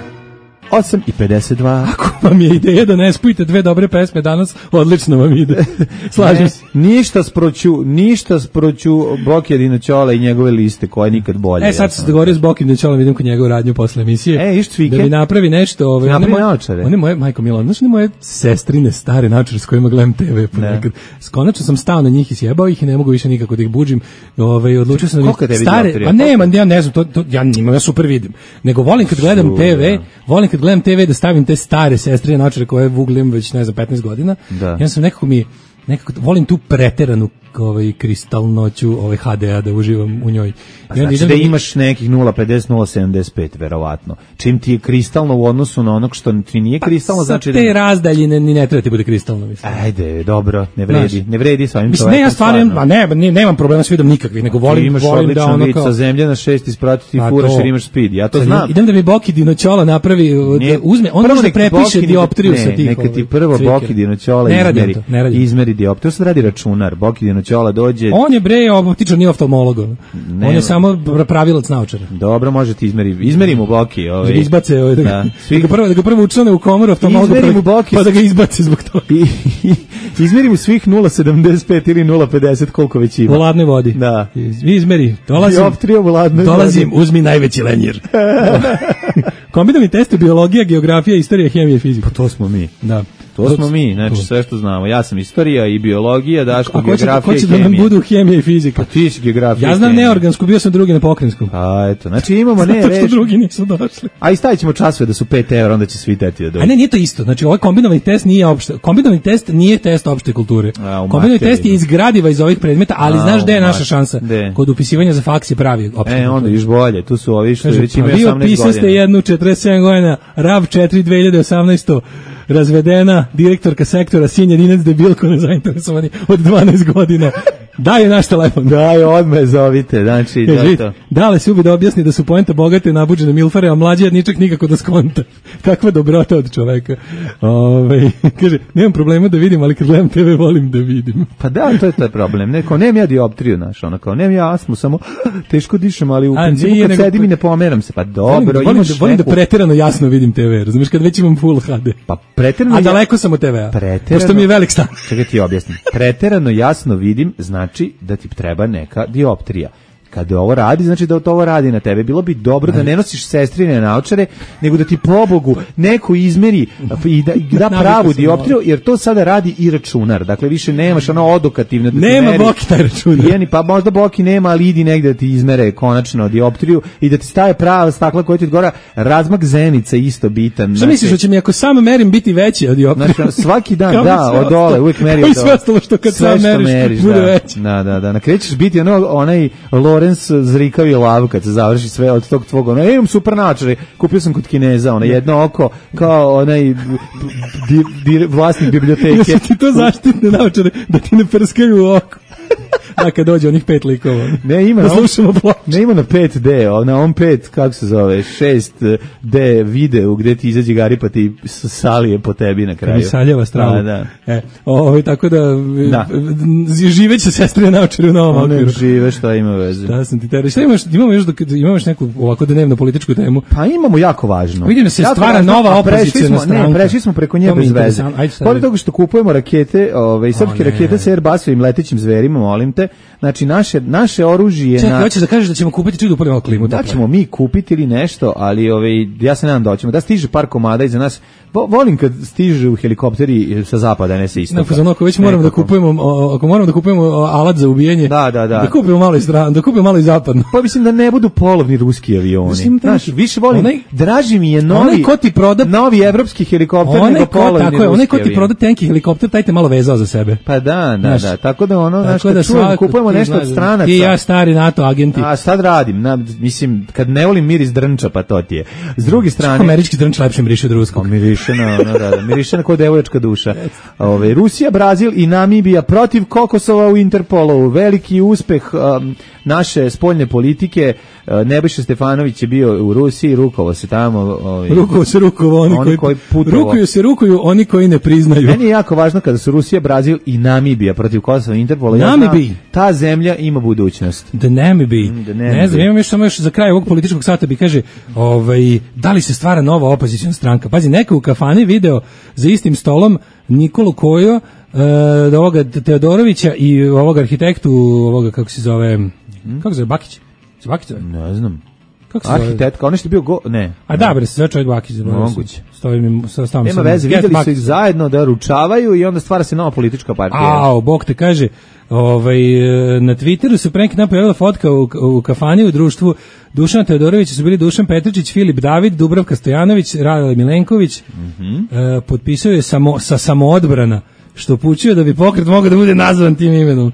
osam i pedeset dva. Ako vam je ideja da ne spojite dve dobre pesme danas, odlično vam ide. Slažem Ne, se. ništa sproću, ništa sproću Bokija Dinoćola i njegove liste, koja je nikad bolje. E, sad sam se dogovorio s Bokim da ćemo idem kod njega u radnju posle emisije. E, iš cvike. Da mi napravi nešto. Ove, Napravi one moje- naočare. One moje, majko Milo, znaš one moje sestrine stare naočare s kojima gledam te ve ponekad. Konačno sam stao na njih i sjebao ih i ne mogu više nikako da ih buđim. Ove, odlučio sam da Koliko tebi stare, dioptrija? pa nema, ja ne znam, to, to, ja nimam, ja super vidim. Nego volim kad gledam Šu, te ve, da. volim kad gledam te ve da stavim te stare sestrine naočare koje vuglim već, ne znam, petnaest godina. Da. Ja sam nekako mi, nekako, volim tu preteranu ovaj kristalnoću ovaj ha de a da uživam u njoj. Pa I onda znači idem da mi- imaš nekih nula pedeset nula sedamdeset pet verovatno. Čim ti je kristalno u odnosu na onog što ti nije kristalno, sa znači te razdaljine ni ne treba ti bude kristalno, mislim. Ajde, dobro, ne vredi, Znaš, ne vredi sa ovim Mislim, ne, ja čovekom, stvarno, a ne, ne, nemam problema s vidom nikakvih, nego Ti volim, imaš volim da odličan ono vid kao... sa zemlje na šest ispratiti ti Pa furaš to. jer imaš speed. Ja to Sad, znam. Idem da mi Boki Dinoćola napravi, da Nije- uzme, on prvo može da nek ti prepiše Boki dioptriju ne, sa tih. Neka ti ovaj, prvo cvikera. Boki Dinoćola Ne radim izmeri, to, ne radim. izmeri dioptriju. To sad radi računar. Boki Dinoćola dođe, On je bre optičar, nije oftalmolog. ono. Ne, On je ne. samo pravilac naočara. dobro, može ti izmeri. Izmeri mu Boki. Ovaj. Da ga izbace, ovaj, da, ga, Da. da, ga prvo, da ga prvo učlane u komoru oftalmologa, Izmeri pa, mu Boki. pa da ga izbace zbog toga. I, i, izmeri mu svih nula sedamdeset pet ili nula pedeset koliko već ima. U ladnoj vodi. Da. Iz- Izmeri, dolazim. Dioptrija u ladnoj Dolazim, vodi. uzmi najveći lenjer. Kombinovani test biologija, geografija, istorija, hemija i fizika. To smo mi. Da. To smo mi, znači sve što znamo. Ja sam istorija i biologija, Daško A ko će, geografija ko će i da nam hemija. budu hemija i fizika? Pa ti si geografija. Ja i znam hemija. neorgansku, bio sam drugi na pokrajinskom. A eto, znači imamo ne Zato što reč. drugi nisu došli. A i stavit ćemo časove da su pet evra, onda će svi teti da dođu. A ne, nije to isto. Znači, ovaj kombinovani test nije opšte. Kombinovani test nije test opšte kulture. A, u Kombinovani materiji. test je izgradiva iz ovih predmeta, ali A, znaš gde je u naša mat- šansa? gde? Kod upisivanja za faks je pravi opšte. E, onda još bolje. Tu su ovi što Kaže, već pa imaju vi osamnaest opisaste godina. jednu četrdeset sedam godina, rav četiri dve hiljade osamnaeste. Razvedena direktorka sektora Sinja Dinec debilko nezainteresovani od dvanaest godina. Daj je naš telefon. Daj, odme zovite, znači, Kaže, da vidite, to. Dale se ubi da objasni da su poenta bogate nabuđene milfare, a mlađi jedničak nikako da skonta. Kakva dobrota od čoveka. Ove, kaže, nemam problema da vidim, ali kad gledam te ve volim da vidim. Pa da, to je taj problem. Neko, nemam ja dioptriju, znaš, ono kao, nemam ja astmu, samo teško dišem, ali u A, principu nije, kad nego- sedim i ne pomeram se. Pa dobro, volim, da- volim, imaš da, volim da neku- preterano jasno vidim te ve, razumiješ, kad već imam full ha de. Pa preterano A ja- daleko sam od te vea. Preterano- Pošto mi je velik stan. Čekaj ti objasnim. Preterano jasno vidim, znači da ti treba neka dioptrija. Kada ovo radi, znači da to ovo radi na tebe. Bilo bi dobro da ne nosiš sestrine naočare, nego da ti pobogu neko izmeri i da, i da Navikao pravu sam dioptriju, jer to sada radi i računar. Dakle, više nemaš ono odokativno da ti Nema meri. Boki taj računar. Jeni, pa možda Boki nema, ali idi negde da ti izmere konačno dioptriju i da ti staje prava stakla koja ti odgovara. Razmak zenica isto bitan. Šta misliš, da će mi ako sam merim biti veći od dioptrije? Znači, svaki dan, Kao i da, sve od dole, ostalo. uvijek meri Kao i od sve dole. ostalo što kad Sve sam što meriš, bude da. veći. Da, da, da. Na kraju ćeš biti ono, onaj Lorenz zrikavi lav kad se završi sve od tog tvog, ono, imam super naočare, kupio sam kod Kineza, ono, jedno oko, kao onaj di, di, vlasnik biblioteke. Jesu ti to zaštitne naočare da ti ne prskaju u oko? Da, kad dođe onih pet likova. Ne ima, da slušamo ploče. Ne ima na pet D, na on pet, kako se zove, šest D video gde ti izađe Gari pa ti salije po tebi na kraju. Mi saljeva stravu. Da, da. E, ovo, tako da, da. živeće sestre naočari u novom okviru. One žive, šta ima veze. Šta sam ti tera. Šta imaš, imamo još, imaš neku ovako dnevno političku temu? Pa imamo jako važno. Vidim da se jako stvara važno, nova opozicijna stranka. Ne, prešli smo preko nje bez veze. Pored toga što kupujemo rakete, ove, srpske rakete sa Airbusovim letećim zverima, molim te, znači naše, naše oružje... Čekaj, hoćeš da kažeš da ćemo kupiti čudo upalimo klimu? Da ćemo mi kupiti ili nešto, ali ove, ja se nadam da hoćemo. Da stiže par komada iza nas. Volim kad stižu helikopteri sa zapada, ne sa istoka. Ne, ako već moramo da kupujemo, ako moramo da kupujemo alat za ubijanje, da, da, da. Da kupimo malo i strano, da kupimo malo i zapadno. Pa mislim da ne budu polovni ruski avioni. Mislim, znaš, više volim, onaj, draži mi je novi, ko ti proda, novi evropski helikopter nego polovni ruski avion. Onaj ko ti proda tenki helikopter, taj te malo vezao za sebe. Pa da, da, da. Tako da ono, znaš, kad čujem, kupujemo nešto od stranaca. I ja stari NATO agenti. A sad radim, na, mislim, kad ne volim miris drnča, pa to ti je. S druge strane... Američki drnč lepše miriše od ruskog. Miriše na, no, da, da. Miriše na kod devojačka duša. Ove, Rusija, Brazil i Namibija protiv Kokosova u Interpolu. Veliki uspeh um, naše spoljne politike. Uh, Nebojša Stefanović je bio u Rusiji, rukovo se tamo. Ovaj, rukovo se rukovo oni, oni koji, koji rukuju se rukuju oni koji ne priznaju. Meni je jako važno kada su Rusija, Brazil i Namibija protiv Kosova i Interpola. Namibija. Ja ta zemlja ima budućnost. The Namibija. Mm, ne znam, imam još samo još za kraj ovog političkog sata bi kaže, ovaj, da li se stvara nova opozicijna stranka? Pazi, neka u kafani video za istim stolom Nikolu Kojo, uh, da ovoga Teodorovića i ovog arhitektu, ovoga kako se zove, hmm? kako se zove, Bakić? Se Bakić zove? Ne znam. Kako se arhitektka, on je bio go, ne. A da, bre, se zove čovjek Bakić. Moguće. Stoji mi, stavim Nema veze, vidjeli su ih zajedno da ručavaju i onda stvara se nova politička partija. Ao, Bog te kaže, ovaj, na Twitteru se pre neki dan pojavila fotka u, u kafani u društvu Dušana Teodorovića, su bili Dušan Petričić, Filip David, Dubravka Stojanović, Radele Milenković, mm-hmm. e, potpisao je samo, sa samoodbrana, što upućuje da bi pokret mogao da bude nazvan tim imenom.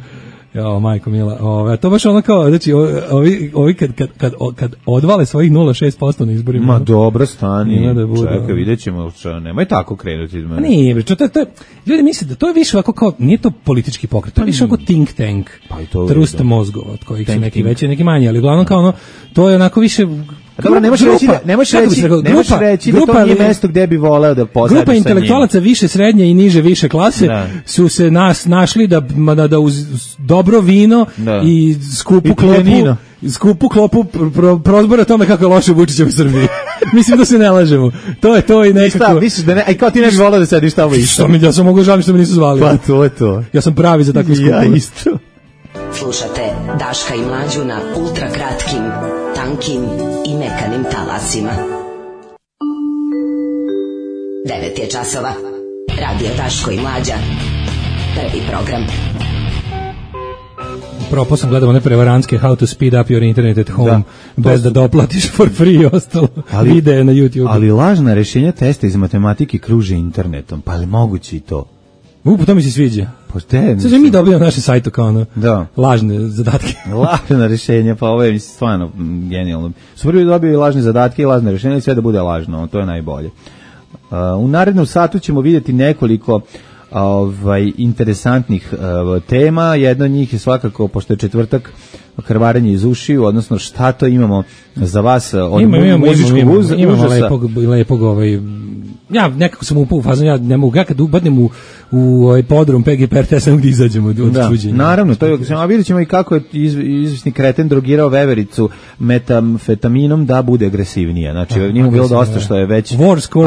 Jo, majko mila, ove, to baš ono kao, znači, ovi, ovi kad, kad, kad, kad odvale svojih nula zarez šest posto na izborima. Ma dobro, stani, da bude, čekaj, vidjet ćemo, čo, nemoj tako krenuti iz mene. Nije, bre, to, to, to, ljudi misle da to je više ovako kao, nije to politički pokret, to je više ovako think tank, pa to trusta mozgova, od kojih su neki veći, neki manji, ali uglavnom kao ono, to je onako više... Dobro, ne možeš reći, ne možeš reći, ne možeš reći da to nije mesto gde bi voleo da posadiš sa njim. Grupa intelektualaca više srednje i niže više klase da. su se nas našli da, da, da uz dobro vino da. i skupu I klopu, skupu klopu pro, prozbora tome kako je loše Vučićev u Srbiji. Mislim da se ne lažemo. To je to i nekako... Šta, misliš da ne, aj kao ti ne bi voleo da sediš tamo isto? Što mi, ja sam mogu žalim što me nisu zvali. Pa to je to. Ja sam pravi za takve skupove. Ja isto. Slušate Daška i Mlađu na ultra kratkim, tankim i mekanim talasima. devet je časova. Radio Daško i Mlađa. Prvi program. Propos sam gledao one prevarantske How to speed up your internet at home da, bez su... da doplatiš for free i ostalo. Ali, videe na YouTube. Ali lažna rešenja testa iz matematike kruže internetom. Pa li moguće i to? Upo, to mi se sviđa. Pošte, sve mi dobijamo naše sajto kao ono, da. lažne zadatke. Lažna rešenja, pa ovo je stvarno genijalno. Su prvi dobili lažne zadatke i lažne rešenja i sve da bude lažno, to je najbolje. Uh, u narednom satu ćemo vidjeti nekoliko ovaj, interesantnih uh, tema. Jedna od njih je svakako, pošto je četvrtak, krvarenje iz ušiju, odnosno šta to imamo za vas od imamo, imamo, muzičkog imamo, uz, imamo užasa. Lepog, lepog ovaj, ja nekako sam upao u fazon, ja ne mogu, ja kad ubadnem u, u ovaj podrum P G P R T, ja sam gdje izađemo od da, čuđenja. Naravno, to je, a vidjet ćemo i kako je iz, izvisni kreten drogirao vevericu metamfetaminom da bude agresivnija. Znači, ah, njemu bilo dosta što je već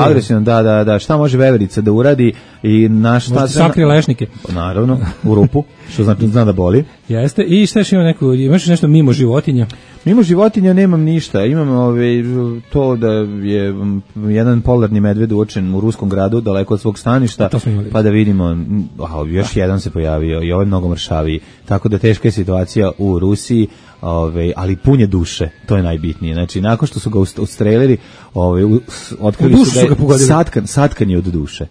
agresivno, da, da, da, šta može veverica da uradi i na šta... Možete sakrije lešnike. Naravno, u rupu, što znači zna da boli. Jeste, i šta još ima neku, imaš nešto mimo životinja? Mimo životinja nemam ništa, imam ove, to da je jedan polarni medved uočen u ruskom gradu, daleko od svog staništa, pa da vidimo, a, još jedan se pojavio i ovaj mnogo mršaviji, tako da teška je situacija u Rusiji, ove, ali punje duše, to je najbitnije. Znači, nakon što su ga odstrelili, ove, otkrili su da je satkan, satkan je od duše.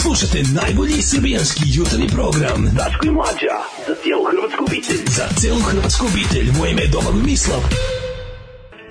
Slušajte najbolji srbijanski jutarnji program Daško i Mlađa, za cijelu hrvatsku obitelj. Za cijelu hrvatsku obitelj, moje ime je Domagoj Mislav.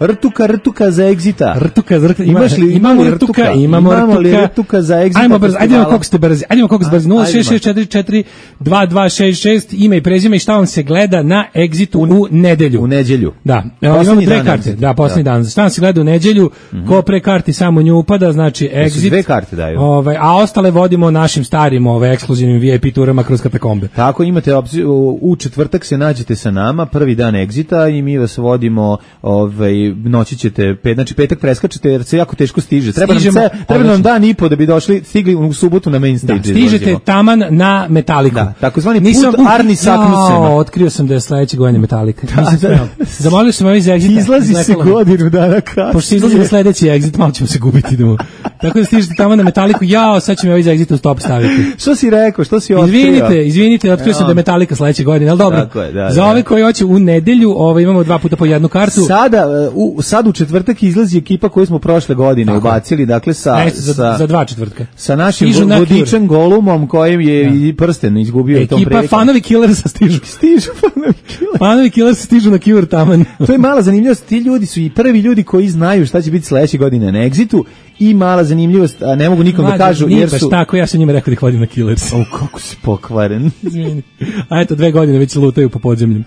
Rtuka, rtuka za Exita. Rtuka, rtuka. Ima, Imaš li, imamo li rtuka, rtuka? imamo Imamo li rtuka. rtuka za Exita? Ajmo brzo, ajde kako ste brzi. Ajde kako ste brzi. nula šest šest četiri četiri dva dva šest šest ime i prezime i šta vam se gleda na Exitu u nedelju. U nedelju. Da. Evo, imamo dve karte. Da, poslednji dan. Šta vam se gleda u nedelju? Mm-hmm. Ko pre karti samo nju upada, znači Exit. Dve karte daju. Ovaj, a ostale vodimo našim starim, ovaj ekskluzivnim V I P turama kroz katakombe. Tako imate opciju, u četvrtak se nađete sa nama, prvi dan Exita i mi vas vodimo, ovaj noći ćete, pet, znači petak preskačete jer se jako teško stiže. Treba nam, se, treba nam dan i po da bi došli, stigli u subotu na main stage. Da, stižete izložimo. Taman na Metaliku. Da, takozvani put Arni Saknusema. Otkrio sam da je sledeće godine Metalika. Da, da. Zamolio sam ovaj za Exit. Izlazi se godinu dana kasnije. Pošto izlazi sledeći Exit, malo ćemo se gubiti. Idemo. Tako da stižete tamo na Metaliku, jao, sad će mi ovaj za Exit u stop staviti. Što si rekao, što si otkrio? Izvinite, izvinite, otkrio sam da je Metalika sledeće godine, al dobro. Je, da, za da. ove koji hoće u nedelju, ovaj imamo dva puta po jednu kartu. Sada u sad u četvrtak izlazi ekipa koju smo prošle godine tako ubacili, dakle sa, ne, za, sa za dva četvrtka. Sa našim vodičem Golumom kojim je ja. i prsten izgubio ekipa tom prilikom. Ekipa fanovi Killersa stižu. Stižu fanovi Killersa. Fanovi Killersa stižu na Cure taman. To je mala zanimljivost, ti ljudi su i prvi ljudi koji znaju šta će biti sledeće godine na Exitu i mala zanimljivost, a ne mogu nikom Mlađe, da kažu jer su tako ja sam njima rekao da ih vodim na Killers. O, kako si pokvaren. Izvini. A eto dve godine već lutaju po podzemlju.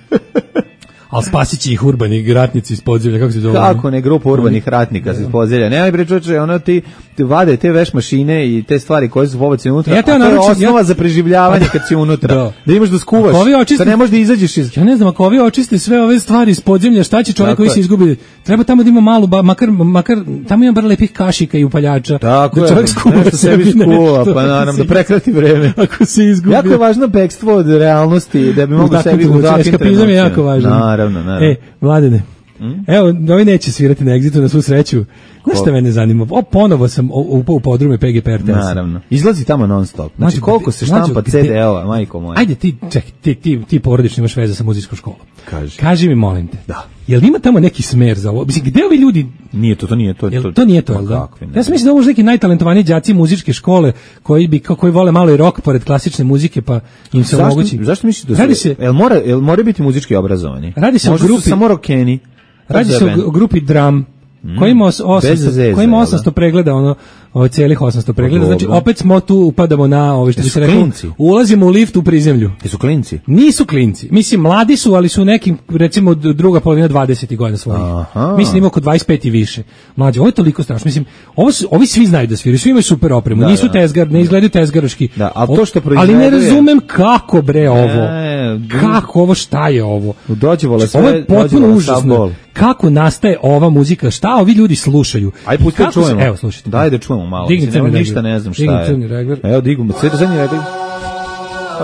Ali spasit će ih urbani ratnici iz podzemlja, kako se zove? Kako ne, grupa urbanih ratnika iz podzemlja. Ne, ali bre čoveče, ono ti, ti vade te veš mašine i te stvari koje su pobace unutra, ja a to je osnova ja... za preživljavanje kad si unutra. Da, da imaš da skuvaš, očiste... da ne možeš da izađeš iz... Ja ne znam, ako ovi očiste sve ove stvari iz podzemlja, šta će čovjek koji se izgubi? Treba tamo da ima malu, ba, makar, makar, tamo ima bar lepih kašika i upaljača. Tako da čovjek skuva nešto sebi skuva, pa naravno, da prekrati vreme. Ako se izgubi. Jako je važno bekstvo od realnosti, da bi mogu sebi u takvim trenucima. je jako važno. Naravno, naravno. E, Mladene, mm? evo, ovi neće svirati na Exitu na svu sreću. Znaš šta mene zanima? O, ponovo sam upao u podrume P G P R T S. Naravno. Izlazi tamo non stop. Znači, koliko se štampa C D-ova, majko moja. Ajde, ti, ček, ti, ti, ti porodično imaš veze sa muzičkom školom. Kaži. Kaži mi, molim te. Da. Jel ima tamo neki smer za ovo? Mislim, gde ovi ljudi... Nije to, to nije to. Jel, to nije to, jel da? Ja sam mislim da ovo možda neki najtalentovaniji đaci muzičke škole koji bi koji vole malo i rock pored klasične muzike, pa im se omogući. Zašto misliš da se... Jel mora, jel mora biti muzički obrazovani? Radi se o grupi... samo rockeni. Radi se o grupi Drum. Mm. Koji ima osamsto, koji ima osamsto pregleda, ono, ovo celih osamsto pregleda, znači opet smo tu upadamo na ovo što bi se reklo, ulazimo u lift u prizemlju. Jesu klinci? Nisu klinci, mislim mladi su, ali su nekim, recimo druga polovina dvadesetih godina svojih. Aha. Mislim ima oko dvadeset pet i više. Mlađe, ovo je toliko strašno, mislim, ovo su, ovi svi znaju da sviraju, svi imaju super opremu, da, nisu da, tezgar, ne izgledaju tezgaroški. Da, ali to što ali ne razumem kako bre ovo, ne, kako ovo, šta je ovo? Dođevole sve, ovo je potpuno užasno. Kako nastaje ova muzika, šta ovi ljudi slušaju? Aj pusti da čujemo. Evo, slušajte. Daj da čujemo malo. Digni Mislim, nema ništa, ne znam šta Digni je. crni regler. Evo, digum, sve do zadnji regler.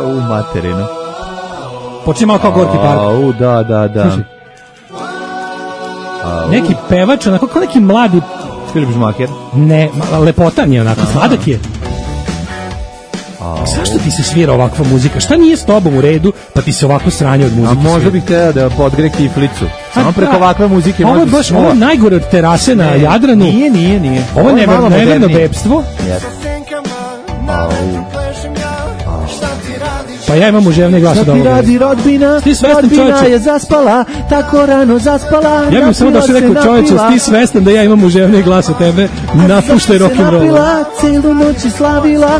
U materinu. Počne malo kao Gorki park. U, da, da, da. Slušaj. Neki pevač, onako kao neki mladi... Filip Žmaker? Ne, lepotan je onako, sladak je. Zašto ti se svira ovakva muzika? Šta nije s tobom u redu, pa ti se ovako sranje od muzike? A možda bih htjela da podgre kiflicu. Samo preko ovakve muzike ovo može baš, ovo je najgore od terase na Jadranu. Nije, nije, nije. Ovo je neverno bebstvo. Pa ja imam uževne glas od ovoga. Šta ti radi rodbina? Ti svestan, rodbina je zaspala, tako rano zaspala. Ja bih samo došao rekao, čovječe, ti svestan da ja imam uževne glas od tebe, napuštaj rock'n'roll. Napila, celu noć i slavila,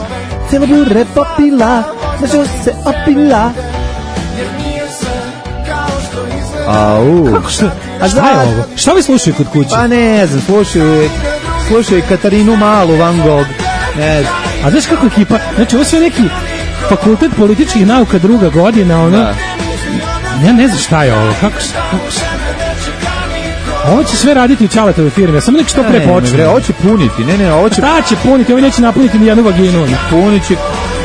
celo bure popila, znaš se opila. Au. Kako što? A šta je ovo? Šta vi slušaju kod kuće? Pa ne znam, slušaju, slušaju Katarinu Malu, Van Gogh, ne znam. A znaš kako ekipa, znači ovo sve neki fakultet političkih nauka druga godina, ono, da. Ja ne znam šta je ovo, kako se, kako se, ovo će sve raditi u Ćaletovoj firmi, ja samo nek što pre počne. Ne, ovo će puniti, ne, ne, ovo će... Šta će puniti, ovo neće napuniti ni jednu vaginu. Punit će,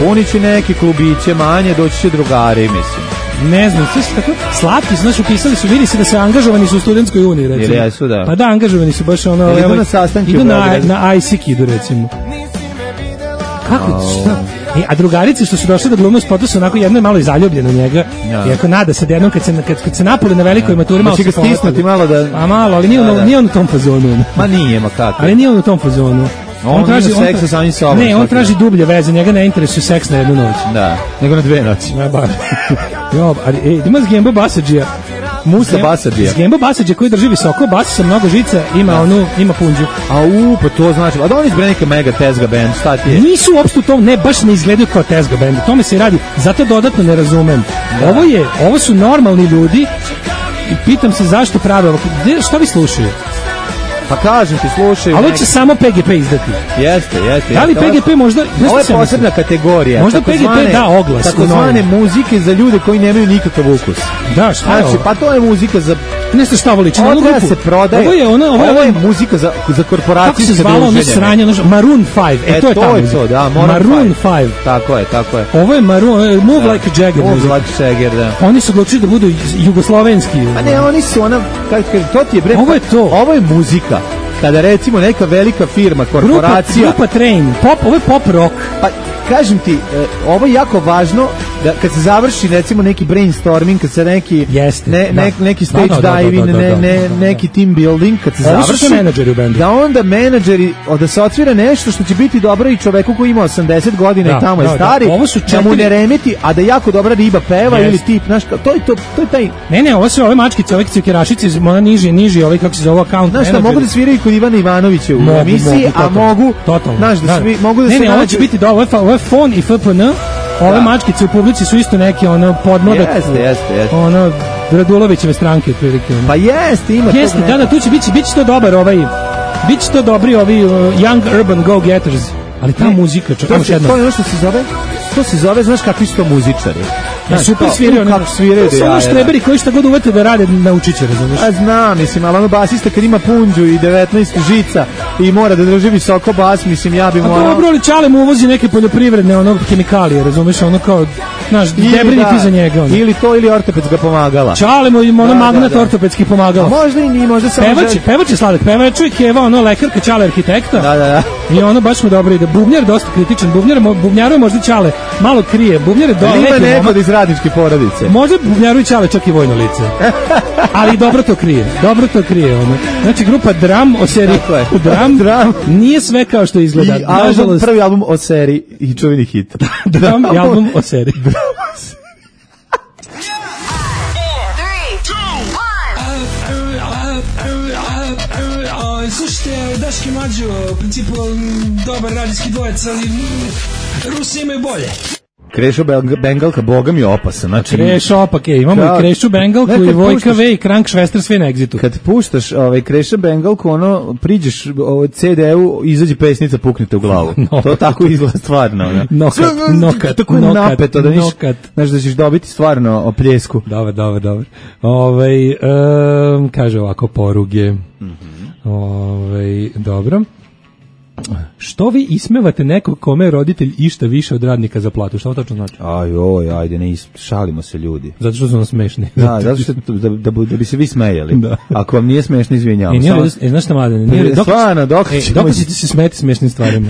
punit će neke klubiće manje, doći će drugari, mislim. Ne znam, sve su tako slatki, znaš, upisali su, vidi se da se angažovani su u studentskoj uniji, recimo. Ili jesu, da. Pa da, angažovani su baš ono... Ili idu na sastanke idu na, na I S I K idu, recimo. Kako, šta? E, a drugarice što su došle da glumu spotu su onako, jedno je malo i zaljubljeno njega, ja. Iako nada se da jednom kad se, kad, kad se napuli na velikoj maturi, malo se stisnuti malo da... A malo, ali nije, da, on, da. nije on u tom fazonu. Ma nije, ma kako. Ali nije on u tom fazonu. On, on traži seksa on, sa samim sobom. Ne, on traži dublje veze, njega ne interesuje seks na jednu noć. Da, nego na dve noći. Ja bar. Jo, ali, ej, ima s Gembo Basadžija. Musa Basadija. Gembo Basadija koji drži visoko, bas sa mnogo žica, ima da. onu, ima punđu. A u, pa to znači, a da oni izbre neka mega tezga band, šta ti je? Nisu uopšte u tom, ne, baš ne izgledaju kao tezga band, tome se radi, zato dodatno ne razumem. Da. Ovo je, ovo su normalni ljudi i pitam se zašto prave ovo, šta vi slušaju? Pa kažem ti, slušaj. Ali će samo P G P izdati. Jeste, jeste. Da li P G P možda... Ovo je posebna kategorija. Možda P G P da oglas. Tako zvane muzike za ljude koji nemaju nikakav ukus. Da, šta je znači, ovo? Pa to je muzika za... Ne ste šta voliči. Ovo treba se prodaje. Ovo je, ona, ovo je, ovo je muzika za, za korporacije. Kako se zvalo ono sranje? Maroon five. E, e to je ta muzika. To, da, Maroon five. Tako je, tako je. Ovo je Maroon... Move da. Like a Jagger. Move like a Jagger, da. Oni su odlučili da budu jugoslovenski. A ne, oni su ona... Kako kažem, to ti je bre... Ovo je to. Ovo je muzika. Kada recimo neka velika firma, korporacija... Grupa, grupa Train, pop, ovo je pop rock. Pa kažem ti, e, ovo je jako važno da kad se završi recimo neki brainstorming, kad se neki Jeste, ne, da. ne, neki stage da, da, da, diving, da, da, da, da, ne, ne, neki team building, kad se ovo završi, menadžeri u bendu. Da onda menadžeri, da se otvira nešto što će biti dobro i čoveku koji ima osamdeset godina da, i tamo da, je stari, da, ovo su četiri... da mu ne remeti, a da jako dobra riba peva yes. ili tip, znaš, to je to, to je taj... Ne, ne, ovo su ove mačkice, ove cikerašice, ona niži, niži, ovaj kako se zove account znaš šta, mogu da sviraju kod Ivana Ivanovića u mogu, emisiji, mogu, a mogu, totalno, znaš, da, svi, mogu da ne, se ne, nađu... ovo će biti da, ovo je fon i F P N, ove da. mačkice u publici su isto neke, ono, podmladak, jeste, jeste, jeste. ono, Radulovićeve stranke, otprilike. Pa jeste, ima jeste, da, da, tu će biti, biće to dobar, ovaj, biće to dobri, ovi uh, Young Urban Go-Getters, ali ta ne, muzika, čak, to, se, to je ono što se zove, to se zove, znaš kakvi su to muzičari. Ja, super sviraju, kako sviraju. To su ono štreberi koji šta god uvete da rade, naučit će, razumiješ? A znam, mislim, ali ono basista kad ima punđu i devetnaest žica i mora da drži visoko bas, mislim, ja bi morao... A dobro, ali Čale mu uvozi neke poljoprivredne, ono, kemikalije, razumiješ, ono kao, znaš, debrini ti za njega. Ono. Ili to, ili ortopedska pomagala. Čale mu ima ono da, magnat da, da. ortopedskih pomagala. A možda i nije, možda samo... Pevač, pevač je sladak, pevač je Keva, ono, lekarka, Čale arhitekta. Da, da, da. I ono baš mu dobro ide. Bubnjar dosta kritičan, bubnjar, bubnjaru je možda Čale malo krije, bubnjar je dosta... Ima neko iz radničke porodice. Možda Bubnjaru i Čale čak i vojno lice. Ali dobro to krije. Dobro to krije ono. Znači grupa Dram o seriji Dram, Dram nije sve kao što izgleda. I album, nažalost, prvi album o seriji i čuveni hit. Dram i album o seriji. Slušajte, Daški Mlađo, u principu dobar radijski dvojec, ali Rusi imaju bolje. Krešo Bengalka, boga mi opasan. Znači, Krešo opak je, imamo da, i Krešu Bengalku ne, i Vojka V i Krank Švester sve na Exitu. Kad puštaš ovaj, Kreša Bengalku, ono, priđeš ovaj, C D-u, izađe pesnica, puknite u glavu. No, to tako izgleda stvarno. Ne? Nokat, nokat, tako je nokat, napeto, da niš, znaš da ćeš dobiti stvarno opljesku. Dobar, dobar, dobar. Ove, um, kaže ovako, poruge. Mm-hmm. Ove, dobro. Što vi ismevate nekog kome je roditelj išta više od radnika za platu? Šta to tačno znači? Aj, oj, ajde, ne is, šalimo se ljudi. Zato što su nam smešni. Da, zato što da, da, da bi se vi smejali. Da. Ako vam nije smešno, izvinjavam. E, nije, Samo... e, znaš šta, Mladene? Nije, dok, stvarno, dok e, ćemo... Dok ćete se smeti smešnim stvarima?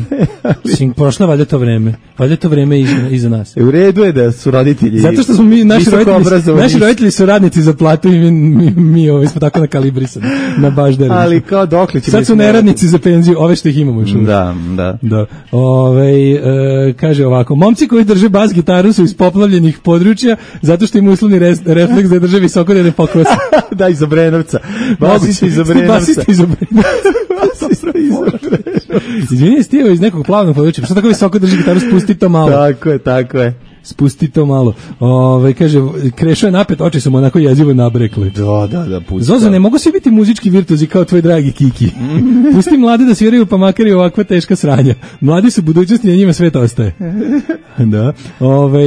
Sim, prošlo valjda to vreme. Valjda to vreme iza, iza nas. E, u redu je da su roditelji... Zato što smo mi, naši roditelji, naši roditelji su radnici za platu i mi, mi, mi ovi smo tako nakalibrisani. Na baš da ali kao dokle ćemo... Sad su neradnici za penziju, ove što ih imamo još uvijek. Da, da. Da. Ove, e, kaže ovako, momci koji drže bas gitaru su iz poplavljenih područja zato što im uslovni res, refleks da drže visoko da ne pokose. Da, iz Obrenovca. Basista iz Obrenovca. Basista iz Obrenovca. Basista iz Obrenovca. Izvini, stijeva iz nekog plavnog područja. Što tako visoko drži gitaru, spusti to malo. Tako je, tako je. Spusti to malo. Ove, kaže, Krešo je napet, oči su mu onako jezivo nabrekle. Da, da, da, pusti. Zozo, ne mogu svi biti muzički virtuozi kao tvoj dragi Kiki. Pusti mlade da sviraju, pa makar i ovakva teška sranja. Mladi su budućnosti, a njima svet ostaje. Da. Ove,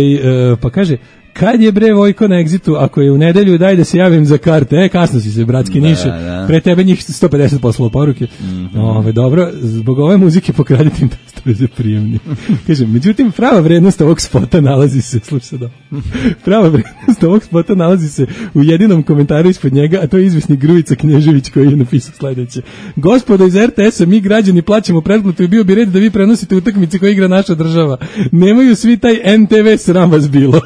pa kaže, kad je bre Vojko na Exitu, ako je u nedelju, daj da se javim za karte. E, kasno si se, bratski da, Niše. Da. Pre tebe njih sto pedeset poslalo poruke. Mm-hmm. Ove, dobro, zbog ove muzike pokradite im testove za prijemni. Kažem, međutim, prava vrednost ovog spota nalazi se, slušaj da, prava vrednost ovog spota nalazi se u jedinom komentaru ispod njega, a to je izvisni Grujica Knježević koji je napisao sledeće. Gospodo iz R T S-a, mi građani plaćamo pretplatu i bio bi red da vi prenosite utakmice koje igra naša država. Nemaju svi taj N T V, sram vas bilo.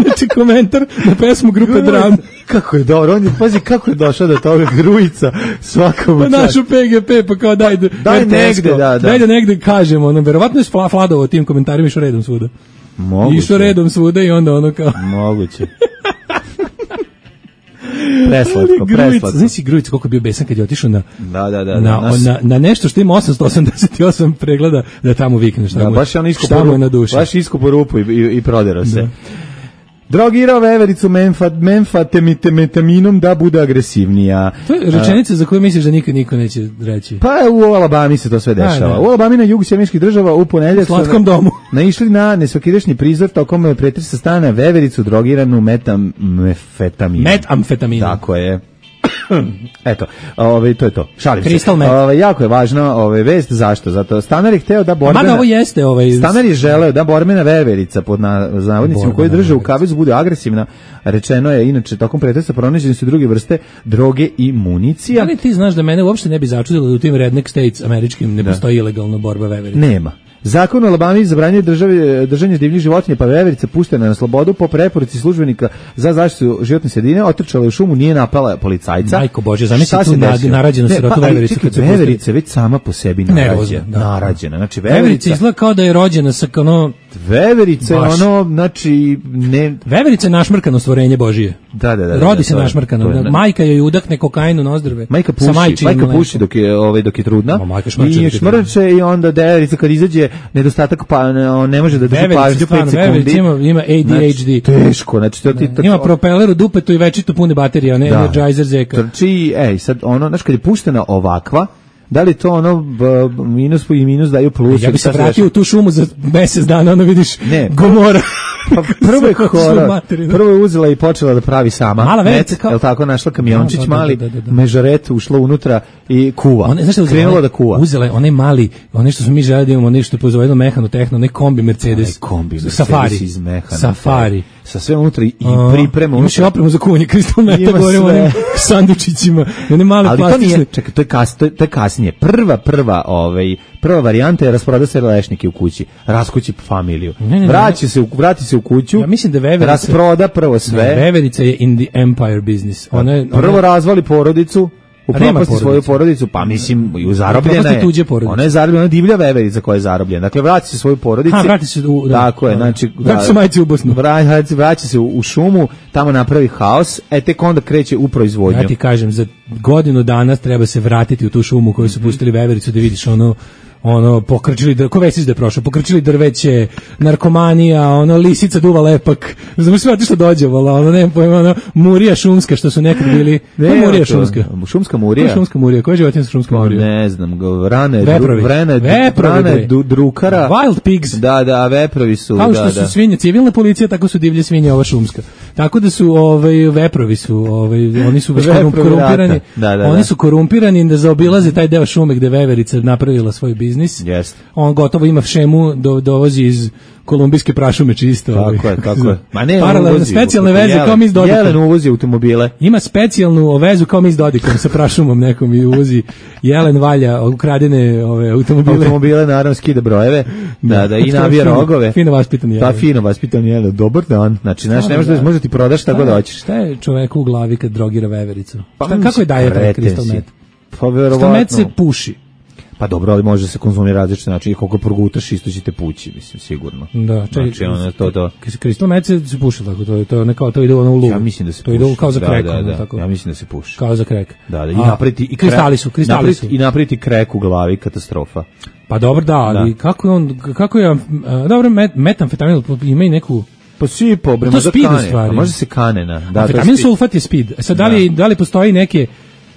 Znači komentar na pesmu grupe Dram. Kako je dobro, on je, pazi kako je došao do toga, Grujica svakom pa našu P G P, pa kao daj, daj negde, da, da. Daj da negde kažemo, ono, verovatno je Fladovo tim komentarima išao redom svuda. Moguće. Išao redom svuda i onda ono kao... Moguće. Preslatko, preslatko. Znaš si Grujić koliko je bio besan kad je otišao na, da, da, da, na, nas... na, na nešto što ima osamsto osamdeset osam pregleda da tamo vikneš. Da, baš je on isko po, na duši. Baš isko po rupu i, i, i proderao se. Da. Drogirao vevericu menfa, menfatemitaminom da bude agresivnija. To je rečenica za koju misliš da nikad niko neće reći. Pa u Alabami se to sve dešava. A, u Alabami na jugu Sjedinjenih Država u ponedeljak u slatkom domu naišli na nesvakidašnji prizor tokom pretresa stana vevericu drogiranu metamfetaminom. Metamfetaminom. Tako je. Eto, ovaj to je to. Šalim Crystal se. Ovaj jako je važno, ovaj vest zašto? Zato Stanar je hteo da borbena. Mada ovo jeste ovaj Stanar je želeo da borbena veverica pod navodnicima koji drže u kavezu bude agresivna. Rečeno je inače tokom pretresa pronađene su druge vrste droge i municija. Ali ti znaš da mene uopšte ne bi začudilo da u tim redneck states američkim ne da. Postoji ilegalna borba veverica. Nema. Zakon u Alabami zabranjuje države držanje divljih životinja, pa veverica puštena na slobodu po preporuci službenika za zaštitu životne sredine, otrčala je u šumu, nije napala policajca. Majko Bože, zamisli tu narađenu sirotu pa, vevericu. Čekaj, veverica već sama po sebi narađena. Da. Narađena. Znači, veverica, veverica izgleda kao da je rođena sa ono... Veverica je ono, znači... Ne... Veverica je našmrkano stvorenje Božije. Da, da, da. Rodi da, se našmrkano. Da, majka joj udahne kokainu na ozdrve. Majka puši, majka puši dok je, ovaj, dok je trudna. Ma, I šmrče i onda veverica kad izađe nedostatak pa ne, ne može da drži pažnju pet sekundi. Ima, ima A D H D. Znači, teško. Znači, to ti, to, ima propeler u dupetu i večito pune baterije, a ne da. Energizer zeka. Trči, ej, sad ono, znaš, kad je puštena ovakva, da li to ono b, minus i minus daju plus? Ja bi se vratio u tu šumu za mesec dana, ono vidiš ne. Gomora. Pa prvo je horor, prvo je uzela i počela da pravi sama. Mala veverica kao... Jel tako, našla kamiončić da, da, mali, da, da, da. mežaret, ušla unutra i kuva. One, znaš, krenula da kuva. Uzela je onaj mali, one što smo mi želi da imamo, nešto po zove mehano tehno, onaj kombi Mercedes. Onaj kombi Mercedes Safari. iz mehana. Safari. Sa sve unutra i priprema. Imaš i opremu za kuvanje kristal meta, govorimo onim sandučićima. One male ali plastične. To nije, čekaj, to je, kas, to, je, to je kasnije. Prva, prva, ovaj, prva varijanta je rasproda se lešnike u kući, raskući familiju. Ne, ne, vraća se, vrati se u kuću, ja mislim da veverica, rasproda prvo sve. Ne, veverica je in the empire business. Ona je, ona... Prvo razvali porodicu, upropasti svoju porodicu, pa mislim, u zarobljena je. Ona je zarobljena, ona divlja veverica koja je zarobljena. Dakle, vraća se svoju porodicu. Ha, vrati se u, da, tako je, znači, vraća se majci u Bosnu. Vraća, vraća se u, u šumu, tamo napravi haos, e tek onda kreće u proizvodnju. Ja ti kažem, za godinu dana treba se vratiti u tu šumu koju su pustili vevericu da vidiš ono ono pokrčili, ko vesiš da je prošao, pokrčili drveće, narkomanija, ono lisica duva lepak, znam sve što dođe, vola, ono ne pojma, ono murija šumska što su nekad bili, ne, murija šumska, šumska murija, šumska murija, koja je životinjska šumska murija? Ne znam, vrane, veprovi, vrane, veprovi, vrane, drukara, wild pigs, da, da, veprovi su, kao što da, su da. Svinje, civilna policija, tako su divlje svinje, ova šumska, tako da su, ovaj, veprovi su, ovaj, oni su baš korumpirani, da, da, oni da. su korumpirani da zaobilaze taj deo šume gde veverica napravila svoj biznis. Yes. On gotovo ima šemu, do, dovozi iz kolumbijske prašume čisto. Tako je, tako je. Ma ne, paralelne specijalne veze jelen, kao mi s Dodikom. Jelen uvozi automobile. Ima specijalnu vezu kao mi s Dodikom sa prašumom nekom i uvozi. Jelen valja ukradene ove automobile. Automobile naravno skida brojeve. Da, da i navija rogove. Fino vaspitan jelen. Pa fino vaspitan jelen. Dobar dan. Znači, znaš, ne možeš da može ti prodaš šta god hoćeš. Šta je čoveku u glavi kad drogira vevericu? Šta, kako je daje taj kristal met? Pa verovatno. Kristal met se puši. Pa dobro, ali može se konzumirati različite načine, koliko progutaš isto će te pući, mislim, sigurno. Da, čekaj, znači, ono, to, to. Kristal met se puši tako, to je to, nekao, to ide ono u lugu. Ja mislim da se to puši. To ide kao za krek. Da, da, da. Tako. Ja mislim da se puši. Kao za krek. Da, da, i napriti, i kristali su, kristali napriti, su. I napriti krek u glavi, katastrofa. Pa dobro, da, ali da. kako je on, kako je, uh, dobro, met, metamfetamin ima i neku... Pa svi po to speed u stvari. Pa može se kanena. Da, amfetamin sulfat je speed. E sad, da li, da. da li postoji neke...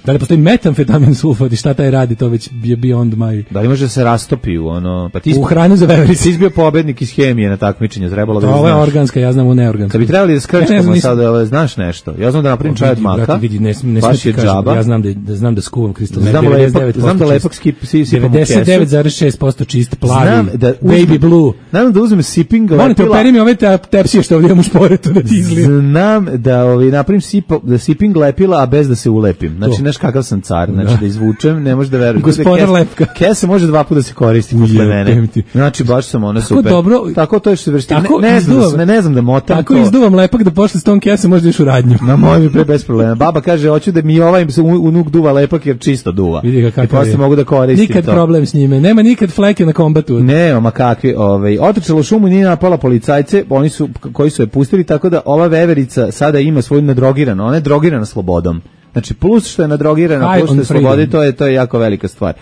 Da li postoji metamfetamin sulfat i šta taj radi, to već je beyond my... Da li može da se rastopi u ono... Pa ti u hranu za veverice. Ti si bio pobednik iz hemije na takmičenju, trebalo da znaš. Ovo je organska, ja znam u neorganska. Kad bi trebali da skrčkamo ja sad, ali znaš nešto. Ja znam da napravim čaj od maka, vidi, ne, ne baš je džaba. Ja znam da, da, znam da skuvam kristal met. Znam, lepak, znam da lepak skip, si, sipam u kesu. devedeset devet zarez šest posto čist, plavi, znam da uzme, baby blue. Znam da uzmem sipping lepila. Molim te, operi mi ove tepsije što ovdje imam u šporetu da ti izlijem. Znam da ovi, napravim sipo, da sipping lepila, a bez da se ulepim. Znači, znaš kakav sam car. Znači, da, da izvučem, ne možeš da veruješ. Gospodar lepka. Kesa može dva puta da se koristi posle mene. Znači, baš sam ona super. Tako dobro. Tako to je što se vrsti. Ne, ne, znam, ne, ne znam da motam tako to. Tako izduvam lepak da posle s tom kese možda iš u radnju. Ma može mi pre bez problema. Baba kaže, hoću da mi ovaj unuk duva lepak jer čisto duva. Vidi ga i posle mogu da koristim nikad to. Nikad problem s njime. Nema nikad fleke na kombatu. Ne, ma kakvi, ovaj, Ovaj otrčala u šumu i nije napala policajce, oni su koji su je pustili, tako da ova veverica sada ima svoju nadrogiranu, ona je drogirana slobodom. Znači plus što je nadrogirana, plus što je slobodi, to je to je jako velika stvar.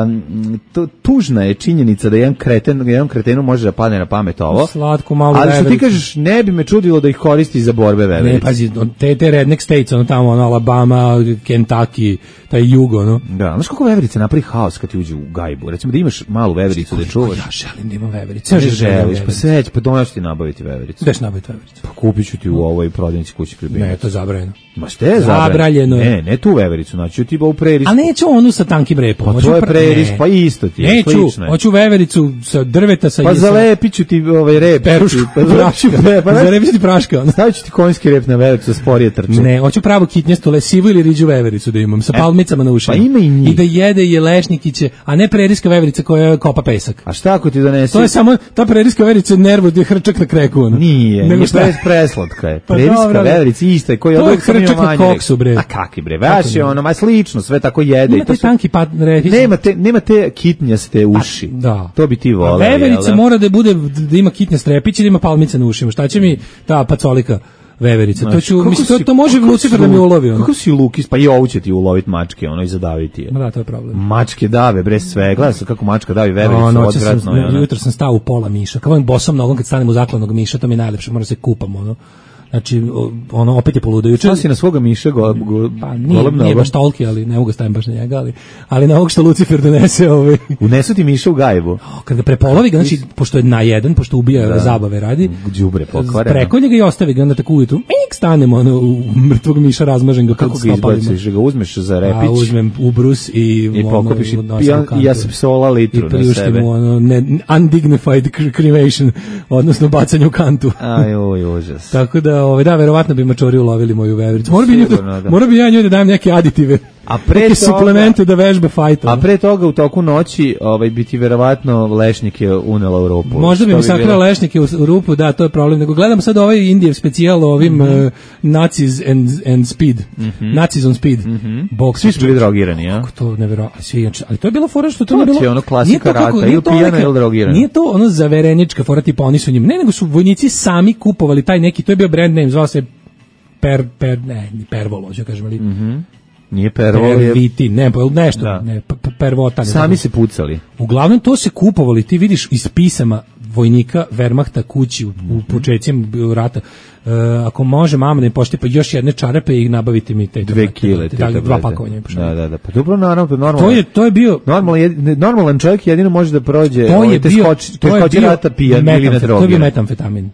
Um, to, tužna je činjenica da jedan kreten, jedan kretenu može da padne na pamet ovo. Slatko malo. Ali što ti kažeš, ne bi me čudilo da ih koristi za borbe veverice. Ne, pazi, te te redneck states, ono tamo, ono Alabama, Kentucky, taj jugo, no. Da, znaš kako veverice napravi haos kad ti uđe u gajbu. Recimo da imaš malu vevericu da čuvaš. Ja želim da imam veverice. Ja želiš, pa seć, pa domaš ti nabaviti vevericu. Gdeš nabaviti vevericu? Pa kupit ću ti u ovoj prodavnici kući Ljubimac. Ne, to je zabranjeno. Ma šta je zabranjeno? Ne, ne tu vevericu, znači ti ba u prerisku. A neću onu sa tankim repom. Pa to je preris, pa isto ti je, neću, slično je. Hoću vevericu sa drveta sa... Pa zalepit ću ti ovaj rep. Perušku, prašku, pa zalepit ću ti praška. Stavit ću ti konjski rep na vevericu, sporije trče. Ne, hoću pravu kitnjastu lesivu ili riđu vevericu da imam, sa palmicama na ušima. Pa ima i njih. I da jede jelešnikiće, a ne preriska veverica koja kopa pesak. A šta ako ti donese? To je samo, ta preriska veverica je nervo gdje hrčak na kreku. Ono. Nije, nego nije šta? preslatka je. Pa Preriska dobro, veverica ista je koji to je odlog sam ima hrčak na manje. koksu, bre. A kakvi bre, vaš je ono, ma slično, sve tako jede. Nema te su... tanki pat, refić. Nema te, nema te kitnjaste uši. A, da. To bi ti voleo. A veverica mora da bude, da ima kitnja strepić i da ima palmice na ušima. Šta će mi ta pacolika veverica? To, ću, mislim, to, to može Lucifer da mi ulovi. Ono. Kako si Lukis, pa i ovu će ti uloviti mačke, ono, i zadaviti je. Ma da, to je problem. Mačke dave, bre, sve. Gledaj se kako mačka davi vevericu, no, odvratno je. Ono. Jutro sam stao u pola miša. Kao ovim bosom nogom kad stanem u zakladnog miša, to mi je najlepše, moram se kupam, ono. Znači, ono, opet je poludo. Juče si na svoga miša go, go, pa nije, nije baš toliki, ali ne mogu stavim baš na njega, ali, ali na ovog što Lucifer donese ovaj... Unesu ti miša u gajbu. O, kad ga prepolovi ga, znači, pošto je na jedan, pošto ubija da. zabave radi, đubre pokvareno. Prekolje ga i ostavi ga, onda tako ujutru, mik, stanemo, ono, u mrtvog miša, razmažem ga. Kako ga izbaciš, ga uzmeš za repić? A uzmem ubrus i... I pokopiš ono, i, ja, i ja sam psola litru na sebe. I priuštim mu, ono, ne, undignified cremation, odnosno bacanje u kantu. Aj, oj, užas. Tako da, ovaj, da, verovatno bi mačori ulovili moju vevericu. Mora bi, Sigurno, da. Mora bi ja njoj da dajem neke aditive. A pre neke toga, suplemente da vežbe fajta. A pre toga u toku noći ovaj, bi ti verovatno lešnike unela u rupu. Možda bi mi sakrila lešnike u, u rupu, da, to je problem. Nego gledam sad ovaj Indijev specijal o ovim mm -hmm. uh, Nazis and, and Speed. Mm -hmm. Nazis on Speed. Mm -hmm. Boks. Svi su bili drogirani, ja? Kako to nevjerojatno. Svi, ali to je bilo fora što to, to ne bilo... To je ono klasika rata, ili pijana ili drogirana. Nije to ono zaverenička fora, tipa oni su njim. Ne, nego su vojnici sami kupovali taj neki, to je bio brand name, zvao se Per, per, ne, Pervolo, ću kažem, ali... Mm -hmm. Nije Pervolo, Perviti, ne, nešto, da. ne, Pervota. Ne, sami se pucali. Uglavnom, to se kupovali, ti vidiš iz pisama vojnika Wehrmachta kući u, u početcima rata. Uh, ako može mama da im pošti pa još jedne čarape i nabavite mi te dve kile, da, dva pakovanja. Da, da, da. Pa dobro, naravno, normalno. To je to je bio normalan normalan čovjek jedino može da prođe to je bio, skoči, to je bio rata pijan ili na drogi. To je bio metamfetamin.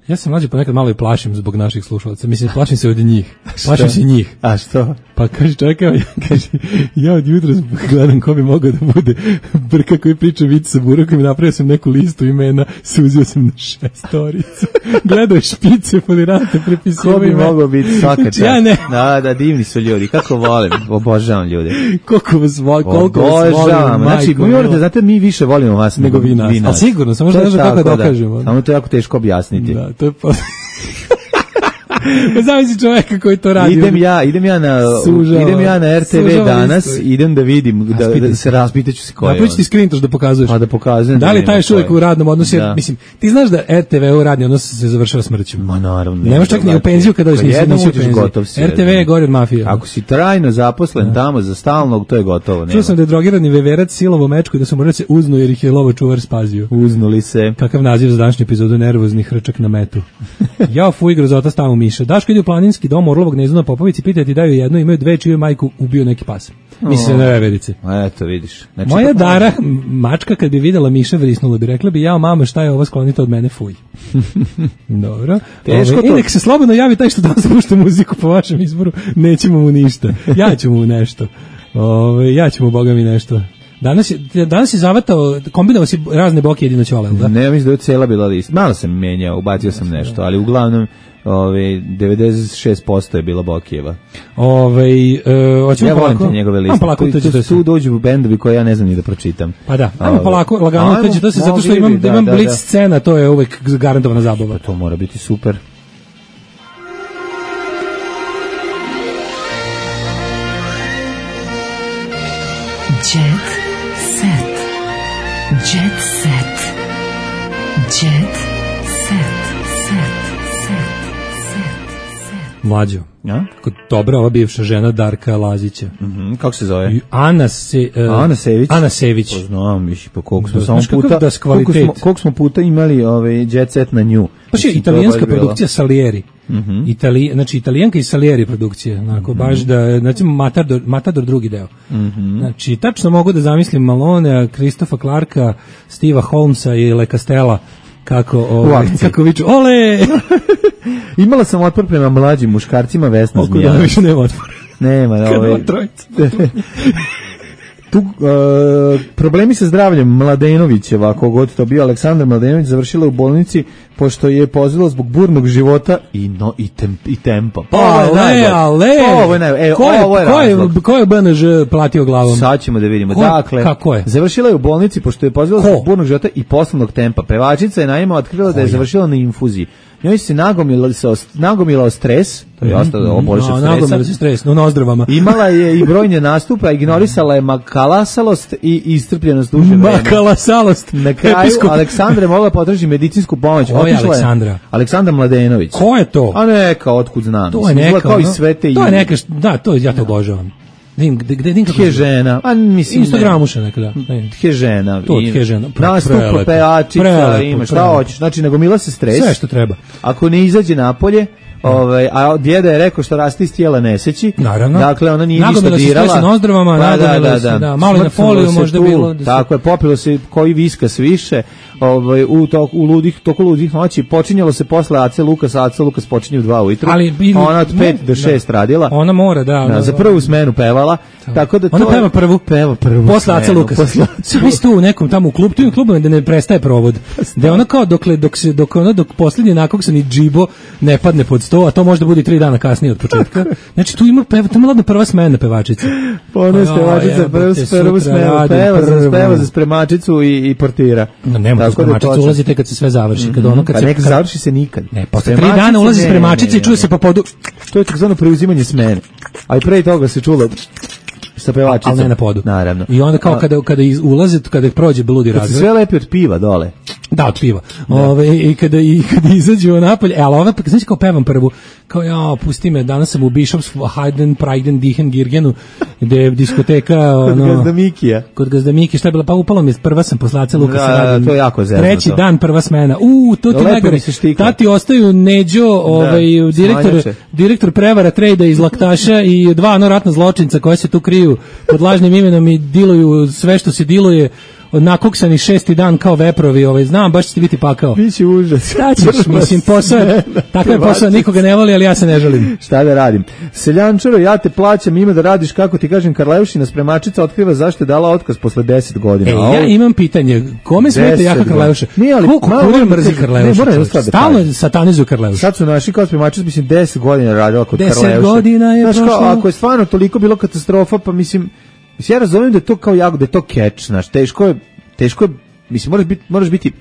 Ja se mlađe ponekad malo i plašim zbog naših slušalaca. Mislim, plašim se od njih. Plašim se njih. A što? Pa kaže čovjek, ja, kaže, ja od jutra gledam ko bi mogao da bude Brka koji priča vic sa burakom i napravio sam neku listu imena, suzio sam na šestoricu. Gledao špice, folirante, prepisio ko bi ime. Mogao biti svaka čast? Ja ne. Da, da, divni su ljudi. Kako volim, obožavam ljude. Koliko vas volim, koliko vas volim. Znači, mi morate, znate, mi više volimo vas nego vi nas. Ali sigurno, samo što ne znam kako da dokažemo. Samo to je jako teško objasniti. Da, to je pa... Pa zamisli čovjeka koji to radi. Idem ja, idem ja na sužava, idem ja na R T V danas, isto. Idem da vidim da, da se raspitaću se ko je. Napraviš ti screentoš da pokazuješ. Pa da pokazujem. Da li taj još uvijek u radnom odnosu, da. Mislim, ti znaš da R T V u radni odnos se završava smrću. Ma naravno. Ne možeš čak ni u penziju kada još nisi u penziju. R T V je gori od mafije. Ako si trajno zaposlen tamo za stalnog, to je gotovo. Čuo sam da je drogirani veverac silovo mečku i da su morali se uznu jer ih je lovo čuvar spazio. Uznuli se. Kakav naziv za današnju epizodu, nervozni hrčak na metu. Ja fuj grozota stavu miša. Daško ide u planinski dom Orlovog gnezda na Popovici, pitaju ti daju jedno, imaju dve, čiju majku ubio neki pas. Misli na veverice. Eto, vidiš. Znači, moja Dara, mačka, kad bi videla miša, vrisnula bi, rekla bi, jao mama, šta je ovo, sklonite od mene, fuj. Dobro. Teško Ove, to. I nek se slobodno javi taj što danas pušta muziku po vašem izboru, nećemo mu ništa. Ja ću mu nešto. Ove, ja ću mu, boga mi, nešto. Danas je, danas je zavatao, kombinovao si razne boke jedino ćole, da? Ne, mislim da je cijela bila lista. Malo sam menjao, ubacio sam nešto, ali uglavnom ove devedeset šest posto je bila Bokijeva. Ovaj e, hoćemo ja polako. Ja njegove liste. Polako, tu, tu, tu dođu bendovi koje ja ne znam ni da pročitam. Pa da. Ajmo polako, lagano to to se zato što imam da, imam da, blic da. Scena, to je uvek garantovana zabava. Pa to mora biti super. Jet set. Jet set. Jet set. Mlađo. Ja? Kako dobra ova bivša žena Darka Lazića. Mhm, kako se zove? I Ana se uh, Ana Sević. Ana Sević. Pa znam, miši, pa koliko smo Da, samo znaš kakav puta, da koliko kvalitet. smo, koliko smo puta imali ovaj Jet Set na nju. Baš je Mislim, to italijanska baš bilo. produkcija Salieri. Mhm. Itali, znači italijanka i Salieri produkcije, onako Mhm. baš da, znači Matador, Matador drugi deo. Mhm. Znači tačno mogu da zamislim Malonea, Kristofa Clarka, Steva Holmesa i Le Castella kako ovaj, kako viču ole. Imala sam otpor prema mlađim muškarcima, Vesna Oko Zmijanac. da više nema otpora. Nema, da, Kad ovaj. ova trojica. Tu, uh, problemi sa zdravljem Mladenovićeva, kogod to bio, Aleksandar Mladenović završila u bolnici pošto je pozvalo zbog burnog života i no i, tem, i tempa. Pa, ale, ale. Ovo je najbolje. E, ko je, ovo je ko je, razlog. ko je B N Ž platio glavom? Sad ćemo da vidimo. Ko, dakle, kako je? Završila je u bolnici pošto je pozvalo zbog burnog života i poslovnog tempa. Pevačica je naime otkrila da je završila na infuziji. Njoj se nagomilao, nagomilao stres, to je ostalo oboliš od stresa. Nagomilao se stres, no na ozdravama. Imala je i brojne nastupe, ignorisala je makalasalost i iscrpljenost duže vreme. Makalasalost. Na kraju Episkop. Aleksandra je mogla potražiti medicinsku pomoć. Ko je Otišla Aleksandra? Aleksandra Mladenović. Ko je to? A neka, otkud znam. To je Mislim, izgleda neka, kao i ono- sve te to je ime. neka, št- da, to je, ja to obožavam. Gde, gde, gde, gde, Tje žena, a mislim Instagramuša neka, da. Ne. Tje žena. To i tje žena. Pre- Nastupa, prelepo. pevačica, Prelepo, ima šta prelepo. hoćeš. Znači, nagomila se stres. Sve što treba. Ako ne izađe napolje, ovaj, a djeda je rekao što raste iz tijela ne seći. Naravno. Dakle, ona nije ništa Nagomila se dirala. stres na ozdravama, Pa, nagomila se, da, malo i na Smrcnulo foliju se možda tu, bilo da se- Tako je, popilo se koji viskas više. Ovaj, u, tok, u ludih, toku ludih noći. Počinjalo se posle Ace Lukas, Ace Lukas počinje u dva ujutru. Ali bi- A ona od pet do da. šest radila. Ona mora, da. Da, ona- za prvu smenu pevala. Tako da to Ona je- peva prvu. Peva prvu. Posle Aca smenu, Lukas. posle- Sve mi tu u nekom tamo u klubu, tu je klubom da ne prestaje provod. Da je ona kao dokle, dok se, dok ono, dok posljednji nakoksani džibo ne padne pod sto, a to možda bude i tri dana kasnije od početka. Znači tu ima, peva, tu ima ladna prva smena pevačica. Pa ona je Aj, pevačica, jebote, prvu, prvu sutra smenu, radim peva, za, prvu. peva za spremačicu i, i portira. No, nema tu Tako da je spremačica, točno. ulazi tek kad se sve završi. Kad ono, kad Pa se, nek kad- završi se nikad. Ne, posle tri Spremačice dana ulazi ne, spremačica ne, i čuje ne. se po podu. To je takozvano preuzimanje smene. A i pre toga se čulo sa pevačicom. Ali ne na podu. Naravno. I onda kao A, kada, kada iz, ulaze, kada prođe bludi kad se razvoj. sve lepi od piva dole. Da, od piva. Ove, i kada i kada izađu napolje, e, ali ova znači kao pevam prvu, kao ja, pusti me, danas sam u Bishops Hayden Priden Dihen Girgenu, gde je diskoteka Kod ono Gazda Mikija. kod Gazda Miki, šta je bila, pa upalo mi je prva sam posle Ace Lukasa Da, da, radim. to je jako zezno Treći to. dan prva smena. U, to ti Lepo najgore. mi se štikla. Tati ostaju Neđo, ovaj direktor smanjače. direktor prevara trejda iz Laktaša i dva ono ratna zločinca koje se tu kriju pod lažnim imenom i diluju sve što se diluje. Nakoksani šesti dan kao veprovi, ovaj, znam, baš će ti biti pakao. Biće užas. Šta ćeš, mislim, posao je, takav je posao, nikoga ne voli, ali ja se ne želim. Šta da radim? Seljančaro, ja te plaćam, ima da radiš kako ti kažem. Karleušina spremačica otkriva zašto je dala otkaz posle deset godina. E, A ovo- ja imam pitanje, kome smeta deset jaka godina. Karleuša? Nije, ali Ko malo kurir moram mrzi kažem, Karleuša? ne, moram jednu čovječe? stvar da Stalno kažem. satanizuju Karleuša. Sad su naši kao spremačica, mislim, deset godina radila kod Deset Karleuše. godina je Znaš, kao, prošlo. ako je stvarno toliko bilo katastrofa, pa mislim, mislim, ja razumijem da je to kao jako, da je to catch, znaš, teško je, teško je, mislim, moraš biti, moraš biti,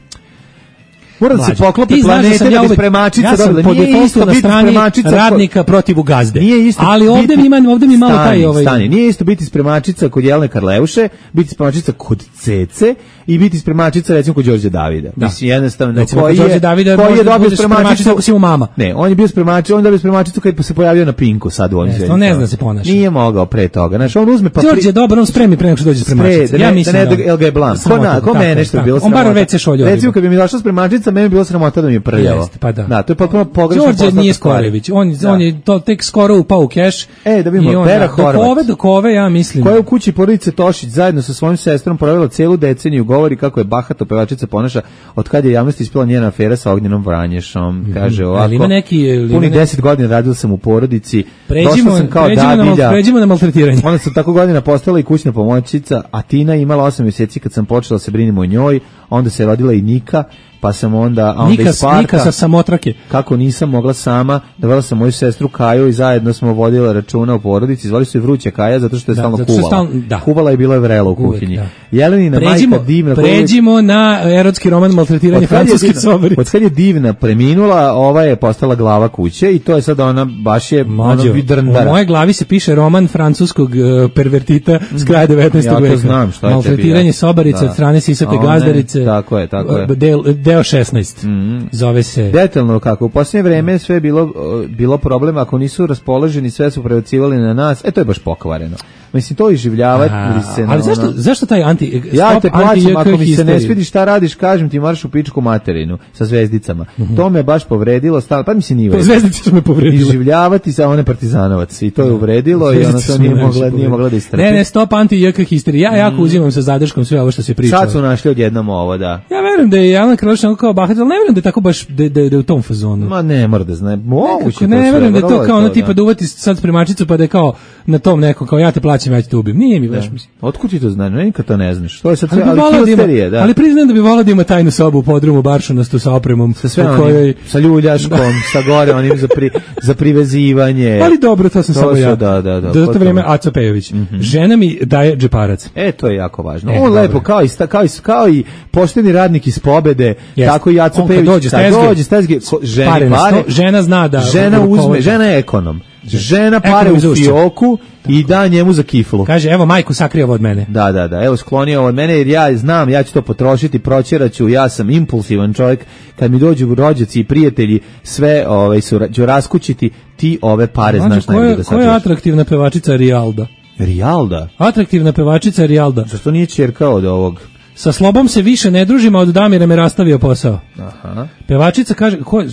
mora da se Mlađe, poklope ti znaš da planete sam da ja bi uvek- spremačica ja sam dobila. po Nije defaultu isto na biti strani spremačica ko- radnika protiv gazde. Nije isto ali ovde biti- mi ima, ovde mi malo stani, taj ovaj stani, nije isto biti spremačica kod Jelene Karleuše, biti spremačica kod Cece i biti spremačica recimo kod Đorđe Davida. Da. Mislim jednostavno Recimo, koji kod Đorđe je Davida koji je možda dobio budeš spremačica spremačicu ako si mu mama. Ne, on je bio spremačica, on je dobio spremačicu kad se pojavio na Pinku sad u ovim Jeste, zemljama. on ne zna da se ponaša. Nije mogao pre toga. Znaš, on uzme pa Đorđe je dobar, on spremi pre nego što dođe spremačica. Spre, da Ja ne, mislim da ne, da, jel ga je blan. Ko, Sramota, na, ko tako mene je, nešto tako. bilo On bar sramota. već se šoljo. Recimo, kad bi mi došla spremačica, meni bi bilo sramota da mi je prljavo. Jeste, pa da. Da, to je potpuno pogrešno. Đorđe poslata nije stvar. Skorević, on, Da. on je to tek skoro upao u keš. E, da vidimo, I on, Vera da, dok Horvat. ove, dok ove, ja mislim. Koja je u kući porodice Tošić zajedno sa svojim sestrom provela celu deceniju, govori kako je bahato pevačica ponaša od kad je javnosti ispila njena afera sa Ognjenom Vranješom. Kaže ovako, Ali ima neki, ili ima punih neki- deset godina radila sam u porodici, Pređimo, došla sam kao pređimo, na, mal- dadilja, pređimo na maltretiranje. onda sam tako godina postala i kućna pomoćnica, a Tina je imala osam mjeseci kad sam počela da se brinimo o njoj, onda se rodila i Nika, pa sam onda, a onda Nika, iz parka, Nika sa samotrake. kako nisam mogla sama, dovela sam moju sestru Kaju i zajedno smo vodila računa o porodici, zvali su je Vruća Kaja zato što je Da, stalno zato što je kuvala. stalno- da. Kuvala je bila je vrela u Uvek, kuhinji. da. Jelenina Pređimo, majka divna. koju- pređimo na erotski roman maltretiranje Od kad je francuske divna- sobarice. Od kad je divna preminula, ova je postala glava kuće i to je sad ona baš je Mlađo, ono u vidrndara. moje glavi se piše roman francuskog uh, pervertita s kraja devetnaestog Ja to veka. znam, šta je tebi, Maltretiranje ja. sobarice Da. od strane sisate A one, gazdarice. tako je, tako je. Deo, deo deo šesnaest. Mm. Zove se... Detaljno kako. U posljednje vreme sve je bilo, bilo problem, ako nisu raspoloženi, sve su prebacivali na nas. E, to je baš pokvareno. Mislim, to iživljavati se na ali zašto, ono... zašto taj anti... Ja te plaćam, ako mi se ne svidi šta radiš, kažem ti moraš u pičku materinu sa zvezdicama. Mm-hmm. To me baš povredilo, stavno, pa mi se nije... To zvezdice su me povredile. Iživljavati sa one partizanovac. I to je uvredilo i ono to nije mogla, nije mogla da istrpi. Ne, ne, stop anti-J K histerija. Ja jako mm. uzimam sa zadrškom sve ovo što se priča. Sad su našli odjednom ovo, da. Ja verujem da je Jelena Krlić kao bahat, ali ne verujem da je tako baš da, da, da je u tom fazonu. Ma ne mora da zna. Moguće. Ne, ne verujem da je to kao ono tipa da uvati sad spremačicu pa da je kao na tom neko kao ja te plaćam, ja ću te ubijem. Nije mi baš mislim. Otkud ti to znaš? Ne, nikad to ne znaš. To je sad sve, ali, ali histerije, da. Ali priznajem da bi volao da ima tajnu sobu u podrumu baršunastu sa opremom, sa sve onim, kojoj sa ljuljaškom, sa gore onim za pri, za privezivanje. Ali dobro, to sam to samo ja. Da, da, da. Do to vrijeme Aco Pejović. Mm-hmm. Žena mi daje džeparac. E, to je jako važno. E, On dobro. Lepo kao i kao i kao i pošteni radnik iz Pobede, yes. Tako i Aco Pejović dođe dođe stezge, žena pare, pare, žena zna da žena uzme, žena je ekonom. Žena pare u fioku i da njemu za kiflu. Kaže, evo majku sakri ovo od mene. Da, da, da, evo skloni ovo od mene jer ja znam, ja ću to potrošiti, proćeraću, ja sam impulsivan čovjek, kad mi dođu rođaci i prijatelji, sve ovaj, su, ću raskućiti, ti ove pare znači, znaš najbolje da sačuvaš. Koja je atraktivna pevačica Rijalda? Rijalda? Atraktivna pevačica Rijalda. Zašto nije ćerka od ovog? Sa Slobom se više ne družimo, od Damira me rastavio posao. Aha. Pevačica kaže, ko,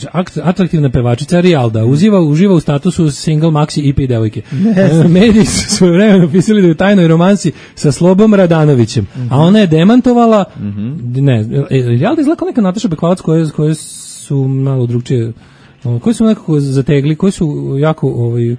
atraktivna pevačica Rijalda, uziva, uživa u statusu single maxi I P devojke. Mediji su svoje vremeno pisali da je u tajnoj romansi sa Slobom Radanovićem, mm-hmm. a ona je demantovala, mm-hmm. ne, Rijalda izgleda kao neka Nataša Bekvalac koje, koje su malo drugčije, koji su nekako zategli, koji su jako ovaj,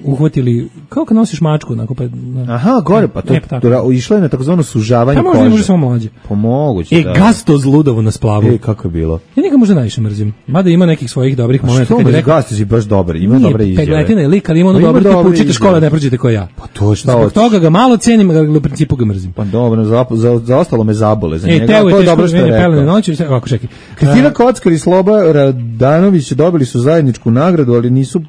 uhvatili, kao kad nosiš mačku onako pa na, aha, gore, pa to, to išlo je na takozvano sužavanje kože. Pa možda, možda samo mlađe. Pomoguće, e, da. E, Gasto Zludovo na splavu. E, kako je bilo? Ja njega možda najviše mrzim. Mada ima nekih svojih dobrih momenta. Što me Gasto si baš dobar, ima nije, dobre izjave. Pegletina je lik, ali ima ono dobro, tipu učite škole, ne prođete kao ja. Pa to šta Zbog toga ga malo cenim, ali u principu ga mrzim. Pa dobro, za, za, za ostalo me zabole za e, njega. Teo to je dobro što je rekao. Noći, ovako, čekaj. Kristina Kockar i Sloba Radanović dobili su zajedničku nagradu, ali nisu,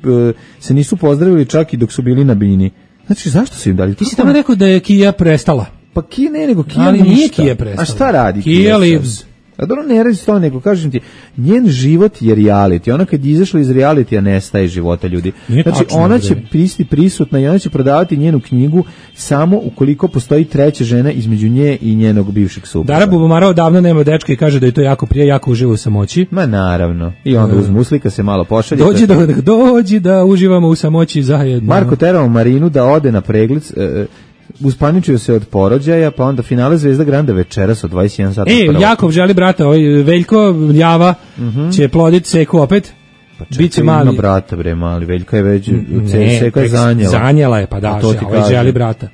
se nisu pozdravili čak i dok su bili na bini. Znači, zašto su im dali? Ti si tamo rekao da je Kija prestala. Pa Kija ne, nego Kija ali ništa. Nije Kija prestala. A šta radi Kija? Kija lives. A dobro, ne radi s to, nego kažem ti, njen život je reality. Ona kad je izašla iz realitija nestaje života ljudi. Nije znači, tačno, ona će pristi prisutna i ona će prodavati njenu knjigu samo ukoliko postoji treća žena između nje i njenog bivšeg supruga. Dara Bubamarova davno nema dečka i kaže da je to jako prije, jako uživa u samoći. Ma naravno. I onda uz muslika se malo pošalje. Dođi da, dođi da uživamo u samoći zajedno. Marko terao Marinu da ode na pregled, e, uspaničio se od porođaja, pa onda finale Zvezda Granda večeras od dvadeset jedan sata. E, Jakov želi brata, ovaj Veljko Ljava mm-hmm. će ploditi Seku opet. Pa čekaj, biće mali. Ima brata bre, mali Veljka je već ne, Seka je zanjela. Zanjela je, pa da, ovaj želi brata.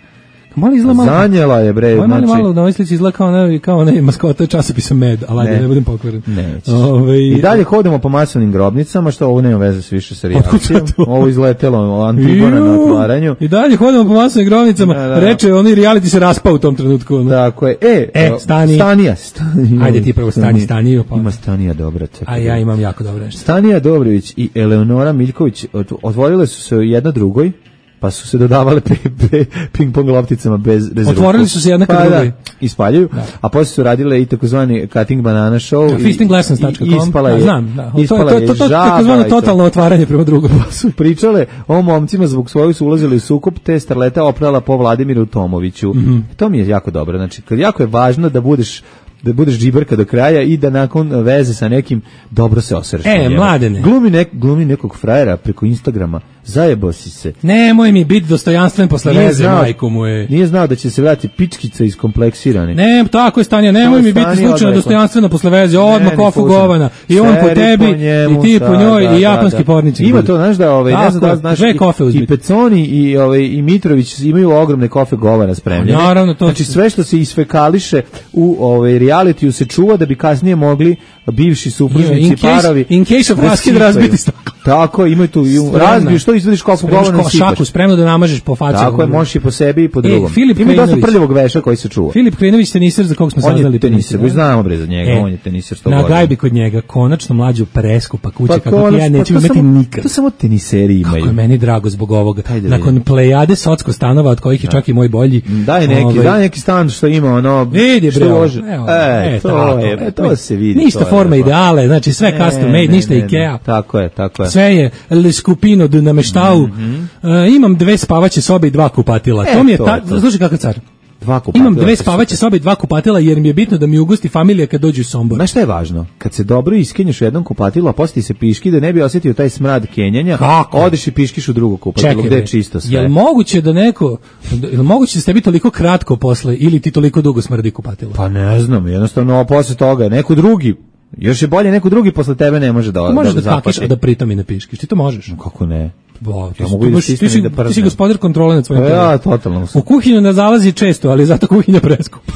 Mali izgleda malo. Zanjela je bre, ovaj znači. Malo na ovoj slici izgleda kao onaj kao onaj maskota časopisa Med, ali ajde ne, ne budem pokvaren. Ne. Ove, I dalje hodamo po masovnim grobnicama, što ovo nema veze s više sa reakcijom. Ovo izletelo Antigona na otvaranju. I dalje hodamo po masovnim grobnicama. Da, da. Reče, oni reality se raspao u tom trenutku. No. Tako je. E, e stani. Stanija. Stanija. Ajde ti prvo stani Staniju. Pa. Ima Stanija dobra. Čekaj, a ja imam jako dobro nešto. Stanija Dobrović i Eleonora Miljković otvorile su se jedna drugoj. Pa su se dodavale ping pong lopticama bez bez ruku. Otvorili su se jedna kad drugoj. Ispaljuju, a posle su radile i takozvani cutting banana show. Ja, fisting lessons dot com. Ispala je, znam, da. Ispala to, to, to, to, takozvano totalno otvaranje prema drugom. Pa su pričale o momcima zbog svojih su ulazili u sukob, te starleta oprala po Vladimiru Tomoviću. Mm-hmm. To mi je jako dobro. Znači, kad jako je važno da budeš da budeš džiberka do kraja i da nakon veze sa nekim dobro se osvrš. E, mladene. Glumi, nek, glumi nekog frajera preko Instagrama. Zajebo si se. Nemoj mi biti dostojanstven posle nije veze, znao, majko mu je. Nije znao da će se vratiti pičkica iskompleksirane. Ne, tako je Stanja, nemoj mi biti slučajno dostojanstveno posle veze, odmah kofu govana. I on po tebi, po njemu, i ti po njoj, da, i japanski da, da. pornici. Ima to, znaš da, ovaj, ne znam da znaš, i, i Peconi i, ovaj, i Mitrović imaju ogromne kofe govana spremljene. Naravno, to znači sve što se isfekališe u ovaj, realitiju se čuva da bi kasnije mogli bivši supružnici in case, parovi in case of raskid razbiti staklo. Tako, ima tu razbiju, što izvadiš kofu govana i sipaš. Šaku spremno da namažeš po faci. Tako je, možeš i po sebi i po drugom. E, ima dosta prljavog veša koji se čuva. Filip Klinović, teniser za kog smo saznali. On je teniser, vi znamo bre za njega, e, on je teniser sto godina. Na gajbi kod njega, konačno mlađu preskupa kuća, pa kako ja neću pa imati samo, nikad. To samo teniseri imaju. Kako je meni drago zbog ovoga. Nakon plejade socko stanova, od kojih je čak i moj bolji. Daj neki, ovaj, daj neki stan što ima ono... Vidi bre, može. E, to je, to se vidi. Ništa forma ideale, znači sve custom made, ništa Ikea. Tako je, tako je. Sve je le skupino na meštau. Imam dve spavaće sobe i dva kupatila. To mi je, slušaj kakav car. Dva kupatila. Imam dve spavaće sobe i dva kupatila jer mi je bitno da mi ugosti familija kad dođu u Sombor. Znaš šta je važno? Kad se dobro iskenješ u jednom kupatilu, a poslije se piški da ne bi osjetio taj smrad kenjanja, kako? Odeš i piškiš u drugo kupatilo gde je čisto sve. Jel moguće da neko, jel moguće da ste bi toliko kratko posle ili ti toliko dugo smrdi kupatilo? Pa ne znam, jednostavno posle toga neko drugi, još je bolje neko drugi posle tebe ne može da da možeš da, da kakiš, a da pritom i ne piškiš. Ti to možeš? No, kako ne? Bo, ti, ja mogu da ti, si, da ti si gospodar kontrole nad svojim telom. Ja, totalno. U kuhinju ne zalazi često, ali zato kuhinja preskupa.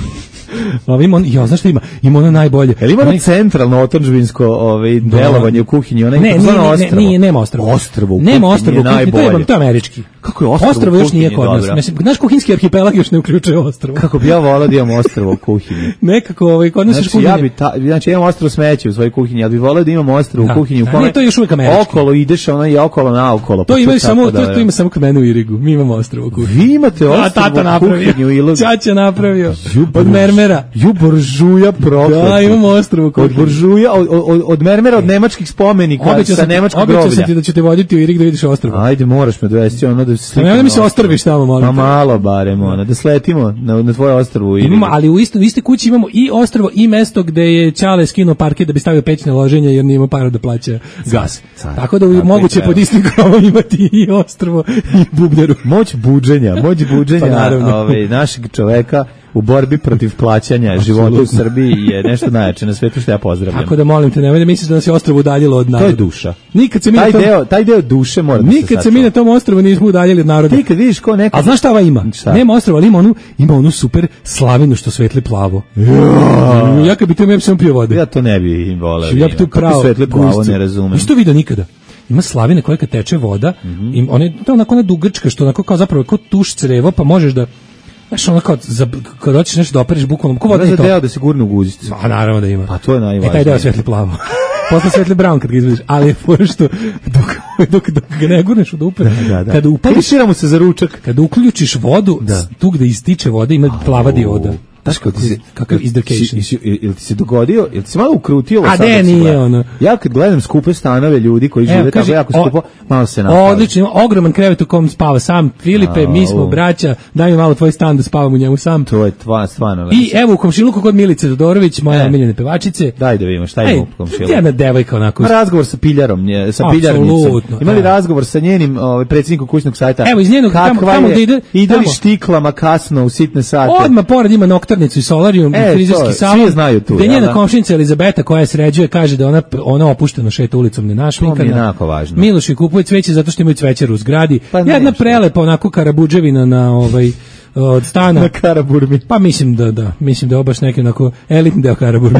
Ima on, ja, znaš šta ima? Ima ono najbolje. Jel ima ono centralno otadžbinsko ovaj, delovanje u kuhinji? Onaj, ne, nije, ne, nije, nema ostrvo. Ostrvo u nema ostrvo u kuhinji, to je, to je američki. Kako je ostrvo, ostrvo još nije kod nas. Mislim, naš kuhinjski arhipelag još ne uključuje ostrvo. Kako bi ja volao da imam ostrvo u kuhinji? Nekako, ovaj, kod nas znači, kuhinje. Ja bi ta, znači, ja imam ostrvo smeće u svojoj kuhinji, ali bi volao da imam ostrvo u kuhinji. U kome ne, to je još uvijek američki. Okolo ideš, ono i okolo na okolo. To ima samo, to, to ima samo kod mene u Irigu. Mi imamo ostrvo u kuhinji. Vi imate ostrvo u kuhinji u Ilogu. Ćaća napravio. Od mermera. Ju buržuja prokleti. Da, imamo ostrvo u kuhinji. Od buržuja, od, od, od mermera, od nemačkih spomenika, sa nemačkog groblja. Obećao sam ti da ću te voditi u Irig da vidiš ostrvo. Ajde, moraš me dovesti ono da se da mi se ostrviš tamo, molim. Pa malo barem, ono, da sletimo na, na tvoje ostrvo u Irigu. Imamo, ali u isto, u iste kući imamo i ostrvo i mesto gde je Ćale skinuo parket da bi stavio pećne loženje jer nije imao para da plaća gas. Car, Tako da je moguće pod istim krovom imati i ostrvo i bubnjaru. Moć buđenja, moć buđenja pa, ove, našeg čoveka u borbi protiv plaćanja života u Srbiji je nešto najjače na svetu što ja pozdravljam. Tako da molim te, nemoj da misliš da nas je ostrvo udaljilo od naroda. To je duša. Nikad se mi taj, tom, deo, taj deo duše mora da se nikad se mi na tom ostrvu nismo udaljili od naroda. Ti kad vidiš ko neko... A znaš šta ova ima? Šta? Nema ostrva, ali ima onu, ima onu super slavinu što svetli plavo. Ja, ja kad bi to imao, ja bi sam pio vode. Ja to ne bi voleo. Ja bi to pravo svetli plavo ne razumem. Nisi to vidio nikada? Ima slavine koja kad teče voda, mm -hmm. im, one, to je onako ona dugačka, što onako kao zapravo kao tuš crevo, pa možeš da znaš, ono kao, za, kad hoćeš nešto da opereš bukvalno, ko voda je to? Deo da se gurne u guzicu. A naravno da ima. Pa to je najvažnije. E, taj deo svetli plavo. Posle svetli brown kad ga izvediš, ali je fora što dok, dok, dok ga ne gurneš u dupe, da, da, da. Kada upališ, mu se za ručak. Kada uključiš vodu, da. Tu gde ističe voda ima plava dioda. Znaš kako ti se, kakav izdrkation. Ili ti se dogodio, ili ti se malo ukrutilo? A ne, nije ono. Ja kad gledam skupe stanove ljudi koji žive Evo, tako jako skupo, malo se napalim. Odlično, ogroman krevet u kom spava sam. Filipe, mi smo braća, daj mi malo tvoj stan da spavam u njemu sam. To je tva, stvarno. I evo u komšiluku kod Milice Todorović, moja omiljene pevačice. Daj da vidimo šta ima u komšiluku. Jedna devojka onako. Razgovor sa piljarom, sa piljarnicom. Imali razgovor sa njenim ovaj predsjednikom kućnog sajta. Evo iz njenog tamo da ide. Ide li štiklama kasno u sitne sate. Odmah pored ima noktarnicu i solarium. E, frizerski salon, gde njena komšinica Elizabeta koja sređuje kaže da ona ona opušteno šeta ulicom ne našminkana. Miloš i kupuje cveće zato što imaju cvećaru u zgradi. Pa jedna prelepa onako karabudževina na ovaj od stana. Na Karaburmi. Pa mislim da da, mislim da je baš neki onako elitni deo Karaburmi.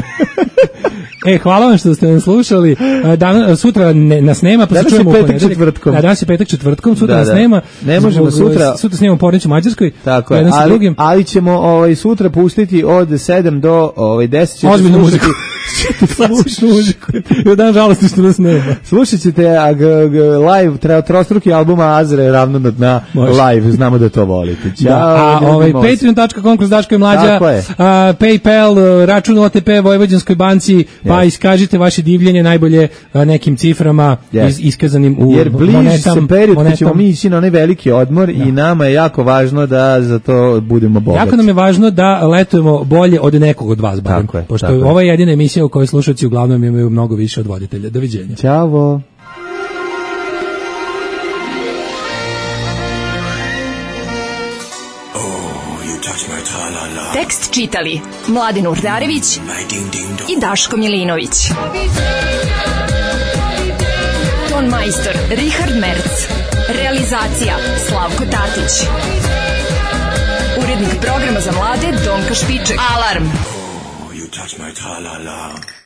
E, hvala vam što ste nas slušali. Dan, sutra ne, nas nema, pa se čujemo u ponedeljak. Četvrtkom. Da, danas je petak četvrtkom, sutra da, da. nas nema. Ne možemo zbog, sutra. Sutra snimamo Pornić u Mađarskoj. Tako je, ali, ali ćemo ovaj, sutra pustiti od sedam do ovaj, deset. Ozbiljnu muziku. Slušati muziku. I dan žalosti što nas nema. Slušat ćete a, g, g, live, treba trostruki albuma Azre ravno na dna live, znamo da to volite. Ćao. Da, a ovaj, patreon tačka com kroz Daško i Mlađa, a, PayPal, račun O T P Vojvođanskoj banci, yes. Pa iskažite vaše divljenje najbolje a, nekim ciframa yes. iz, iskazanim u jer bliži monetam, se period monetam. Kad ćemo mi ići na onaj veliki odmor da. I nama je jako važno da za to budemo bogati. Jako nam je važno da letujemo bolje od nekog od vas, barem, tako je, pošto tako ova je jedina emisija u kojoj slušalci uglavnom imaju mnogo više od voditelja. Doviđenja. Ćao. Tekst čitali Mladin Urdarević i Daško Milinović. Ton majstor Richard Merc. Realizacija Slavko Tatić. Urednik programa za mlade Donka Špiček. Alarm! Oh, you touch my tra-la-la.